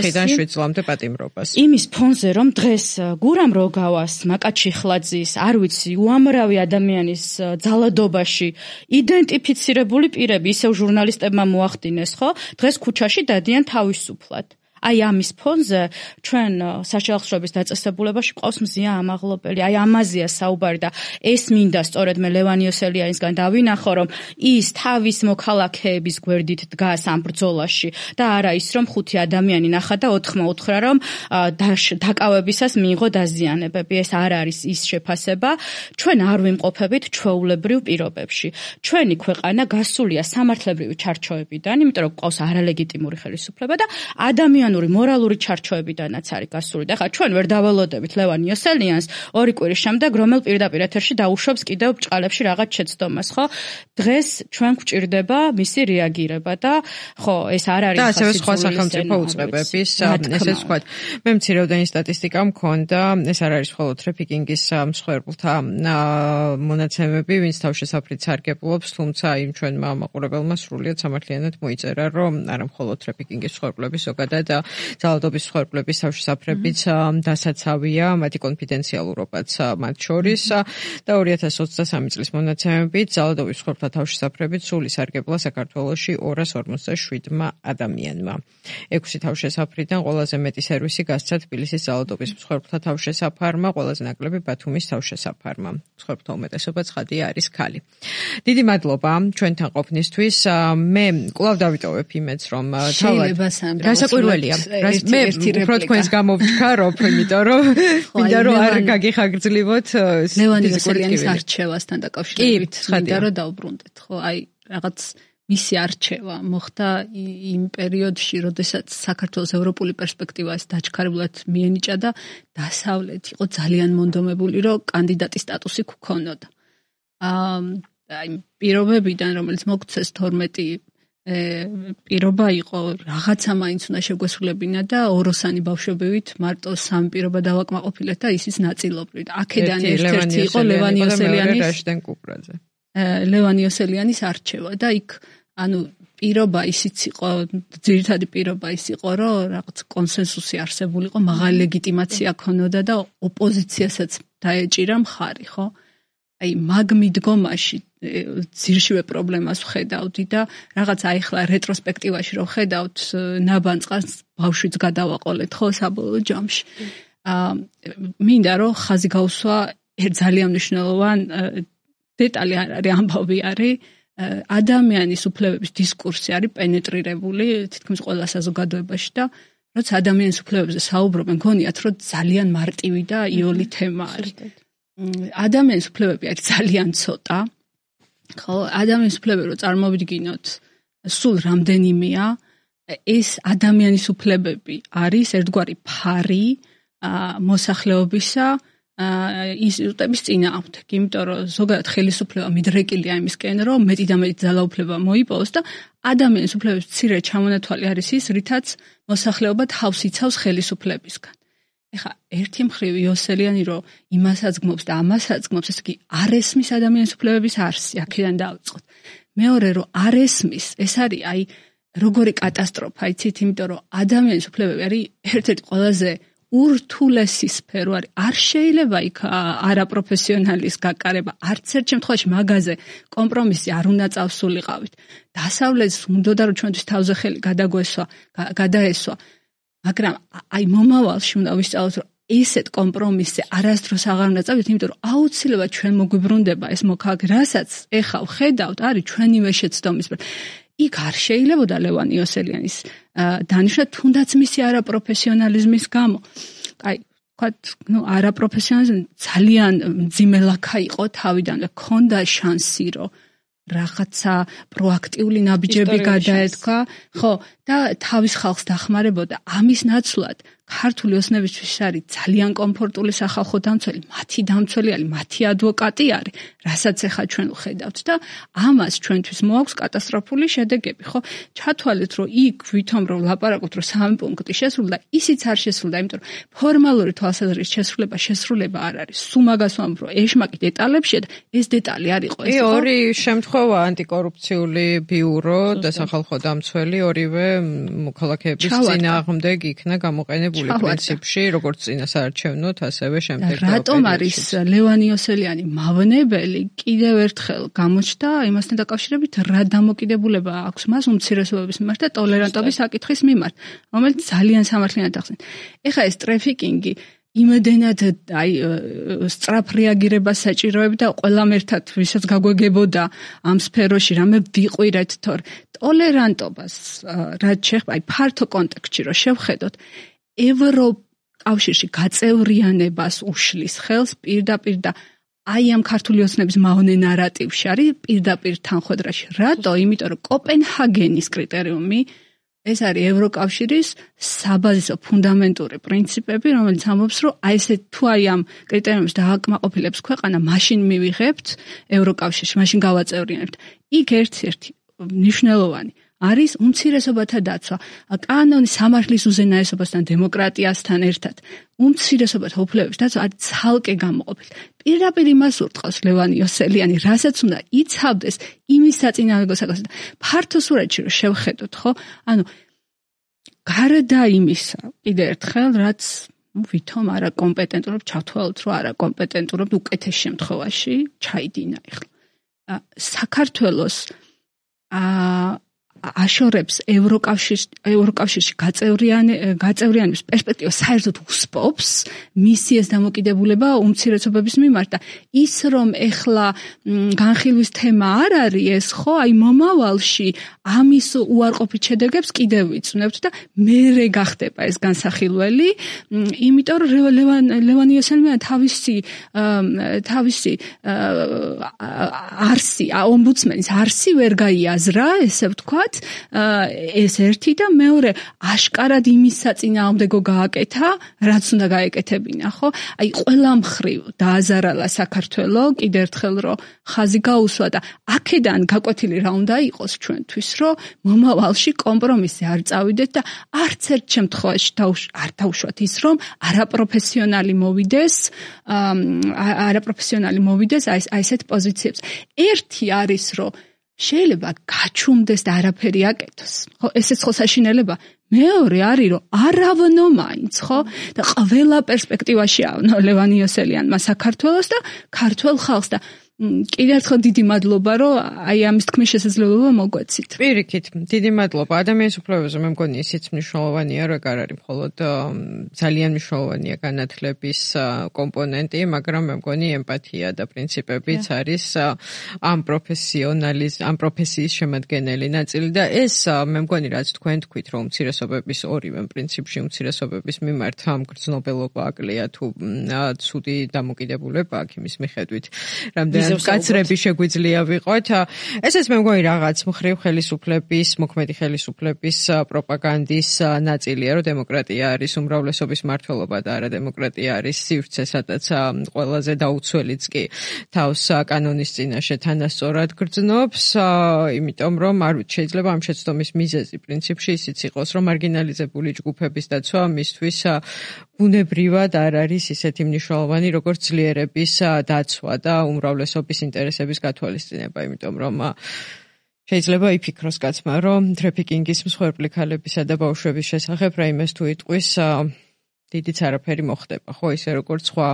4-დან 7 წლამდე პატიმრობას. იმის ფონზე, რომ დღეს გურამ როგავას, მაკაჩიხლაძის, არ ვიცი, უამრავი ადამიანის ძალადობაში იდენტიფიცირებული პირები, ისევ ჟურნალისტებმა მოახდინეს, ხო? დღეს ქუჩაში დადიან თავისუფლად. აი ამის ფონზე ჩვენ საშელახსრულების დაწესებულებაში ყავს მზია ამაღლობელი. აი ამაზეა საუბარი და ეს მინდა სწორედ მე ლევან იოსელიანისგან დავინახო, რომ ის თავის მოქალაქეების გვერდით დგას ამ ბრძოლაში და არა ის, რომ 5 ადამიანი ნახა და 4 უთხრა, რომ დაკავებისას მიიღო დაზიანებები. ეს არ არის ის შეფასება. ჩვენ არ ვიმყოფებით ჩვეულებრივ პირობებში. ჩვენი ქვეყანა გასულია სამართლებრივი ჩარჩოებიდან, იმიტომ რომ ყავს არალეგიტიმური ხელისუფლება და ადამიანური ჰუმანური, მორალური ჩარჩოებიდანაც არის გასული. და ხა ჩვენ ვერ დაველოდებით ლევან იოსელიანს ორი კვირის შემდეგ, რომელ პირდაპირ ეთერში დაუშვებს კიდევ ბჭყალებში რაღაც შეცდომას, ხო? დღეს ჩვენ გვჭირდება მისი რეაგირება და ხო, ეს არ არის და ასევე სხვა სახელმწიფო უწყებების, ესე ვთქვათ. მე მცირეოდენი სტატისტიკა მქონდა, ეს არ არის მხოლოდ ტრაფიკინგის მსხვერპლთა მონაცემები, ვინც თავშესაფრით სარგებლობს, თუმცა იმ ჩვენმა მაყურებელმა სრულიად სამართლიანად მოიწერა, რომ არა მხოლოდ ტრაფიკინგის მსხვერპლების, ზოგადად ძალადობის მსხვერპლების თავშესაფრებიც დასაცავია, მათი კონფიდენციალურობაც მათ შორის და 2023 წლის მონაცემებით ძალადობის მსხვერპლთა თავშესაფრებით სრული სარგებლა საქართველოში 257 ადამიანმა. 6 თავშესაფრიდან ყველაზე მეტი სერვისი გასცა თბილისის ძალადობის მსხვერპლთა თავშესაფარმა, ყველაზე ნაკლები ბათუმის თავშესაფარმა. მსხვერპლთა უმეტესობა ცხადია არის ქალი. დიდი მადლობა ჩვენთან ყოფნისთვის. მე კვლავ დავიტოვებ იმედს, რომ თავად გასაკვირველია. მე უფრო თქვენს გამოვჩქარობ, იმიტომ რომ მინდა რომ არ გაგიხაგრძლივოთ ლევან იოსელიანის არჩევასთან დაკავშირებით. მინდა რომ დავბრუნდეთ, ხო? აი რაღაც მისი არჩევა მოხდა იმ პერიოდში, როდესაც საქართველოს ევროპული პერსპექტივა ეს დაჩქარებულად მიენიჭა და დასავლეთ იყო ძალიან მონდომებული, რომ კანდიდატის სტატუსი გქონოდა. აი პირობებიდან, რომელიც მოგცეს 12 პირობა იყო, რაღაცა მაინც უნდა შეგვესრულებინა და ოროსანი ბავშვებივით მარტო 3 პირობა დავაკმაყოფილეთ და ისიც ნაწილობრივ. აქედან ერთ-ერთი იყო ლევან იოსელიანის არჩევა და იქ ანუ პირობა ისიც იყო, ძირითადი პირობა ის იყო, რომ რაღაც კონსენსუსი არსებულიყო, მაღალი ლეგიტიმაცია ქონოდა და ოპოზიციასაც დაეჭირა მხარი, ხო? აი მაგ მიდგომაში ძირშივე პრობლემას ვხედავდი და რაღაც აი ხლა რეტროსპექტივაში რომ ვხედავთ ნაბანწყას ბავშვიც გადავაყოლეთ, ხო, საბოლოო ჯამში. მინდა რომ ხაზი გავსვა ძალიან მნიშვნელოვან დეტალი არ არის, ამბავი არის, ადამიანის უფლებების დისკურსი არის პენეტრირებული თითქმის ყველა საზოგადოებაში და როცა ადამიანის უფლებებზე საუბრობენ, გონიათ რომ ძალიან მარტივი და იოლი თემა არის. ადამიანის უფლებები არის ძალიან ცოტა. ხო, ადამიანის უფლებები რო წარმოვიდგინოთ, სულ რამდენიმეა, ეს ადამიანის უფლებები არის ერთგვარი ფარი მოსახლეობისა ინსტიტუტების წინააღმდეგ, იმიტომ რომ ზოგადად ხელისუფლება მიდრეკილია იმისკენ, რომ მეტი და მეტი ძალაუფლება მოიპოვოს და ადამიანის უფლებების მცირე ჩამონათვალი არის ის, რითაც მოსახლეობა თავს იცავს ხელისუფლებისგან. ეხა ერთი მხრივ იოსელიანი რომ იმასაც გმობს და ამასაც გმობს, ესე იგი არ ესმის ადამიანის უფლებების არსი, აქედან დავიწყოთ. მეორე რომ არ ესმის, ეს არის აი როგორი კატასტროფა, იცით, იმიტომ რომ ადამიანის უფლებები არის ერთ-ერთი ყველაზე ურთულესი სფერო არის. არ შეიძლება იქ არაპროფესიონალის გაკარება, არც ერთ შემთხვევაში მაგაზე კომპრომისი არ უნდა წავსულიყავით. დასავლეთს უნდა რომ ჩვენთვის თავზე ხელი გადაესვა, მაგრამ აი მომავალში უნდა ვისწავლოთ, რომ ესეთ კომპრომისზე არასდროს აღარ უნდა წავიდეთ, იმიტომ რომ აუცილებლად ჩვენ მოგვიბრუნდება ეს მოქალაქე, რასაც ეხა ვხედავთ, არის ჩვენივე შეცდომის. იქ არ შეიძლებოდა ლევან იოსელიანის დანიშნა, თუნდაც მისი არაპროფესიონალიზმის გამო. აი, ვთქვათ, არაპროფესიონალიზმი ძალიან მძიმე ლაქა იყო თავიდან და ქონდა შანსი, რომ რაღაცა პროაქტიული ნაბიჯები გადაედგა, ხო, და თავის ხალხს დახმარებოდა. ამის ნაცვლად ქართული ოცნებისთვის არის ძალიან კომფორტული სახალხო დამცველი, მათი დამცველი არის, მათი ადვოკატი არის, რასაც ახლა ჩვენ ვხედავთ და ამას ჩვენთვის მოაქვს კატასტროფული შედეგები, ხო? ჩათვალეთ, რომ იქ ვითომ რომ ლაპარაკობთ, რომ 3 პუნქტი შესრულდა, ისიც არ შესრულდა, იმიტომ რომ ფორმალური თვალსაზრისით შესრულება არ არის. სულ მაგას ვამბობ, რომ ეშმაკი დეტალებშია და ეს დეტალი არ იყო ეს. ორი შემთხვევა ანტიკორუფციული ბიურო და სახალხო დამცველი ორივე მოქალაქეების წინააღმდეგ იქნა გამოყენებული. პრინციპში, როგორც წინასაარჩევნოთ, ასევე შემდეგ. რატომ არის ლევან იოსელიანი მავნებელი? კიდევ ერთხელ გამოჩნდა იმასთან დაკავშირებით, რა დამოკიდებულება აქვს მას უმცირესობების მიმართ და ტოლერანტობის საკითხის მიმართ, რომელიც ძალიან სამართლიანად ახსენეთ. ეხლა ეს ტრაფიკინგი იმედენად აი სწრაფ რეაგირებას საჭიროებდა ყველამ ერთად, ვისაც გაგვეგებოდა ამ სფეროში, რამე ვიყვირეთ, თორე ტოლერანტობას რაც შეეხება აი ფართო კონტექსტში რო შევხედოთ, ევროკავშირში გაწევრიანებას უშლის ხელს პირდაპირ და აი ამ ქართული ოცნების მავნე ნარატივში არის პირდაპირ თანხმედრაში. რატო? იმიტომ რომ კოპენჰაგენის კრიტერიუმი ეს არის ევროკავშირის საბაზისო ფუნდამენტური პრინციპები, რომელიც ამბობს, რომ აი ესე თუ აი ამ კრიტერიუმებს დააკმაყოფილებს ქვეყანა, მაშინ მივიღებთ ევროკავშირში, მაშინ გავაწევრიანებთ. იქ ერთ-ერთი მნიშვნელოვანი არის უმცირესობათა დაცვა. კანონის სამართლის უზენაესობასთან, დემოკრატიასთან ერთად უმცირესობათა უფლებების დაცვა არის ცალკე გამოყოფილი. პირდაპირ იმას ურტყავს ლევან იოსელიანი, რასაც უნდა იცავდეს იმის საწინააღმდეგო საკითხს. ფართო სურათში რომ შევხედოთ, ხო? ანუ გარდა იმისა, კიდე ერთხელ, რაც ვითომ არაკომპეტენტურობ, ჩავთვალოთ, რომ არაკომპეტენტურობ უკეთეს შემთხვევაში ჩაიდინა ეხლა. საქართველოს აშორებს ევროკავშირში გაწევრიანების პერსპექტივა საერთოდ უსპობს მისი ეს დამოკიდებულება უმცირესობების მიმართ და ის რომ ეხლა განხილვის თემა არ არის ეს ხო აი მომავალში ამის უარყოფით შედეგებს კიდევ ვიწვნებთ და მერე გახდება ეს განსახილველი იმიტომ რომ ლევან იოსელიანი თავისი არსი ომბუდსმენის არსი ვერ გაიაზრა ესე ვთქვა ეს ერთი და მეორე აშკარად იმის საწინააღმდეგო გააკეთა, რაც უნდა გაეკეთებინა, ხო? აი ყველა მხრივ დააზარალა საქართველო, კიდევ ერთხელ რომ ხაზი გაუსვა და აქედან გაკვეთილი რა უნდა იყოს ჩვენთვის, რომ მომავალში კომპრომისი არ წავიდეთ და არც ერთ შემთხვევაში არ დავუშვათ ის, რომ არაპროფესიონალი მოვიდეს აი ესეთ პოზიციებს. ერთი არის, რომ შეიძლება გაჩუმდეს და არაფერი აკეთოს. ხო, ესეც ხო საშინელება. მეორე არის, რომ არავნო მაინც, ხო? და ყველა პერსპექტივაში ავნო ლევან იოსელიანმა საქართველოს და ქართულ ხალხს და კიდევ ერთხელ დიდი მადლობა, რომ აი ამის თქმის შესაძლებლობა მოგვეცით. პირიქით, დიდი მადლობა. ადამიანის უფლებებზე მე მგონი ისიც მნიშვნელოვანია, რომ არ არის მხოლოდ ძალიან მნიშვნელოვანია განათლების კომპონენტი, მაგრამ მე მგონი ემპათია და პრინციპებიც არის ამ პროფესიის შემადგენელი ნაწილი და ეს მე მგონი რაც თქვენ თქვით, რომ უმცირესობების ორივე პრინციპში უმცირესობების მიმართ გრძნობელობა აკლია თუ ცუდი დამოკიდებულება აქ იმის მიხედვით, რამდენად კაცრები შეგვიძლია ვიყოთ. ესეც მე მგონი რაღაც მხრივ ხელისუფლების, მოქმედი ხელისუფლების პროპაგანდის ნაწილია, რომ დემოკრატია არის უმრავლესობის მმართველობა და არა დემოკრატია არის სივრცე, სადაც ყველაზე დაუცველიც კი თავს კანონის წინაშე თანასწორად გრძნობს, იმიტომ რომ არ ვიცი, შეიძლება ამ შეცდომის მიზეზი პრინციპში ისიც იყოს, რომ მარგინალიზებული ჯგუფების დაცვა მისთვის ბუნებრივად არ არის ისეთი მნიშვნელოვანი, როგორც ძლიერების დაცვა და უმრავლესობის ინტერესების გათვალისწინება, იმიტომ რომ შეიძლება იფიქროს კაცმა, რომ ტრაფიკინგის მსხვერპლი ქალებისა და ბავშვების შესახებ რაიმეს თუ იტყვის დიდიც არაფერი მოხდება, ხო, ისე როგორც სხვა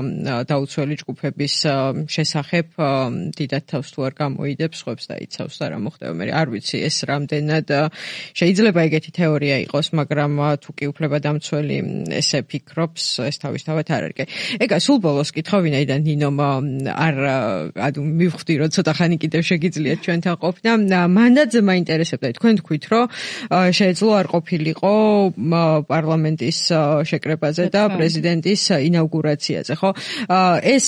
დაუცველი ჯგუფების შესახებ დიდად თავს თუ არ გამოიდებს, ხვებს და იცავს და რა მოხდება. მე არ ვიცი ეს რამდენად შეიძლება ეგეთი თეორია იყოს, მაგრამ თუ კი უფლებადამცველი ესე ფიქრობს, ეს თავისთავად არ არის. ეგა სულ ბოლოს კითხავ, ვინაიდან ნინომ არ მივხვდი, რომ ცოტა ხანი კიდევ შეგიძლიათ ჩვენთან ყოფნა. მანდაც მაინტერესებდა თქვენ თქვით, რომ შეეძლო არ ყოფილიყო პარლამენტის შეკრებაზე და პრეზიდენტის ინაუგურაციაზე, ხო? ეს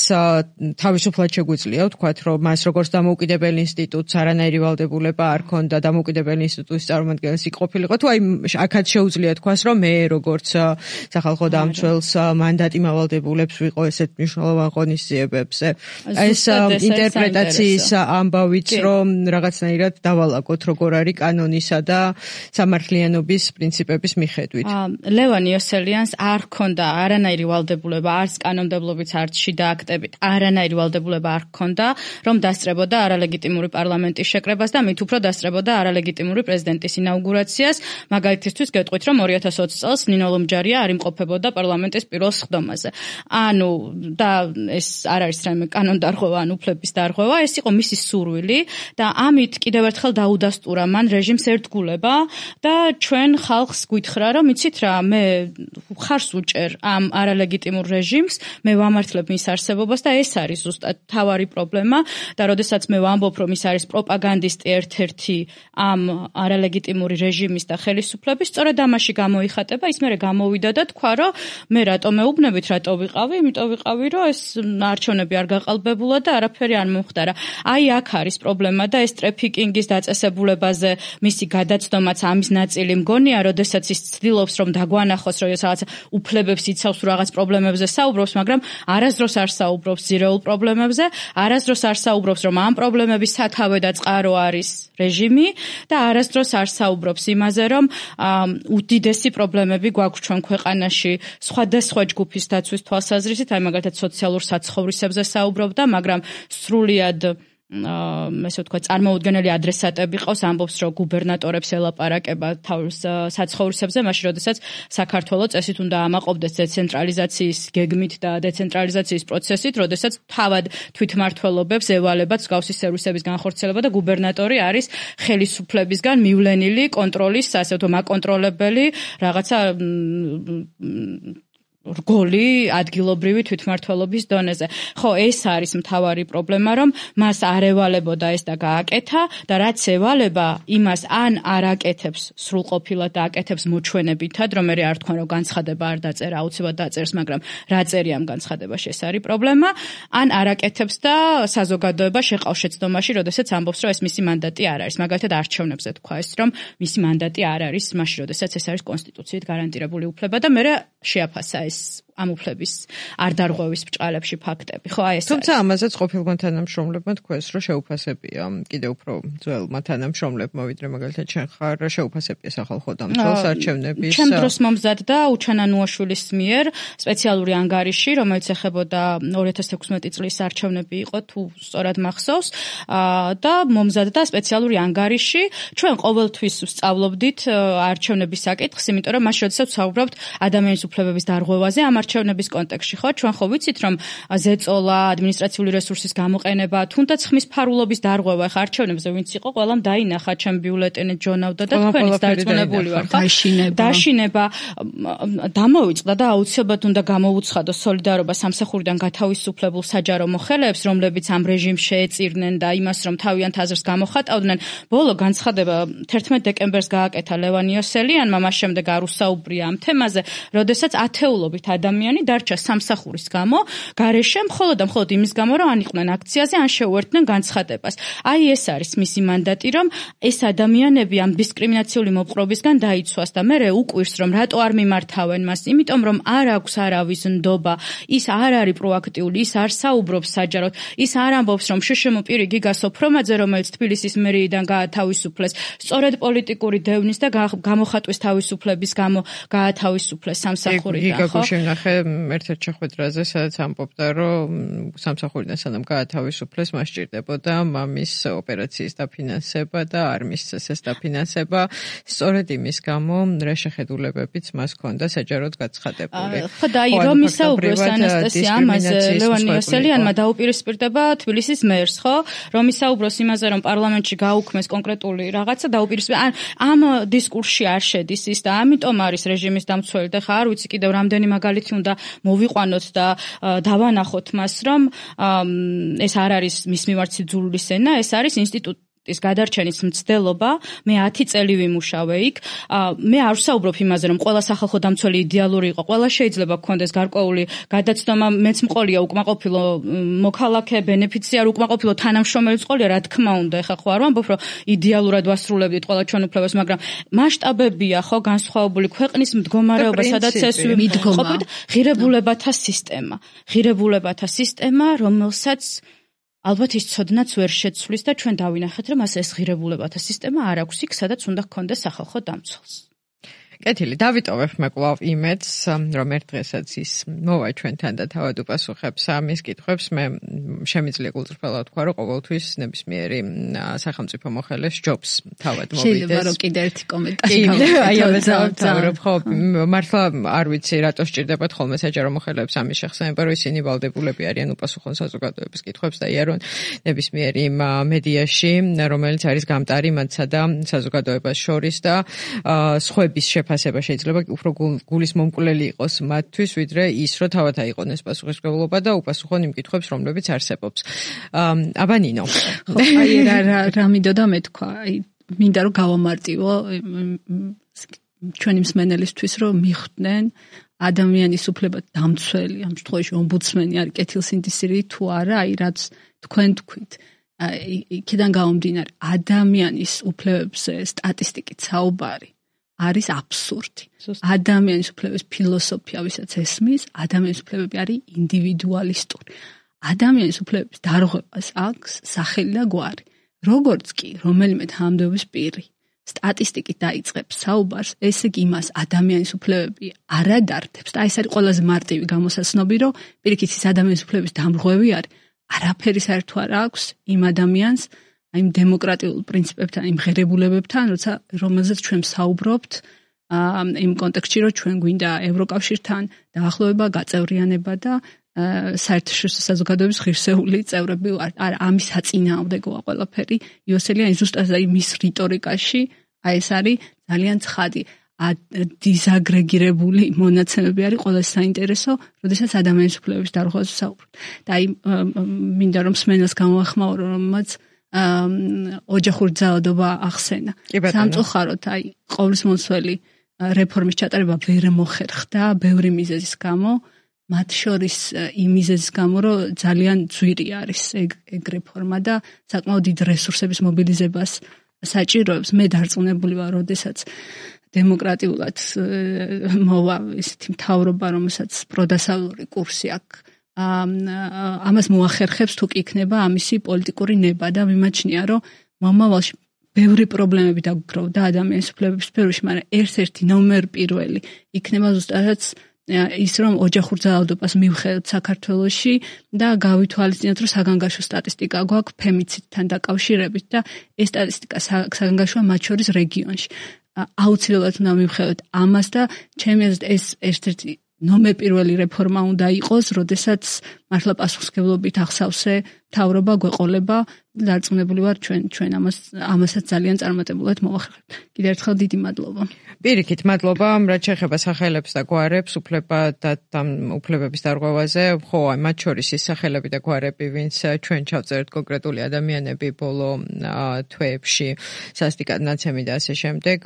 თავისუფლად შეგვიძლია ვთქვათ, რომ მას როგორც დამოუკიდებელ ინსტიტუტს არანაირი ვალდებულება არ ქონდა დამოუკიდებელი ინსტიტუტის წარმომადგენელს იქ ყოფილიყო, თუ აი აქაც შეუძლია თქვას, რომ მე როგორც სახალხო დამცველს მანდატი მავალდებულებს ვიყო ესეთ მნიშვნელოვან ღონისძიებებზე. ეს ინტერპრეტაციის ამბავიც, რომ რაღაცნაირად დავალაგოთ, როგორ არის კანონისა და სამართლიანობის პრინციპების მიხედვით. ლევან იოსელიანს არ ქონდა არანაირი ვალდებულება, არც კანონმდებლობით, არც შიდა აქტებით, არანაირი ვალდებულება არ ქონდა, რომ დასწრებოდა არალეგიტიმური პარლამენტის შეკრებას და მით უფრო დასწრებოდა არალეგიტიმური პრეზიდენტის ინაუგურაციას. მაგალითისთვის გეტყვით, რომ 2020 წელს ნინო ლომჯარია არ იმყოფებოდა პარლამენტის პირველ სხდომაზე. ანუ და ეს არ არის რაიმე კანონდარღვევა, ან უფლების დარღვევა, ეს იყო მისი სურვილი და ამით კიდევ ერთხელ დაუდასტურა მან რეჟიმს ერთგულება და ჩვენ ხალხს გვითხრა, რომ იცით რა, მე ხარს უჭერ მივუჭერ ამ არალეგიტიმურ რეჟიმს, მე ვამართლებ მის არსებობას და ეს არის ზუსტად თავარი პრობლემა და როდესაც მე ვამბობ, რომ ის არის პროპაგანდისტი ერთ-ერთი ამ არალეგიტიმური რეჟიმის და ხელისუფლების, სწორედ ამაში გამოიხატება, ის მერე გამოვიდა და თქვა, რომ მე რატომ მეუბნებით, რატო ვიყავი, იმიტომ ვიყავი, რომ ეს არჩევნები არ გაყალბებულა და არაფერი არ მომხდარა. აი აქ არის პრობლემა და ეს ტრეფიკინგის დაწესებულებაზე მისი გადაცდომაც ამის ნაწილი მგონია, როდესაც ის ცდილობს რომ დაგვანახოს, რომ რაღაც უფლებებს იცავს რაღაც პრობლემებზე საუბრობს, მაგრამ არასდროს არ საუბრობს ძირეულ პრობლემებზე, არასდროს არ საუბრობს, რომ ამ პრობლემების სათავე და წყარო არის რეჟიმი და არასდროს არ საუბრობს იმაზე, რომ უდიდესი პრობლემები გვაქვს ჩვენ ქვეყანაში სხვადასხვა ჯგუფის დაცვის თვალსაზრისით, აი მაგალითად სოციალურ საცხოვრისებზე საუბრობდა, მაგრამ სრულიად ესე ვთქვა, წარმოუდგენელი ადრესატები ყავს, ამბობს, რომ გუბერნატორებს ელაპარაკება თავის საცხოვრისებზე, მაშინ როდესაც საქართველო წესით უნდა ამაყობდეს დეცენტრალიზაციის გეგმით და დეცენტრალიზაციის პროცესით, როდესაც თავად თვითმმართველობებს ევალებათ მსგავსი სერვისების განხორციელება და გუბერნატორი არის ხელისუფლებისგან მივლენილი კონტროლის, ასე ვთქვათ, მაკონტროლებელი რაღაცა რგოლი ადგილობრივი თვითმმართველობის დონეზე. ხო, ეს არის მთავარი პრობლემა, რომ მას არ ევალებოდა ეს და გააკეთა და რაც ევალება, იმას ან არ აკეთებს სრულყოფილად და აკეთებს მოჩვენებითად, რომ მე არ თქვენ რომ განცხადება არ დაწერა, აუცილებლად დაწერს, მაგრამ რა წერია ამ განცხადებაში, ეს არის პრობლემა, ან არ აკეთებს და საზოგადოება შეყავს შეცდომაში, როდესაც ამბობს, რომ ეს მისი მანდატი არ არის. მაგალითად არჩევნებზე თქვა ეს, რომ მისი მანდატი არ არის, მაშინ როდესაც ეს არის კონსტიტუციით გარანტირებული უფლება და მე შეაფასა ეს ამ უფლების არ დარღვევის ბრჭყალებში ფაქტები. ხო, აი ეს. თუმცა ამაზეც ყოფილმა თანამშრომლებმა თქვეს, რომ შეუფასებია კიდევ უფრო ძველმა თანამშრომლებმა, ვიდრე მაგალითად შენ ხარ, შეუფასებია სახალხო დამცველს არჩევნების. ჩემ დროს მომზადდა უჩანანუაშვილის მიერ სპეციალური ანგარიში, რომელიც ეხებოდა 2016 წლის არჩევნები იყო, თუ სწორად მახსოვს, და მომზადდა სპეციალური ანგარიში. ჩვენ ყოველთვის ვსწავლობდით არჩევნების საკითხს, იმიტომ რომ მაშინ როდესაც ვსაუბრობთ ადამიანის უფლებების დარღვევაზე ამ არჩევნების კონტექსტში, ხო, ჩვენ ხო ვიცით, რომ ზეწოლა, ადმინისტრაციული რესურსის გამოყენება, თუნდაც ხმის ფარულობის დარღვევა, ხა არჩევნებზე ვინც იყო, ყველამ დაინახა ჩემ ბიულეტენით ჯონავდა და თქვენიც დარწმუნებული ვარ, ხო? დაშინება დამოიწყდა და აუცილებლად უნდა გამოვუცხადო სოლიდარობა სამსახურიდან გათავისუფლებულ საჯარო მოხელეებს, რომლებიც ამ რეჟიმს შეეწირნენ და იმას, რომ თავიანთ აზრს გამოხატავდნენ. ბოლო განცხადება 11 დეკემბერს გააკეთა ლევან იოსელიანმა, მას შემდეგ არ უსაუბრია ამ თემაზე, როდესაც ათეულობით ადამიანი დარჩა სამსახურის გამო, გარეშე მხოლოდ იმის გამო, რომ ან იყვნენ აქციაზე, ან შეუერთდნენ განცხადებას. აი ეს არის მისი მანდატი, რომ ეს ადამიანები ამ დისკრიმინაციული მოპყრობისგან დაიცვას და მე უკვირს, რომ რატო არ მიმართავენ მას, იმიტომ რომ არ აქვს არავის ნდობა, ის არ არის პროაქტიული, ის არ საუბრობს საჯაროდ, ის არ ამბობს, რომ შშმ პირი გიგა სოფრომაძე, რომელიც თბილისის მერიიდან გაათავისუფლეს, სწორედ პოლიტიკური დევნის და გამოხატვის თავისუფლების გამო გაათავისუფლეს სამსახურიდან, ხო? გიგა ერთ-ერთ შეხვედრაზე, სადაც ამბობდა, რომ სამსახურიდან სანამ გაათავისუფლეს, მას სჭირდებოდა მამის ოპერაციის დაფინანსება და არ მისცეს ეს დაფინანსება, სწორედ იმის გამო, რა შეხედულებებიც მას ჰქონდა საჯაროდ გაცხადებული. ხო, და აი რომ ისაუბროს ანასტასია ამაზე, ლევან იოსელიანმა დაუპირისპირდება თბილისის მერს, ხო? რომ ისაუბროს იმაზე, რომ პარლამენტში გაუქმეს კონკრეტული რაღაცა დაუპირისპირდა. ამ დისკურსში არ შედის ის და ამიტომ არის რეჟიმის დამცველი და ხა არ ვიცი კიდევ რამდენი მაგალითი უნდა მოვიყვანოთ და დავანახოთ მას, რომ ეს არ არის მის მიმართ სიძულვის ენა, ეს არის ინსტიტუტის გადარჩენის მცდელობა. მე 10 წელი ვიმუშავე იქ. მე არ ვსაუბრობ იმაზე, რომ ყველა სახალხო დამცველი იდეალური იყო, ყველა შეიძლება გქონდეს გარკვეული გადაცდომა, მეც მყოლია უკმაყოფილო მოქალაქე, ბენეფიციარი, უკმაყოფილო თანამშრომელი მყოლია, რა თქმა უნდა, ეხა ხო არ ვამბობ, რომ იდეალურად ვასრულებდით ყველა ჩვენ უფლებას, მაგრამ მასშტაბებია ხო განსხვავებული ქვეყნის მდგომარეობა, სადაც ეს ყოფით ღირებულებათა სისტემა, რომელსაც ალბათ ის ცოდნაც ვერ შეცვლის და ჩვენ დავინახეთ, რომ ეს ღირებულებათა სისტემა არ აქვს იქ, სადაც უნდა გქონდეს სახალხო დამცველს. კეთილი, დავიტოვებ მე კვლავ იმედს, რომ ერთ დღესაც ის მოვა ჩვენთან და თავად უპასუხებს ამის კითხვებს. მე შემიძლია გულწრფელად ვთქვა, რომ ყოველთვის ნებისმიერი სახელმწიფო მოხელეს ჯობს თავად მოვიდეს. შეიძლება რომ კიდე ერთი კომენტარი აი ამაზე ხო, მართლა არ ვიცი რატო სჭირდებათ ხოლმე საჯარო მოხელეებს ამის შეხსენება, რომ ისინი ვალდებულები არიან უპასუხონ საზოგადოების კითხვებს და იარონ ნებისმიერი მედიაში, რომელიც არის გამტარი მათსა და საზოგადოებას შორის და სხვების შეფასება შეიძლება უფრო გულის მომკვლელი იყოს მათთვის, ვიდრე ის, რომ თავად აიყონეს პასუხისმგებლობა და უპასუხონ იმ კითხვებს, რომლებიც არსებობს. აბა ნინო. აი რა მინდოდა მეთქვა, მინდა რომ გავამარტივო ჩვენი მსმენელისთვის, რომ მიხვდნენ ადამიანის უფლება დამცველი, ამ შემთხვევაში ომბუდსმენი არის კეთილსინდისირი თუ არა, აი რაც თქვენ თქვით. იქიდან გამომდინარე, ადამიანის უფლებებზე სტატისტიკით საუბარი არის აბსურდი. ადამიანის უფლების ფილოსოფია, ვისაც ესმის, ადამიანის უფლებები არის ინდივიდუალისტური. ადამიანის უფლებების დარღვევას აქვს სახელი და გვარი. როგორც კი რომელიმე თანამდებობის პირი სტატისტიკით დაიწყებს საუბარს, ესე იგი იმას ადამიანის უფლებები არ ადარდებს და ეს არის ყველაზე მარტივი გამოსაცნობი, რომ პირიქით ის ადამიანის უფლების დამრღვევი არის, არაფერი საერთო არ აქვს იმ ადამიანს, აი იმ დემოკრატიულ პრინციპებთან, იმ ღირებულებებთან, რომელზეც ჩვენ საუბრობთ, იმ კონტექსტში, რომ ჩვენ გვინდა ევროკავშირთან დაახლოება, გაწევრიანება და საერთაშორისო საზოგადოების ღირსეული წევრები ვართ. არა, ამის საწინააღმდეგოა ყველაფერი. იოსელიანი ზუსტად მის რიტორიკაში, აი ეს არის ძალიან ცხადი. დიზაგრეგირებული მონაცემები არის ყველაზე საინტერესო, როდესაც ადამიანის უფლებების დარღვევაზე საუბრობთ. და აი მინდა რომ მსმენელს გამოახმაურო, რომელმაც ოჯახური ძალადობა ახსენა. სამწუხაროდ, აი ყოვლისმომცველი რეფორმის ჩატარება ვერ მოხერხდა ბევრი მიზეზის გამო. მათ შორის იმ მიზეზის გამო, რომ ძალიან ძვირი არის ეგ რეფორმა და საკმაოდ დიდ რესურსების მობილიზებას საჭიროებს. მე დარწმუნებული ვარ, როდესაც დემოკრატიულად მოვა ესეთი მთავრობა, რომელსაც პროდასავლური კურსი აქვს, ამას მოახერხებს თუ კი იქნება ამისი პოლიტიკური ნება და მიმაჩნია, რომ მომავალში ბევრი პრობლემები დაგვგროვდა ადამიანის უფლებების სფეროში, მაგრამ ერთ-ერთი ნომერ პირველი იქნება ზუსტადაც ის რომ ოჯახურ ძალადობას მივხედოთ საქართველოში და გავითვალისწინოთ, რომ საგანგაშო სტატისტიკა გვაქვს ფემიციდთან დაკავშირებით და ეს სტატისტიკა საგანგაშოა მათ შორის რეგიონში. აუცილებლად უნდა მივხედოთ ამას და ჩემი აზრით ეს ერთ-ერთი ნომერ პირველი რეფორმა უნდა იყოს, როდესაც მართლა პასუხისმგებლობით ახსავსე მთავრობა გვეყოლება და დარწმუნებული ვარ ჩვენ ამასაც ძალიან წარმატებულად მოვახერხებთ. კიდევ ერთხელ დიდი მადლობა. პირიქით, მადლობა, რაც შეეხება სახელებს და გვარებს, უფლებების დარღვევაზე, ხო, მათ შორის ის სახელები და გვარები, ვინც ჩვენ ჩავწერთ კონკრეტული ადამიანები ბოლო თვეებში, სასტიკად ნაცემი და ასე შემდეგ,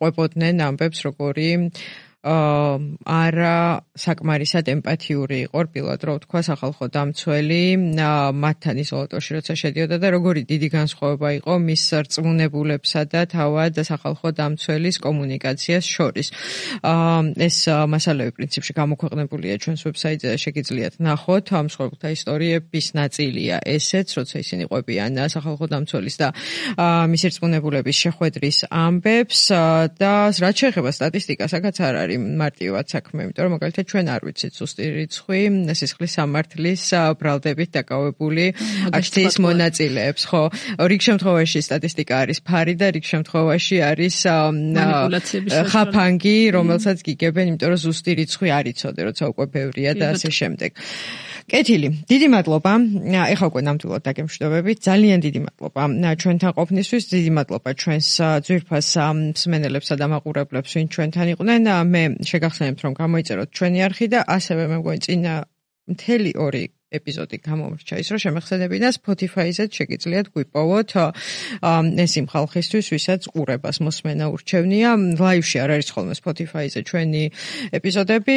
ყვებოდნენ ამბებს, როგორი არა საკმარისად ემპათიური იყო რბილად რო ვთქვა სახალხო დამცველი მათთან იზოლატორში როცა შედიოდა და როგორი დიდი განსხვავება იყო მის რწმუნებულებსა და თავად სახალხო დამცველის კომუნიკაციას შორის. ეს მასალები პრინციპში გამოქვეყნებულია ჩვენს ვებსაიტზე და შეგიძლიათ ნახოთ ამ მსხვერპლთა ისტორიების ნაწილია ესეც, როცა ისინი ყვებიან სახალხო დამცველის და მისი რწმუნებულების შეხვედრის ამბებს და რაც შეეხება სტატისტიკასაც არ არის მარტივად საქმე, იმიტომ რომ მაგალითად ჩვენ არ ვიცით ზუსტი რიცხვი სისხლის სამართლის ბრალდებით დაკავებული აქციის მონაწილეებს, ხო? რიგ შემთხვევაში სტატისტიკა არის ფარი და რიგ შემთხვევაში არის ხაფანგი, რომელსაც გიგებენ, იმიტომ რომ ზუსტი რიცხვი არ იცოდე, როცა უკვე ბევრია და ასე შემდეგ. კეთილი, დიდი მადლობა. ეხლა უკვე ნამდვილად დაგემშვიდობებით. ძალიან დიდი მადლობა ჩვენთან ყოფნისთვის, დიდი მადლობა ჩვენს ძვირფას მსმენელებსა და მაყურებლებს, ვინ ჩვენთან იყვნენ. მე შეგახსენებთ, რომ გამოიწეროთ ჩვენი არხი და ასევე მე მგონი წინა მთელი 2 ეპიზოდი გამომრჩა ის, რომ შემეხსენებინა Spotify-ზეც შეგიძლიათ გვიპოვოთ ეს იმ ხალხისთვის, ვისაც ყურებას მოსმენა ურჩევნია. ლაივში არ არის ხოლმე Spotify-ზე ჩვენი ეპიზოდები.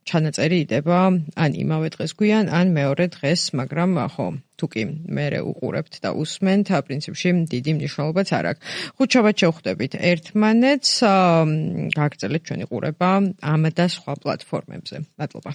ჩანაწერი იდება ან იმავე დღეს გვიან, ან მეორე დღეს, მაგრამ ხო, თუკი მერე უყურებთ და უსმენთ, პრინციპში დიდი მნიშვნელობაც არ აქვს. ხუთშაბათ შევხვდებით ერთმანეთს, გაგრძელეთ ჩვენი ყურება ამ და სხვა პლატფორმებზე. მადლობა.